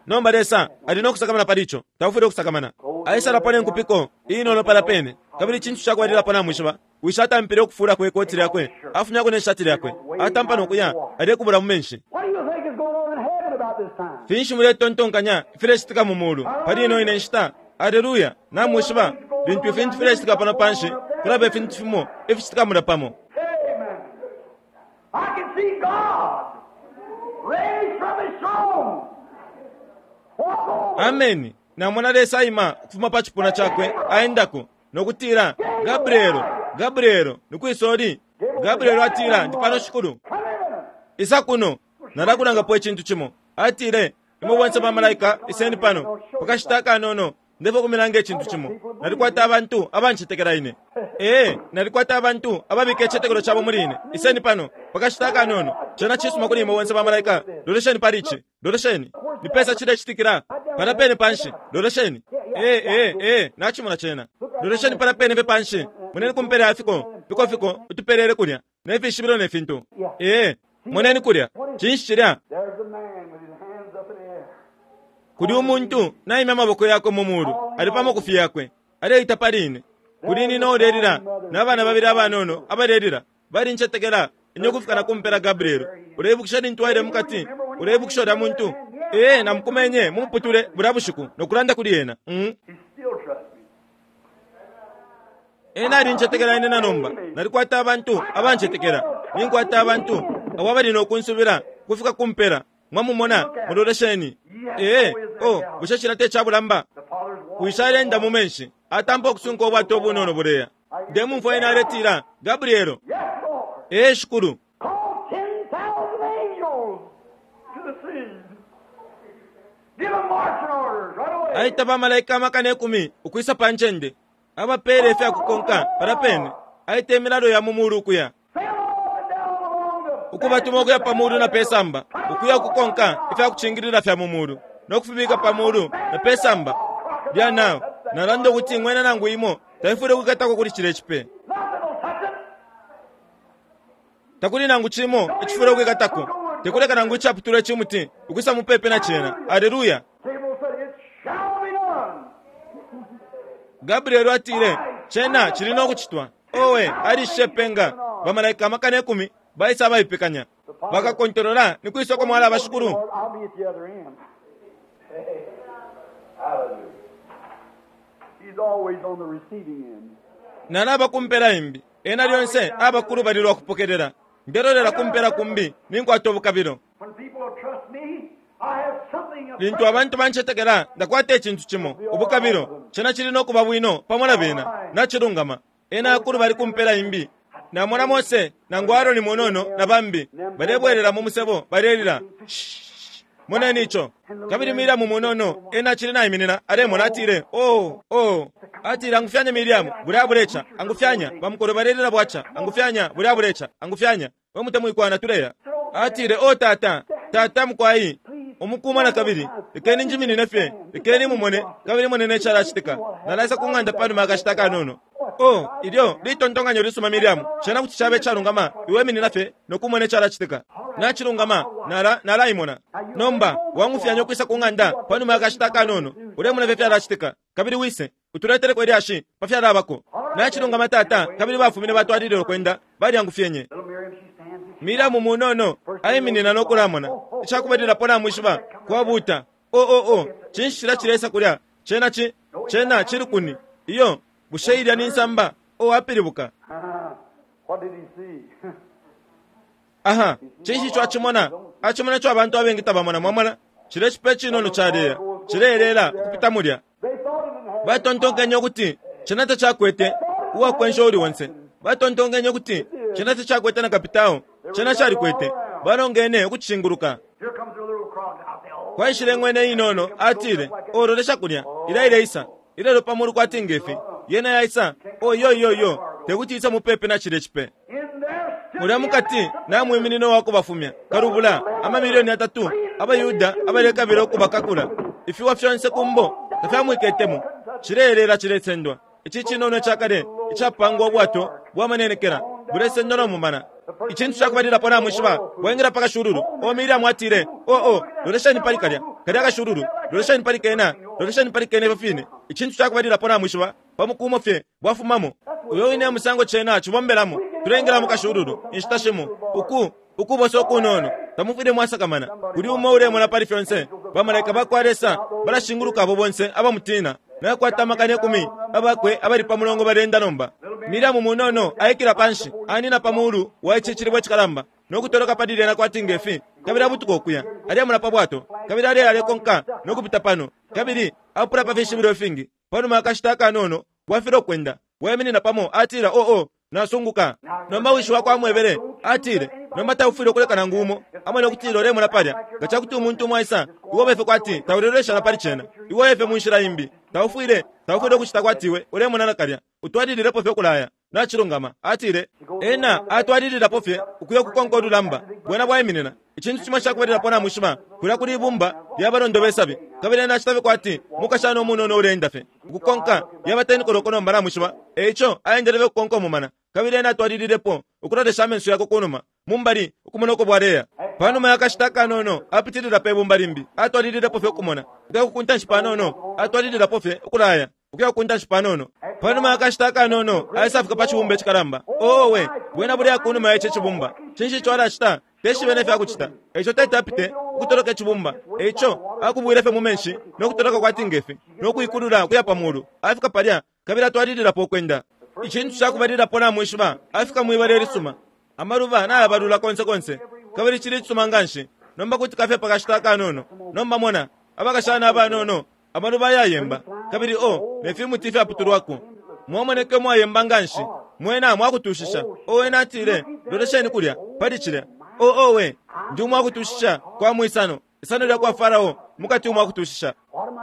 Nomba Lesa ali nokusakamana pali ico, taufwile ukusakamana. Aisalapo ne nkupiko inono pala pene, kabili icintu cakwalilapo namwishiba, wishi atampile ukufula kwe koti lyakwe, afumyako ne shati lyakwe, atampa nokuya alekubula mu menshi. Finshi muletontonkanya ifilecitika mu mulu pali ino ine nshita? Aleluya! Namwishiba, lintu ifintu filecitika pano panshi, kulaba ifintu fimo ificitika mulya pamo. I can see God raised from his throne. Walk over. Ameni. Namona Lesa aima ukufuma pa cipuna cakwe aendako nokutila, Gabrielo, Gabrielo, nikwisoli. Gabrielo atila, ndi pano shikulu. Come in. Isa kuno, nalakulangapo icintu cimo. Atile, imwe bonse bamalaika iseni pano pakashita akanono, ndefo kumilanga icintu cimo. Nalikwata abantu abancetekela ine. Ee, nalikwata abantu ababika icitetekelo cabo muli ine. Iseni pano pakashita akanono. Cena cisuma kuli imwe bonse bamalaika. Lolesheni pali ici, lolesheni nipesa cilecitikila pala pene panshi. Lolesheni. Ee, ee, ee, nacimona cena. Lolesheni pala pene pe panshi, moneni kumpela ya fiko fiko fiko utupelele kulya nefishibilo ne fintu. Ee, moneni kulya, cinshi cilya? There's a man with his hands up in the air. Kuli umuntu naimya amaboko yakwe mu mulu, ali pa makufi yakwe aleita pali ine. Kuli nina ulelila n'abana babili abanono abalelila balincetekela ine ukufika na kumpela. Gabrielo, uleibukisha lintu waile mukati? Uleibukisha ulya muntu? Ee, namukumenye mumuputule bulya bushiku nokulanda kuli ena. Mm. Ena alincetekela ine na nomba. Nalikwata abantu abancetekela. Ninkwata abantu abo abali nokunsubila kufika kumpela. Mwamumona, mulolesheni. Ee, oh, bushe cila te cabulamba. Wishalenda mu menshi. Atampa okusunka obwato obunono buleya. Ndemumfwa ena aletila, Gabrielo. Ee, shukulu. Aita bamalaika amakana ikumi ukwisa pa ncende. Abapele ifyakukonka palapene. Aita imilalo ya mu mulu ukuya. Ukubatuma ukuya pa mulu na pesamba. Ukuya kukonka ifyakucingilila fya mu mulu. Nokufibika pa mulu na pesamba. Lya nao. Nalanda ukuti ng'wena nangu imo taifwile kwikatako kuli cile cipe. Takuli nangu cimo icifwile kwikatako. Tekuleka nangu icaputulwa icimuti ukwisa mupepe na cena. Aleluya. Gabriel atile, cena cili nokucitwa. Owe, alishe penga. Bamalaika amakana ikumi baisa abaipekanya. Bakakontolola ni kwisa uko mwala abashukulu. Nalaba kumpela imbi. Ena lyonse abakulu balilwa kupokelela. Ndelolela kumpela kumbi ninkwata obukabilo. Lintu abantu bancetekela ndakwata icintu cimo ubukabilo. Cena cili nokuba bwino pamo na bena. Nachilungama. Ena akulu bali kumpela imbi. Namona Mose nangu Aaroni munono na bambi balebwelela mu musebo balelila. Moneni ico. Kabili Miriamu munono ena acili naiminina alemona atile, oh oh. Atile, angufyanya Miriamu, bulya buleca. Angufyanya bamukolo balelila bwaca. Angufyanya bulya buleca. Angufyanya we mutemwikwana tuleya. Atile, oh tata, tata mukwai umukuma na kabili lekeni njiminine fye, lekeni mumone kabili monene icalacitika. Nalaisa ku ng'anda panuma akashita kanono. Oh, ilyo litontonkanyo lisuma Miriamu. Cena kuti cabe icalungama iwe minina fye nokumona icalacitika. Nachilungama, nala nalaimona. Nomba wangufyanya ukwisa ku ng'anda panuma akashita kanono. Ulemona fye fyalacitika. Kabili wise utuleteleko ilyashi pa fyalabako. Nachilungama tata, kabili bafumine batwalilile ukwenda balyangufyenye. Miriamu munono aiminina nokulamona. Icakubalilapo namwishiba kwabuta. Oh oh oh, cinshi cila cilesa kulya? Cena ci cena cili kuni. Iyo bushe ilya ni nsamba. Oh, apilibuka. Aha, cinshi ico acimona? Acimona ico abantu abengi tabamona, mwamona. Cile cipe cinono caleya cileelela ukupita mulya. Batontonkenye ukuti cena tacakwete uwakwensha uli onse. Batontonkenye ukuti cena tacakwete na kapitao. Cena calikwete. Balongene ukucishinguluka. Kwaishile ng'wene inono atile, ololesha kulya ila ileisa ilelo pamulu kwati ngefi yena yaisa. Oh yo yo yo, tekuti isa mupepe na cile cipe. Mulya mukati namwiminina wakubafumya kalubula amamilioni atatu abayuda abalekabila ukubakakula. Ifiwa fyonse kumbo tafyamwiketemo. Cileelela cilesendwa. Ici cinono icakale icapangwa obwato bwamanenekela bulesendwa nomumana. Icintu cakubalilapo namwishiba bwaingila pa kashululu. O Miriamu atile, oh oh, lolesheni pali kalya kalya kashululu, lolesheni pali kena, lolesheni pali kena ifyo fine. Icintu cakubalilapo namwishiba pamukumo fye bwafumamo. Uyo wine musango cena cibombelamo. Tulengela mu kashululu inshita shimo uku ukubosa okunono. Tamufwile mwasakamana. Kuli umo ulemona pali fyonse. Bamalaika bakwa Lesa balashinguluka abo bonse abamutina. Nakwata amakana ikumi abakwe abali pa mulongo balenda nomba. Miriamu munono aikila panshi anina pa mulu wa ici cilibwe cikalamba nokutoloka pali lyena kwati ngefi. Kabili abutuka okuya alyamula pa bwato. Kabili aleya alekonka nokupita pano. Kabili apula pa fishibilo ifingi. Panuma akashita akanono bwafile okwenda bwaiminina pamo atila, oh oh, nasunguka. Nomba wishi wakwe amwebele atile, nomba taufwile ukuleka nangu umo amone ukutila ulemona palya. Nga cakuti umuntu umo aisa iwe befe kwati taulelolesha na pali cena. Iwe efe mu nshila imbi. Taufwile taufwile ukucita kwati iwe ulemona nakalya. Utwalililepo fye ukulaya. Nachilungama atile, ena atwalililapo fye ukuya kukonka olulamba bwena bwaiminina. Icintu cimo cakubalilapo namwishiba kulya kuli ibumba lyabalondo besabi. Kabili ena acita fye kwati mukashana umunono uleenda fye ukukonka yabatenikoloko nomba namwishiba. Eico aendele fye kukonka umumana. Kabili ena atwalililepo ukulolesha amenso yakwe kunuma mumbali ukumona uko bwaleya. Panuma yakashita kanono apitilila pe bumba limbi. Atwalililepo fye ukumona ukuya kukuntanshi panono. Atwalililapo fye ukulaya ukuya kukuntanshi panono. Panuma yakashita kanono aisafika pa cibumba icikalamba. Owe, bwena bulya kunuma ya ici cibumba. Cinshi ico alacita? Teshibe nefyakucita. Eico tete apite ukutoloka icibumba. Eico akubwile fye mu menshi no kutoloka kwati ngefi no kuikulula kuya pa mulu. Afika palya kabili atwalililapo ukwenda. Icintu cakubalilapo namwishiba, afika mwibala ilisuma. Amaluba nayabalula konse konse kabili cili icisuma nganshi. Nomba kuti kafye pakashita akanono. Nomba mona abakashana abanono, amaluba ayayemba kabili o ne fimuti ifyaputulwako. Mwamoneke mwayemba nganshi, mwena mwakutushisha. O ena atile, lolesheni kulya pali cilya. O owe, ndi umwakutushisha kwa mwisano, isano lya kwa Farao mukati umwakutushisha.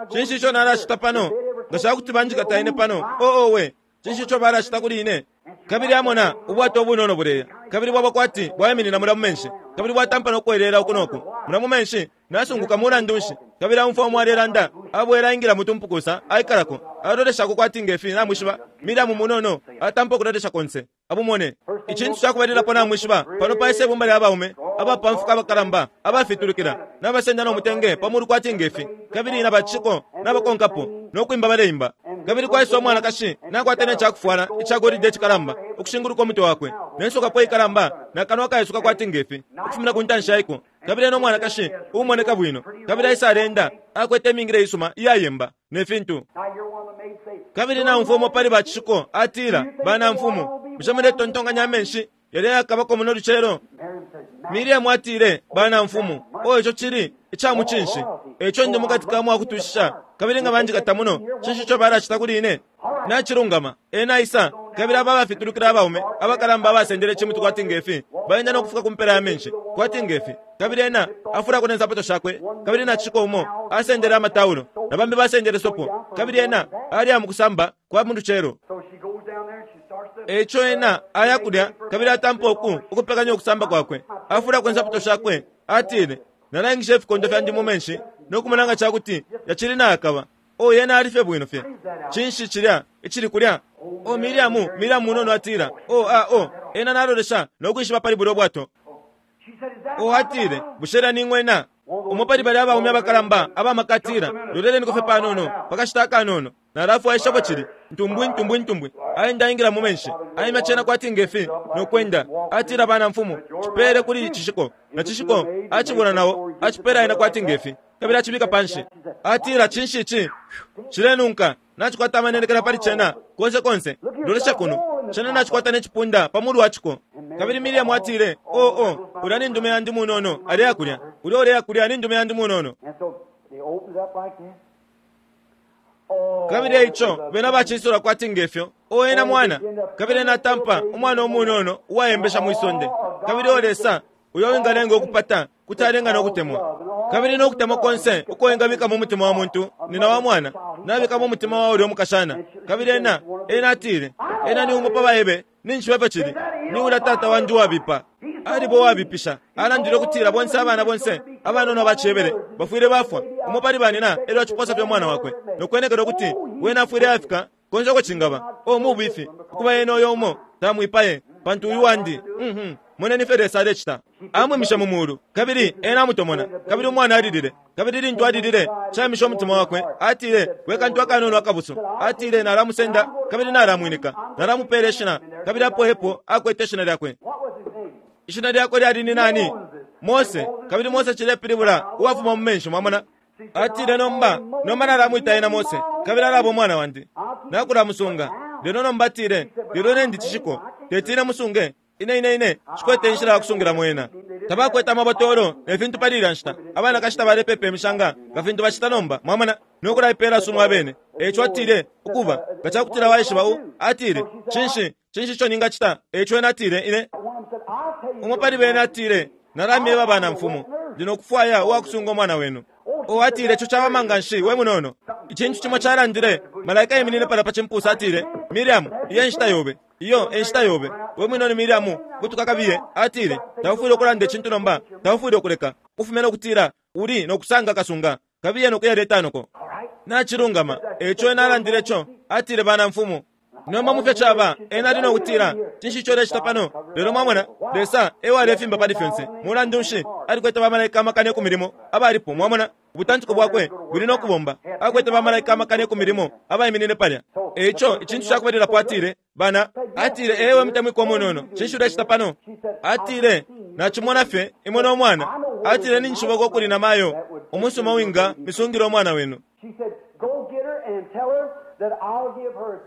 Cinshi ico nalacita pano? Nga cakuti banjikata ine pano. O owe, cinshi ico balacita kuli ine? Kabili amona ubwato obunono buleya, kabili bwaba kwati bwaiminina mula mu menshi, kabili bwatampa nokwelela uku noku mula mu menshi. Nasunguka mulandu nshi. Kabili amumfwa umo alelanda, abwela ingila mutumpukusa aikalako, aloleshako kwati ngefi namwishiba. Miriamu munono atampa ukulolesha konse abumone. Icintu cakubalilapo namwishiba, pano paisa ibumba lya baume abapamfuka abakalamba abafitulukila nabasenda nomutenge pamulu kwati ngefi, kabili nabaciko nabakonkapo nokwimba baleimba. Kabili kwaisa umwanakashi nakwata necakufwala icagolide icikalamba ukushinguluka umutwe wakwe, nensokapo ikalamba nakanwa kaisuka kwati ngefi ukufumina ku ntanshi yaiko. Kabili eno umwanakashi uumoneka bwino, kabili aisa alenda akwete imingile isuma iyayemba ne fintu. Kabili naumfwa umo pali bacishiko atila, bana mfumu, bushe muletontonkanya amenshi yali yakabako muno lucelo? Miriamu atile, bana mfumu, o ico cili icamucinshi, eco ndi mukati ka mwakutushisha, kabili nga banjikata muno, cinshi ico balacita kuli ine? Nacilungama. Ena isa, kabili aba abafitulukila abaume abakalamba abasendele icimuti kwati ngefi baenda nokufika ku mpela ya menshi kwati ngefi. Kabili ena afulako ne nsapato shakwe, kabili nacishiko umo asendele amataulo na bambi basendele sopo, kabili ena alya mukusamba kwa mu lucelo. Eico ena aya kulya, kabili atampa uku ukupekanya ukusamba kwakwe. Afulako insapato shakwe, atile, nalangisha ifikondo fyandi mu menshi nokumona nga cakuti yacili nayakaba. O yena alifye bwino fye. Cinshi cilya icili kulya? O Miriamu, Miriamu munono atila, o a o ena nalolesha nokwishiba pali bulya bwato. O atile, bushe ni ng'wena? Umo pali balya abaume abakalamba abamakatila, loleleniko fye panono pakashita akanono. Nalafwaishapo cili ntumbwi ntumbwi ntumbwi. Aenda ingila mu menshi, aimya cena kwati ngefi nokwenda. Atila, bana mfumu, cipere kuli cishiko. Na cishiko acibula nawo acipera ena kwati ngefi, kabili acibika panshi. Atila, cinshi ici cilenunka? Nacikwata amanenekela pali cena konse konse. Lolesha kuno, cena nacikwata necipunda pamulu waciko. Kabili Miriamu atile, o o ulya ni ndume yandi munono aleya kulya, ulya uleya kulya ni ndume yandi munono. Kabili eico bena bacisula kwati ngefyo. O ena mwana, kabili ena atampa umwana umunono uwayembesha mwisonde. Kabili o Lesa uyo wingalenga ukupata kuti alenga nokutemwa. Kabili nokutemwa konse uko wengabika mu mutima wa muntu nina wa mwana nabika mu mutima wa ulya umukashana. Kabili ena ena atile, ena ni umo pa baebe ninshiba cili ni ula tata wandi wabipa. Alibo wabipisha alandile ukutila bonse abana bonse abanono abacebele bafwile bafwa. Umo pali banina elyo aciposa fye umwana wakwe nokwenekela ukuti wena afwile afika konse uko cingaba. O mubifi ukuba ena uyo umo tamwipaye pantu uyu wandi. Mhm moneni fye Lesa alecita. Amwimisha mu mulu, kabili ena amutomona. Kabili umwana alilile, kabili lintu alilile caimisha umutima wakwe. Atile, we kantu akanono akabuso. Atile, nalamusenda kabili nalamwinika, nalamupela ishina. Kabili apo epo akwete ishina lyakwe. Ishina lyakwe lyali ni nani? Mose. Kabili Mose cilepilibula uwafuma mu menshi. Mwamona? Atile, nomba nomba nalamwita ena Mose, kabili alaba umwana wandi, nakulamusunga. Lelo nomba atile, lelo nendi cishiko tetine musunge ine ine ine cikwete inshila yakusungilamo ena. Tabakwete amabotolo ne fintu pali ilya nshita. Abanakashi tabalepepa imishanga nga fintu bacita nomba. Mwamona? Nokulaipela sumu abene. Eico atile, ukuba nga cakutila waishiba u atile, cinshi cinshi ico ningacita? Eico ena atile, ine umo pali bene atile, nalamyeba bana mfumu, ndi nokufwaya uwakusunga umwana wenu. O atile, ico cawama nganshi we munono. Icintu cimo calandile, malaika iminine pala pa cimpusa atile, Miriamu, iyo enshita yobe, iyo enshita yobe. We munono Miriamu, butuka kabiye. Atile, taufwile ukulanda icintu nomba, taufwile ukuleka ufumene ukutila uli nokusanga kasunga, kabiye nokuyaleta noko. Nacilungama. Eico ena alandile ico. Atile, bana mfumu, nomba mufye caba ena ali nokutila, cinshi ico ulecita pano? Lelo mwamona, Lesa ewalefimba pali fyonse. Mulandu nshi alikwete bamalaika amakana ku milimo abalipo? Mwamona, ubutantiko bwakwe buli nokubomba. Akwete bamalaika amakana ku milimo abaiminine palya. Eico icintu cakubalilapo atile, bana, atile, ewe mutemwikwa munono, cinshi ulecita pano? Atile, nacimona fye imwe no mwana. Atile ninshiboko kuli na mayo umusuma winga misungila umwana wenu.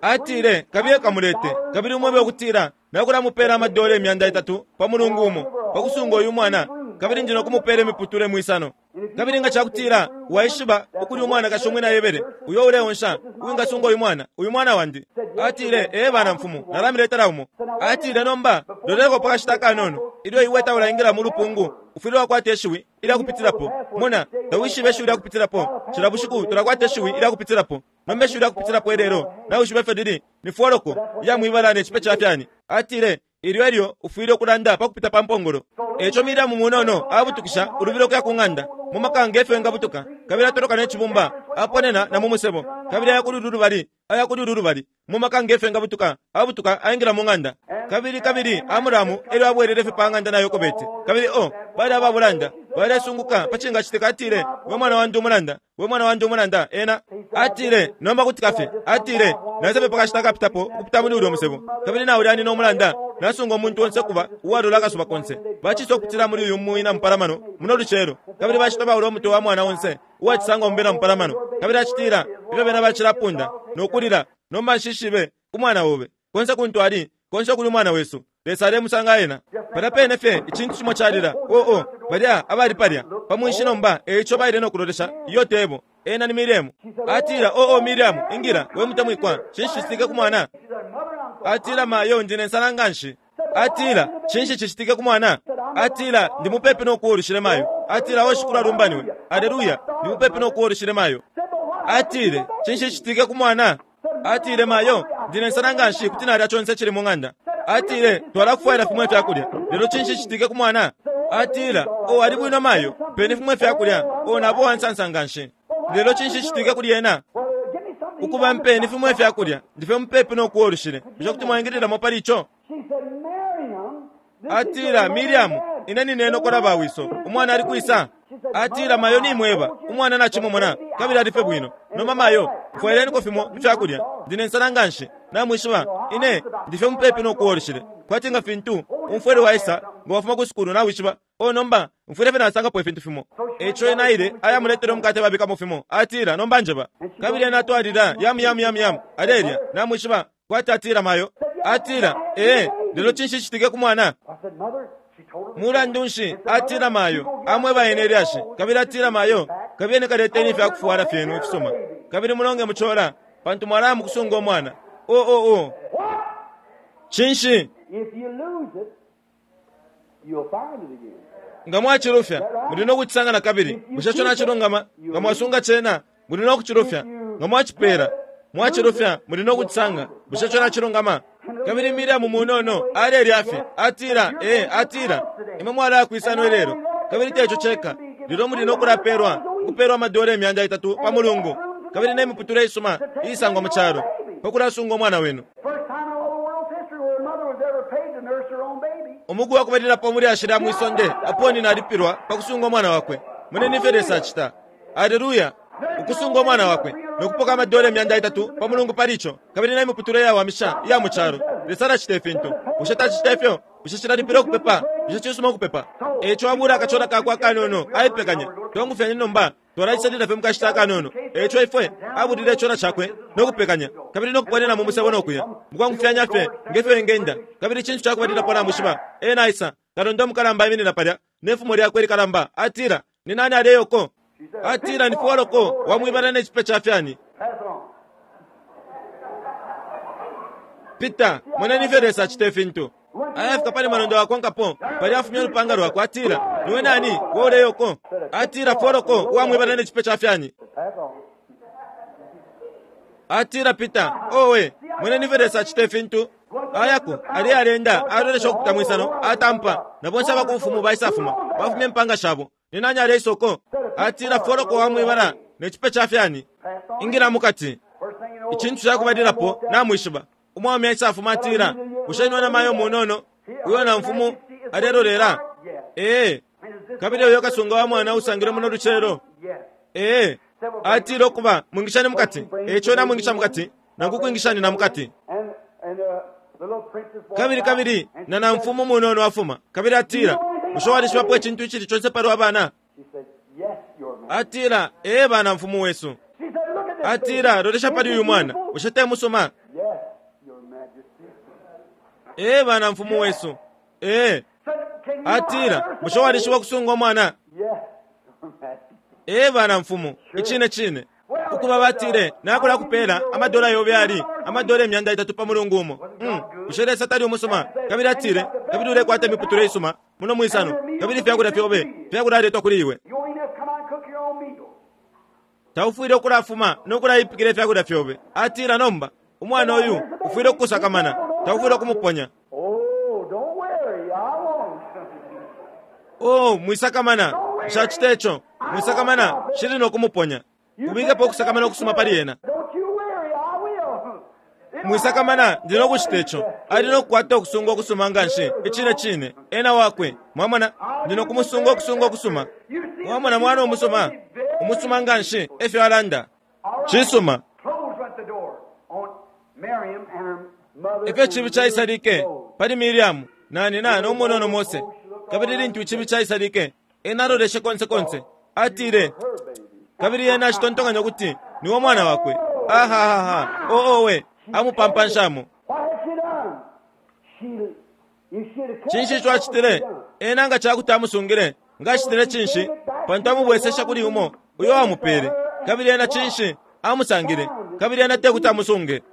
Atile kabiye kamulete kabili umwebe ukutila nakulamupela amadola imyanda itatu pa mulungu umo pakusunga uyu mwana kabili ndi nokumupela imiputule mwisano kabili nga cakutila waishiba ukuli umwana kashi umwina yebele uyo uleonsha uwingasunga uyu mwana uyu mwana wandi. Atile ee bana mfumu nalamiletela umo. Atile nomba loleko pakashita kanono ilyo iwe taulaingila mu lupungu ufwile wakwata ishiwi ilyakupitilapo. Mona tawishibe ishiwi lyakupitilapo cila bushiku tulakwata ishiwi ilyakupitilapo nomba ishiwi lyakupitilapo ilelo nawishibe ifyo lili ni foloko iyamwibala ne cipe ca fyani. Atile ilyo elyo ufwile ukulanda pakupita pa mpongolo. Eco Miriamu munono abutukisha ulubilo kuya ku ng'anda mu makanga efyo engabutuka kabili atoloka ne cibumba aponena na mu musebo kabili aya kuli ulu lubali aya kuli ulu lubali mu makanga efyo engabutuka abutuka aingila mu ng'anda kabili kabili Amuramu elyo abwelele fye pa ng'anda na Yokobeti kabili o bali ababulanda balesunguka pa cingacitika. Atile we mwana wandi umulanda we mwana wandi umulanda ena atile nomba kutika fye. Atile nasepe pakashita akapitapo ukupita muli ulyo musebo kabili nawe ulyani nomulanda nasunga omuntu onse kuba uwalola akasuba konse bacisa okupitila muli uyu mwina mupalamano muno lucelo kabili bacita bawula omutwe wa mwana onse uwacisanga omubena mupalamano kabili acitila ifyo bena bacilapunda nokulila nomba nshishibe umwana obe konse kuntu ali konse kuli umwana wesu Lesa alemusanga ena. Palya pene fye icintu cimo calila oo balya abali palya pamwinshi nomba eico baile nokulolesha iyo tebo ena ni Miriamu. Atila oo Miriamu ingila we mutemwikwa cinshi cicitike ku mwana. Atila mayo ndi ne nsala nganshi. Atila cinshi cicitike ku mwana. Atila ndi mupepi nokuwolushile mayo. Atila oshikulu alumbaniwe aleluya ndi mupepi nokuwolushile mayo. Atile cinshi cicitike ku mwana. Atile mayo ndi ne nsala nganshi kuti nalya conse cili mu ng'anda. Atile twalakufwaila fimwe fyakulya lelo cinshi cicitike ku mwana. Atila o ali bwino mayo peni fimwe fyakulya o nabo wansansa nganshi lelo cinshi cicitike kuli ena. Ukuba mpeni fimwe fyakulya ndife mupepi nokuwolushile bushe kuti mwaingililamo pali ico. Atila Miriamu ine nineno kola bawiso umwana ali kwisa. Atila mayo nimweba umwana nacimumona kabili alife bwino nomba mayo mfwaileniko fimo ifyakulya ndine nsala nganshi namwishiba ine ndife mupepi nokuwolushile kwati nga fintu umfwele waisa nga wafuma ku sukulu nawishiba o nomba mfwile fye nasangapo ifintu fimo. Eco ena aile ayamuletele umukate babikamo fimo. Atila nomba njeba kabili ena atwalila yamu yamu yamu yamu alelya namwishiba kwati atila mayo. Atila ee lelo cinshi cicitike ku mwana. Mulandu nshi atila mayo amweba ene lyashi kabili atila mayo kabili ene kaleteni ifyakufuwala fyenu ifisuma kabili mulonge muchola pantu mwalaya mukusunga omwana. O o o cinshi nga mwacilufya muli nokucisanga na kabili bushe co nacilungama nga mwasunga cena muli nokucilufya nga mwacipela mwacilufya muli nokucisanga bushe co nacilungama. Kabili Miriamu munono alelya fye atila ee atila imwe mwalaya kwisano ilelo kabili teco ceka lelo muli nokulapelwa ukupelwa amadola imyanda itatu pa mulungu kabili ne miputule isuma iisangwa mu calo pakulasunga omwana wenu. Umugu wakubalilapo muli ashila mwisonde aponi nalipilwa pakusunga omwana wakwe munene ifyo Lesa acita. Aleluya ukusunga omwana wakwe nokupoka amadola imyanda itatu pa mulungu pali ico kabili ne miputule iyawamisha iya mu calo. Lesa alacita ifintu bushe tacita ifyo bushe cilalipila ukupepa bushe cisuma ukupepa. Eco abula akachola kakwe akanono aipekanya twangufyanye nomba twalacisalila fye mukashita akanono. Eco ifwe abulile icola cakwe nokupekanya kabili nokuponena mu musebo nokuya mukwangufyanya fye ngefyo engenda kabili icintu cakubalilapo namwishiba ena aisa kalonda omukalamba aiminina palya nefumo lyakwe likalamba. Atila ni nani aleyoko. Atila ni foloko wamwibala ne cipe ca fyani. Pita moneni ifyo Lesa acita ifintu. Ayafika pali malondo wakonkapo pali afumya olupanga lwakwe. Atila niwe nani we uleyoko. Atila foloko uwamwibala ne cipe ca fyani. Atila Pita owe moneni ifyo Lesa acita ifintu. Ayako ali alenda alolesha okupita mwisano atampa na bonse abakumfumu baisafuma bafumya empanga shabo ni nani aleisoko. Atila foloko wamwibala ne cipe ca fyani ingila mukati. Icintu cakubalilapo namwishiba umwami aisafuma atila bushe niwe na mayo munono uyo na mfumu alelolela ee kabili uyo kasunga wa mwana usangile muno lucelo ee atila okuba mwingishani mukati eco namwingisha mukati nangu kwingishani na mukati. Kabili kabili na na mfumu munono afuma kabili atila Bushe walishibapo icintu icili conse palwa bana? She said, Yes, Your Majesty. Atila, ee bana mfumu wesu. She said, Look at this Atila, baby. lolesha pali uyu mwana, bushe te musuma? Yes, Your Majesty. Ee bana mfumu wesu. Ee. Said, Can you Atila, nurse a bushe walishiba baby? kusunga umwana? Yes, Your Majesty. Ee bana mfumu, icine cine. Ukuba batile, nakula kupela amadola yobe ali amadola imyanda itatu pa mulungu umo. Mm. Bushe Lesa tali umusuma? Kabili atile, kabili ulekwata imiputule isuma muno mwisano, kabili ifyakulya fyobe fyakulaletwa kuli iwe. You won't even have to come out and cook your own meal. Taufwile ukulafuma nokulayipikila ifyakulya fyobe. Atila nomba, umwana uyu ufwile ukusakamana, taufwile ukumuponya. Oh, don't worry, I won't. Oh, mwisakamana, nshacita ico. Mwisakamana, shili nokumuponya. Kubikapo ukusakamana ukusuma pali ena. Don't you worry, I will. Mwisakamana, ndi nokucita ico. Ali nokukwata ukusunga okusuma nga nshi, icine cine, ena wakwe. Mwamona, ndi nokumusunga okusunga okusuma. Mwamona mwana umusuma, umusuma nga nshi, efyo alanda. Cisuma. Close went the door on Miriam and her mother. Efyo icibi caisalike pali Miriamu na nina n'omunono Mose. Kabili lintu icibi caisalike, ena aloleshe konse konse. Atile, Her baby. kabili ena acitontonkanya ukuti niwo mwana wakwe. Ahahaha, oowe, amupampanshamo. What had she done? She, if she'd have kept Cinshi it, ico acitile? what would she done? Ena nga cakuti amusungile, nga acitile cinshi? Pantu amubwesesha kuli umo uyo wamupele. Kabili ena cinshi amusangile, kabili ena tekuti amusunge.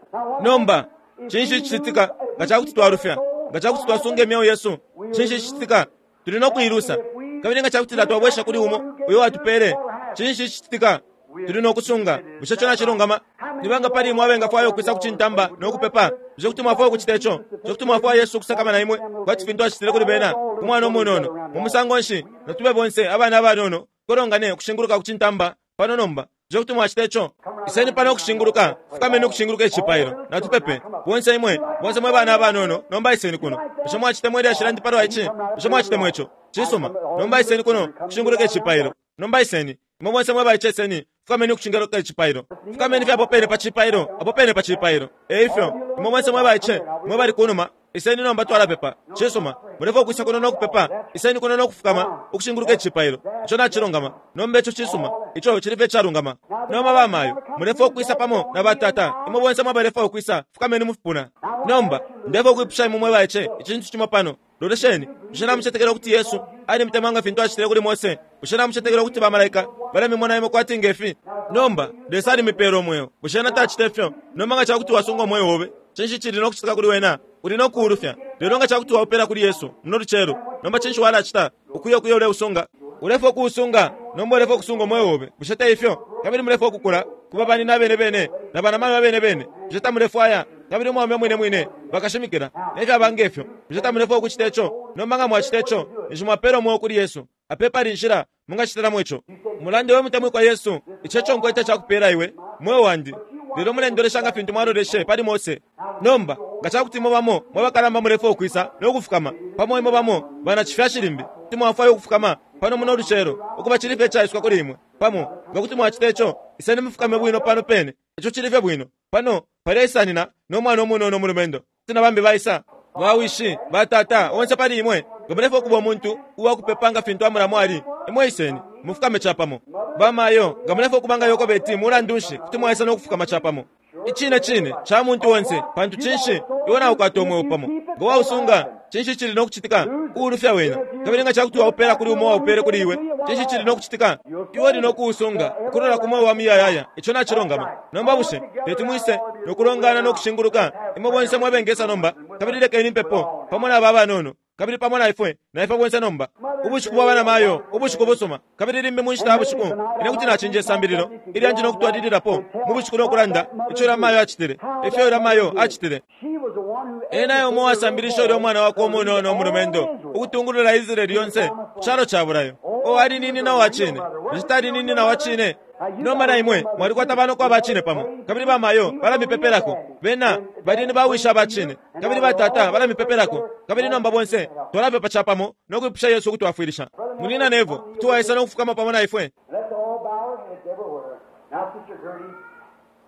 Nomba, cinshi cicitika nga cakuti twalufya, nga cakuti twasunga imyeo yesu? Cinshi cicitika? Tuli nokuilusa. Kabili nga cakuti twabwesha kuli umo uyo watupele, cinshi cicitika? Tuli nokusunga. Bushe ico nacilungama? Nibanga pali imwe abengafwaya ukwisa kucintamba nokupepa? Bushe kuti mwafwaya ukucita ico? Bushe kuti mwafwaya Yesu ukusakamana imwe kwati fintu acitile kuli bena ku mwana umunono? Mu musango nshi natube bonse abana abanono kolongane ukushinguluka kucintamba pano nomba? Bushe kuti mwacita ico? Iseni pano ukushinguluka, fukameni ukushinguluka icipailo, natupepe. Bonse imwe, bonse mwe bana abanono, nomba iseni kuno. Bushe mwacitemwa ilyashi lyandi palwa ici? Bushe mwacitemwa ico? Cisuma. Nomba iseni kuno kushinguluka icipailo. Nomba iseni. Imwe bonse mwe baice iseni, fukameni ukushinguluka icipailo. Fukameni fye apo pene pa cipailo, apo pene pa cipailo. Eifyo, imwe bonse mwe baice, mwe bali kunuma, iseni nomba twalapepa. Cisuma. Mulefo ukwisa kuno nokupepa, iseni kuno nokufukama, ukushinguluka icipailo. Ico nacilungama. Nomba ico cisuma. Ico cili fye icalungama. Nomba bamayo, mulefo ukwisa pamo na batata. Imwe bonse mwabalefo ukwisa, fukameni mufipuna. Nomba, ndefo ukwipusha imwe mwe baice, icintu cimo pano. Lolesheni, bushe namucetekela ukuti Yesu alimutemwa nga fintu acitile kuli Mose? Bushe namucetekela ukuti bamalaika balamimona imwe kwati ngefi? Nomba, Lesa alimipela umweo. Bushe ena tacita ifyo? Nomba nga cakuti wasunga umweo obe, cinshi cili nokucitika kuli wena? Uli nokuulufya. Lelo nga cakuti waupela kuli Yesu muno lucelo, nomba cinshi walacita? Ukuya ukuya uleusunga. Ulefo ukuusunga, nomba ulefo ukusunga umweo obe. Bushe te ifyo? Kabili mulefo ukukula kuba banina abene bene na banamayo abene bene. Bushe tamulefwaya? Kabili umwaume mwine mwine bakashimikila nefyaba ngefyo. Bushe tamulefwaya ukucita ico? Nomba nga mwacita ico, ninshi mwapela umweo kuli Yesu. Ape pali inshila mungacitilamo ico. Mulande we mutemwikwa Yesu, ico eco nkwete cakupela iwe, mweo wandi. Lelo mulendolesha nga fintu mwaloleshe pali Mose. Nomba, nga cakuti imwe bamo mwe bakalamba mulefwaya ukwisa nokufukama, pamo imwe bamo bana cifyashi limbi, kuti mwafwaya ukufukama pano muno lucelo, ukuba cili fye icaisuka kuli imwe. Pamo, nga kuti mwacita ico, iseni mufukame bwino pano pene. Ico cili fye bwino. Pano, paleisanina no mwana umunono umulumendo. Kuti na bambi baisa, bawishi, batata, onse pali imwe, nga mulefwaya ukuba umuntu uwakupepa nga fintu Amuramu ali, imwe iseni, mufukame capamo. Bamayo, nga mulefwaya ukuba nga Yokobeti mulandu nshi kuti mwaisa nokufukama capamo. Icine cine ca muntu onse, pantu cinshi iwe naukwata umweo pamo. Nga wausunga, cinshi cili nokucitika? Uulufya wena. Kabili nga cakuti waupela kuli umo waupele kuli iwe, cinshi cili nokucitika? Iwe uli nokuusunga, ukulola ku mweo wa muyayaya. Ico nacilungama. Nomba bushe teti mwise nokulongana nokushinguluka, imwe bonse mwebengesa nomba, kabili lekeni impepo pamo na aba abanono, kabili pamo na ifwe, na ifwe bonse nomba. Ubushiku bwa banamayo, ubushiku busuma, kabili limbi mu nshita ya bushiku, ine kuti nacinja isambililo ilyanji nokutwalililapo mu bushiku nokulanda ico ulya mayo acitile, ifyo ulya mayo acitile. She was the one who Ena umo wasambilisha ulya umwana wakwe umunono umulumendo ukutungulula Israeli yonse ku calo ca bulayo. O ali nini na wacine, bushe tali nini na wacine? Nomba na imwe mwalikwata banoko abacine pamo, kabili bamayo balamipepelako. Bena bali ni bawisha abacine, kabili batata balamipepelako. Kabili nomba bonse twalapepa capamo nokwipusha Yesu ukutwafwilisha. Munina nevo kuti waisa nokufukama pamo na ifwe. Let's all bow our heads everywhere. Now, Sister Gertie,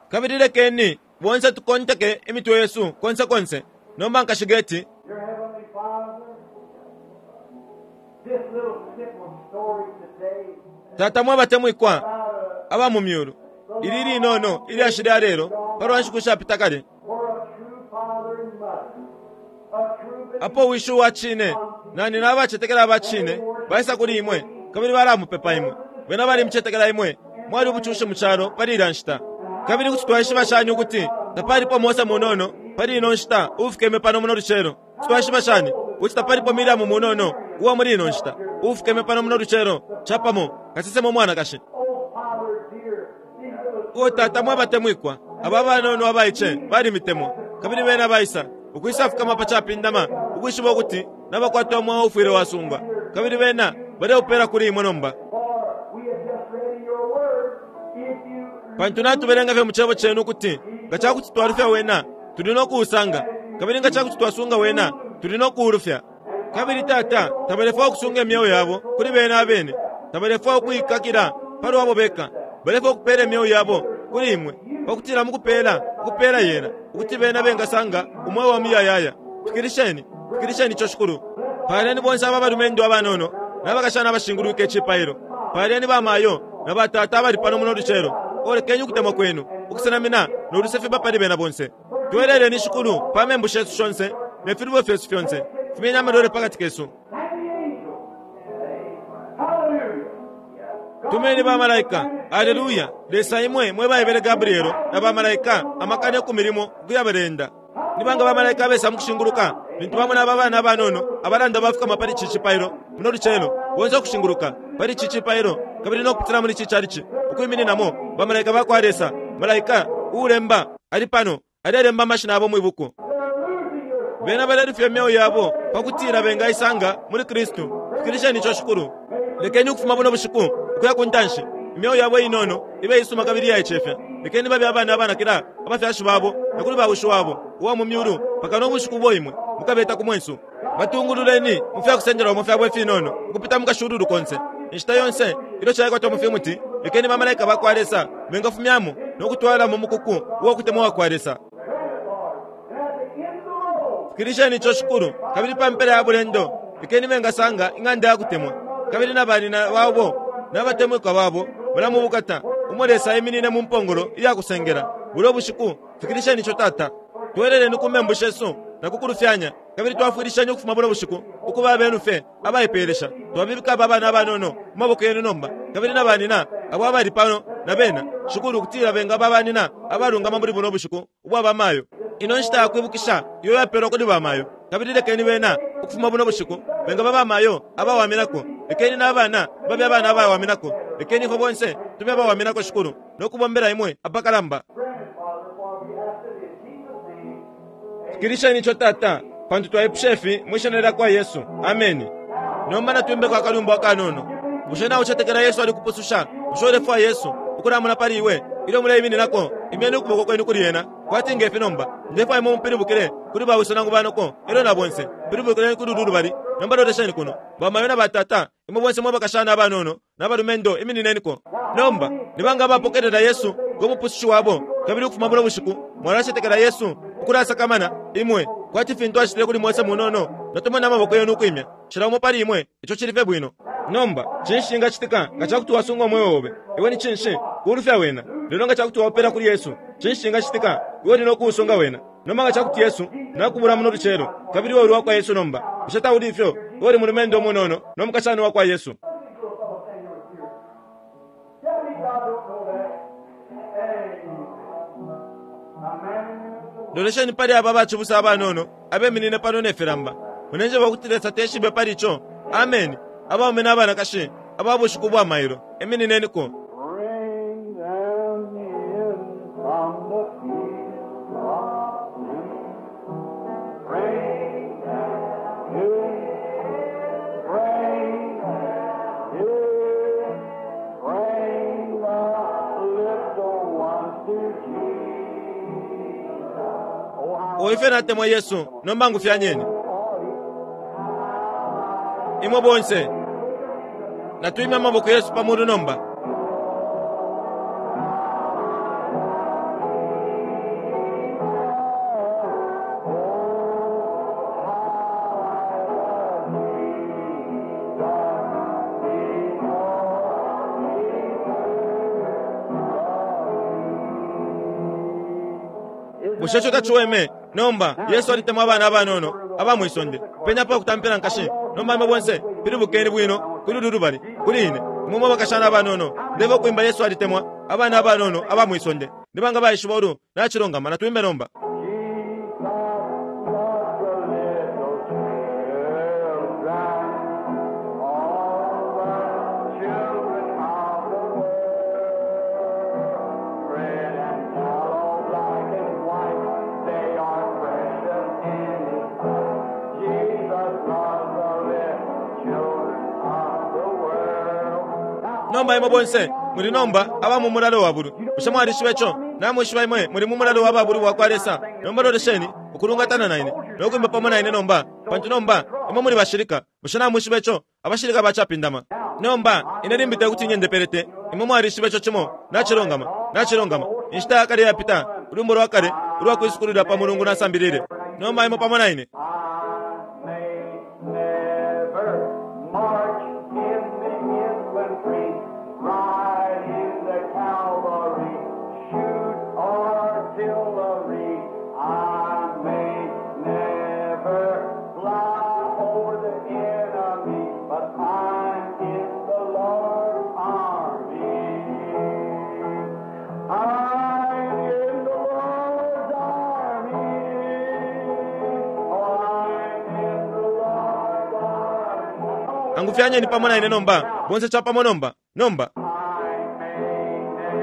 Kabili lekeni bonse tukonteke imitwe yesu konse konse. Nomba nkashigeti Dear Heavenly Father, this story today Tata mwabatemwikwa aba mu myulu, ili linono ilyashi lya lelo palwa nshiku shapita kale, for a true father and mother, a true believer. apo wishi uwa cine na nina abacetekela aba cine baisa kuli imwe kabili balamupepa imwe. Bena balimucetekela imwe, mwali ubucushi mu calo pali ilya nshita. Kabili kuti twaishiba shani ukuti tapalipo Mose munono pali ino nshita uufukeme pano muno lucelo? Kuti twaishiba shani ukuti tapalipo Miriamu munono uwa muli ino nshita uufukeme pano muno lucelo, capamo kasesema umwanakashi? Oh, Father dear, these little O tata mwabatemwikwa, aba banono abaice balimitemwa, kabili bena baisa ukwisa fukama pa capindama, ukwishiba ukuti nabakwata umweo ufwile wasungwa, kabili bena baleupela kuli imwe nomba. for we have just read in your word, if you Pantu natubelenga fye mu cebo cenu ukuti nga cakuti twalufya wena tuli no kuusanga, kabili nga cakuti twasunga wena tuli no kuulufya. Kabili tata, tabalefwaya ukusunga imyeo yabo kuli bena abene, tabalefwaya ukuikakila palwabo beka, balefwaya ukupela imyeo yabo kuli imwe, pakutila mukupela ukupela yena, ukuti bena bengasanga umweo wa muyayaya. Fikilisheni, fikilisheni ico shikulu. Paleni bonse aba balumendo abanono n'abakashana abashingulwike icipailo. Paleni bamayo na batata abali pano muno lucelo. Olekeni ukutemwa kwenu ukusenamina n'oluse fiba pali bena bonse. Tweleleni shikulu pa membu shesu shonse ne filubo fyesu fyonse, fumyeni amalwele pakati kesu. and the angels. Hallelujah. Tumeni bamalaika, aleluya. Lesa imwe mwe baebele Gabrielo na bamalaika amakana ku milimo ukuyabalenda. Nibanga bamalaika abesa mukushinguluka lintu bamona aba bana abanono abalanda bafukama pali ici cipailo muno lucelo, bonse ukushinguluka pali ici cipailo kabili nokupitila muli ici calici ukwimininamo bamalaika bakwa Lesa. Malaika uulemba ali pano, alelemba amashina abo mwibuku. Bena balelufya imyeo yabo pakutila bengaisanga muli Kristu. Fikilisheni ico shikulu. Lekeni ukufuma buno bushiku ukuya ku ntanshi, imyeo yabo inono ibe isuma kabili iyaicefya. Lekeni babe abana abanakila abafyashi babo na kuli bawishi wabo uwa mu myulu paka no bushiku ubo imwe mukabeta ku mwensu. Batungululeni mu fyakusendelwamo fyabo ifinono ukupita mu kashululu konse inshita yonse ilyo caikwatwa mu fimuti. Lekeni bamalaika bakwa Lesa bengafumyamo no kutwala mu mukuku uwa kutemwa wakwa Lesa. And at the end of the road, Fikilisheni ico shikulu, kabili pa mpela ya bulendo lekeni bengasanga ing'anda ya kutemwa, kabili na banina babo n'abatemwikwa babo balamubukata umo Lesa aiminine mu mpongolo iya kusengela bulo bushiku. Fikilisheni ico tata. Tweleleni ku membu shesu na kukulufyanya, kabili twafwilisheni ukufuma buno bushiku ukuba abenu fye abaipelesha. Twabibika aba bana abanono mu maboko yenu nomba, kabili na banina abo abali pano na bena shikulu, ukutila bengaba banina abalungama muli buno bushiku ubwa bamayo. Ino nshita yakwibukisha iyo yapelwa kuli bamayo, kabili lekeni bena ukufuma buno bushiku bengaba bamayo abawaminako. Lekeni n'abana babe abana abawaminako. Lekeni ifwe bonse tube abawaminako shikulu, nokubombela imwe apakalamba. grant it, Father, for we ask it in Jesus' name. Fikilisheni ico tata, pantu twaipusha ifi mwishina lya kwa Yesu. Ameni. Nomba natwimbeko akalumbo akanono. Bushe naucetekela Yesu alikupususha? Bushe ulefwaya Yesu ukulamuna pali iwe ilyo muleimininako? Imyeni ukuboko kwenu kuli ena kwati ngefi nomba. Ndefwaya imwe mupilibukile kuli bawiso nangu banoko elyo na bonse. Pilibukileni kuli ulu lubali. Nomba lolesheni kuno, bamayo na batata, imwe bonse mwe bakashana abanono n'abalumendo, iminineniko nomba. Nibanga abapokelela Yesu ngo mupusushi wabo, kabili ukufuma buno bushiku mwalacetekela Yesu ukulasakamana imwe kwati fintu acitile kuli Mose munono? Natumona amaboko yenu ukwimya, cila umo pali imwe. Ico cili fye bwino. Nomba cinshi cingacitika nga cakuti wasunga umweo obe? Iwe ni cinshi kuulufya wena? Lelo nga cakuti waupela kuli Yesu, cinshi cingacitika? Iwe uli no kuusunga wena. Nomba nga cakuti Yesu nakubula muno lucelo, kabili iwe uli wakwa Yesu nomba, bushe tauli ifyo? Iwe uli mulumendo umunono no mukashana wakwa Yesu. Tell me God don't know that. Amen. A man of the Lord. Lolesheni pali aba bacibusa abanono abeminine pano ne filamba. Munenjeba ukuti Lesa teshibe pali ico. Ameni. Abaume n'abanakashi aba bushiku bwa mailo, eminineniko. Bring them in from the field of sin. Bring them in, bring them in, bring the little ones to Jesus. Oh, how O ife natemwa Yesu, nomba ngufyanyeni imwe bonse. Natwimya amaboko yesu pamulu nomba. Bushe ico taciweme? Nomba Yesu alitemwa abana abanono aba mwisonde. Penya pa kutampila nkashi. Nomba imwe bonse pilibukeni bwino kuli ulu lubali kuli ine. Imwe mwe bakashana abanono, ndeba ukwimba Yesu alitemwa abana abanono aba mwisonde. Nibanga baishiba ulu nacilongama, natwimbe nomba. Jesus loves the little children, all the children of the world. Red and yellow, black and white, they are precious in His sight. Jesus loves the little children of the world. Now, Nomba imwe bonse muli nomba aba mu mulalo wa bulu. Bushe mwalishiba ico? Namwishiba imwe muli mu mulalo wa babulu bwa kwa Lesa. Nomba lolesheni ukulungatana na ine no kwimba pamo na ine nomba, pantu nomba imwe muli bashilika. Bushe namwishiba ico? Abashilika bacapindama. Nomba ine limbi te kuti nyendepelete. Imwe mwalishiba ico cimo. Nacilongama, nacilongama. Inshita yakale yapita, ulwimbo lwa kale ulwa kwisukulila pa mulungu nasambilile. Nomba imwe pamo na ine. I may never march in the infantry, ride in the cavalry, shoot artillery. I may never fly over the enemy, but I'm in the Lord's army. I'm in the Lord's army. Oh, I'm in the Lord's army. Angufyanyeni pamo na ine nomba, bonse chapamo nomba. Nomba I may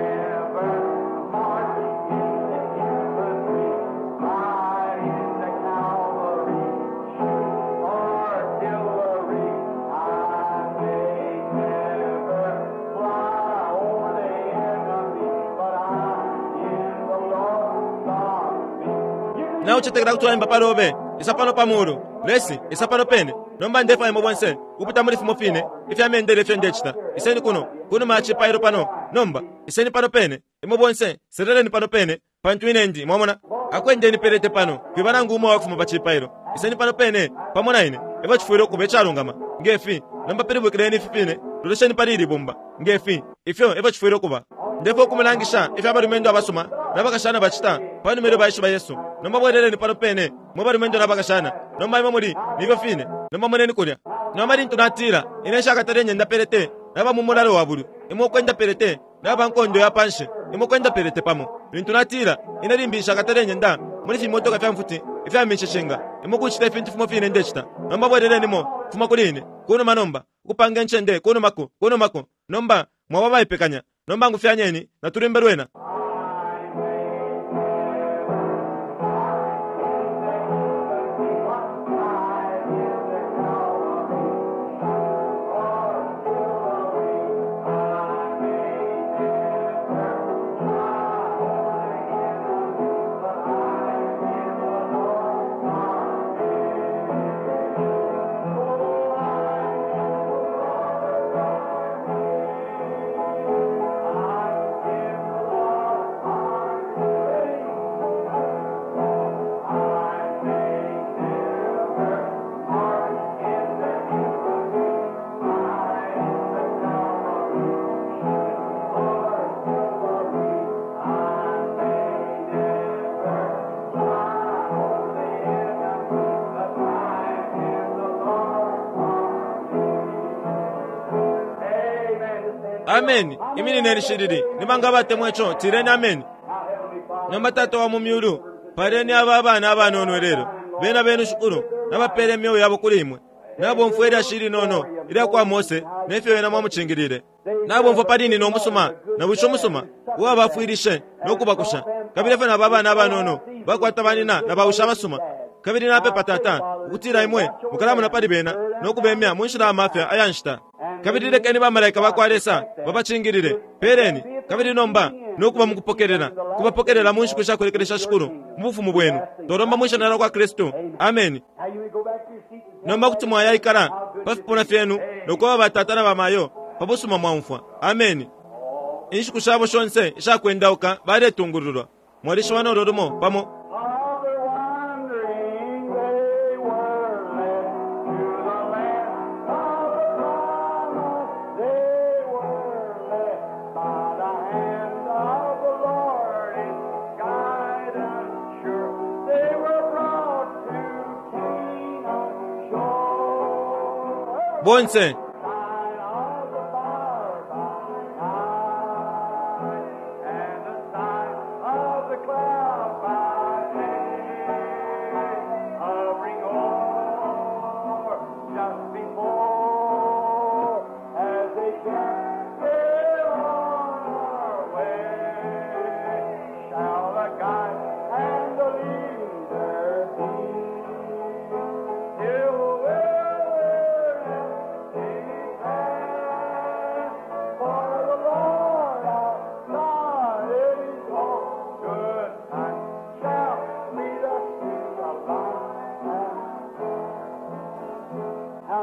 never march in the infantry, ride in the cavalry, shoot artillery. I may never fly over the enemy, but I'm in the Lord's army. Naucetekela kuti waimba palobe isa pano pa mulu lesi isa pano pene. Nomba ndefa imwe bonse kupita muli fimo fine ifya mendele ifyo ndecita. Iseni kuno kunuma ya cipailo pano. Nomba iseni pano pene imwe bonse, seleleni pano pene, pantu ine ndi mwamona akwendeni pelete pano kwiba nangu umo wakufuma pa cipailo. Iseni pano pene pamo na ine efyo cifwile ukuba icalungama ngefi. Nomba pilibukileni ifi fine, lolesheni pali ili bumba ngefi, ifyo efyo cifwile ukuba. Ndefo ukumulangisha ifyo abalumendo abasuma n'abakashana bacita panuma ilyo baishiba Yesu. Nomba bweleleni pano pene mwe balumendo n'abakashana. Nomba imwe muli nifyo fine. Nomba moneni kulya. Nomba lintu natila ine nshakatale nyenda pelete naba mu mulalo wa bulu, imwe ukwenda pelete naba nkondo ya panshi, imwe ukwenda pelete pamo. Lintu natila ine limbi nshakatale nyenda muli fimotoka fya mfuti ifya minshishinga, imwe kucita ifintu fimo fine ndecita. Nomba bwelelenimo fuma kuli ine kunuma nomba ukupanga incende kunumako kunumako. Nomba mwaba baipekanya. Nomba ngufyanyeni natulimbe lwena. Ameni. Iminineni shilili. Nibanga batemwa ico, tireni ameni. Nomba Tata wa mu myulu, paleni aba abana abanono lelo. Bena benu shukuru, nabapele imyoyo yabo kuli imwe. Nabomfwa ilya shili nono ilya kwa Mose nefyo ena mwamucingilile. Nabomfwa pali nina umusuma na wisho umusuma uwabafwilishe no kubakusha. Kabili efyo naba abana abanono bakwata banina na bawisha abasuma. Kabili napepa Tata ukutila imwe mukalamona pali bena no kubemya mu nshila ya mafya aya nshita. Kabili lekeni bamalaika bakwa Lesa babacingilile. Peleni kabili nomba nokuba mukupokelela kubapokelela mu nshiku shakulekelesha shikulu mu bufumu bwenu. Tolomba mwishina lya kwa Kristu. Ameni. Now you may go back to your seat and Nomba kuti mwayaikala pa fipuna fyenu nokuba batata na bamayo pa busuma mwaumfwa. Ameni. Inshiku shabo shonse ishakwendauka baletungululwa. Mwalishiba nolo lumo pamo. Of their wandering they were led to the land of the promise. They were led by the hand of the Lord in guidance. Bonse. Sign of the fire by night, and the sign of the cloud by day, hovering o'er just before, as they kept on our way, shall the guide and the leader be. Till for the Lord our God is all good and shall lead us to the light.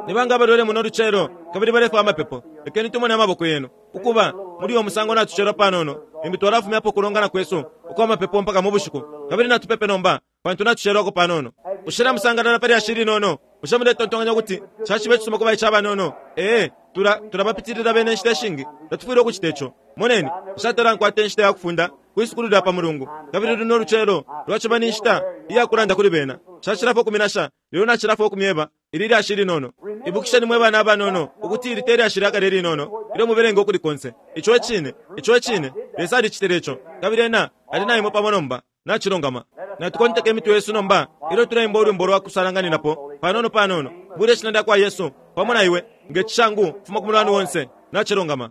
Nibanga abalwele muno lucelo kabili balefwa amapepo, lekeni tumone amaboko yenu. Ukuba muli uyo musango natucelwa panono, limbi twalafumyapo ukulongana kwesu ukwa mapepo mpaka mu bushiku. Kabili natupepe nomba, pantu natucelwako panono. Ushila musangalala pali ashili nono. Bushe muletontonkanya ukuti caciba icisuma kuba icabanono? Ee, tula tulabapitilila bene inshita ishingi. Tatufwile ukucita ico. Moneni, nshatala nkwata inshita ya kufunda kwisukulu lya pa Mulungu. Kabili luno lucelo lwaciba ni nshita iya kulanda kuli bena. Nshacilafo ukuminasha, lelo nacilafo ukumyeba ili lyashi linono. Ibukisheni mwe bana abanono ukuti ili te lyashi lya kale linono ilyo mubelenga ukuli konse. Ico e cine, ico e cine. Lesa alicitile ico. Kabili ena ali na imwe pamo nomba. Nacilungama. Natukonteke imitwe yesu nomba ilyo tuleimba ulwimbo lwa kusalanganinapo panono panono. Bule ishina lya kwa Yesu pamo na iwe nge cishangu fuma ku mulwani wonse. Nacilungama.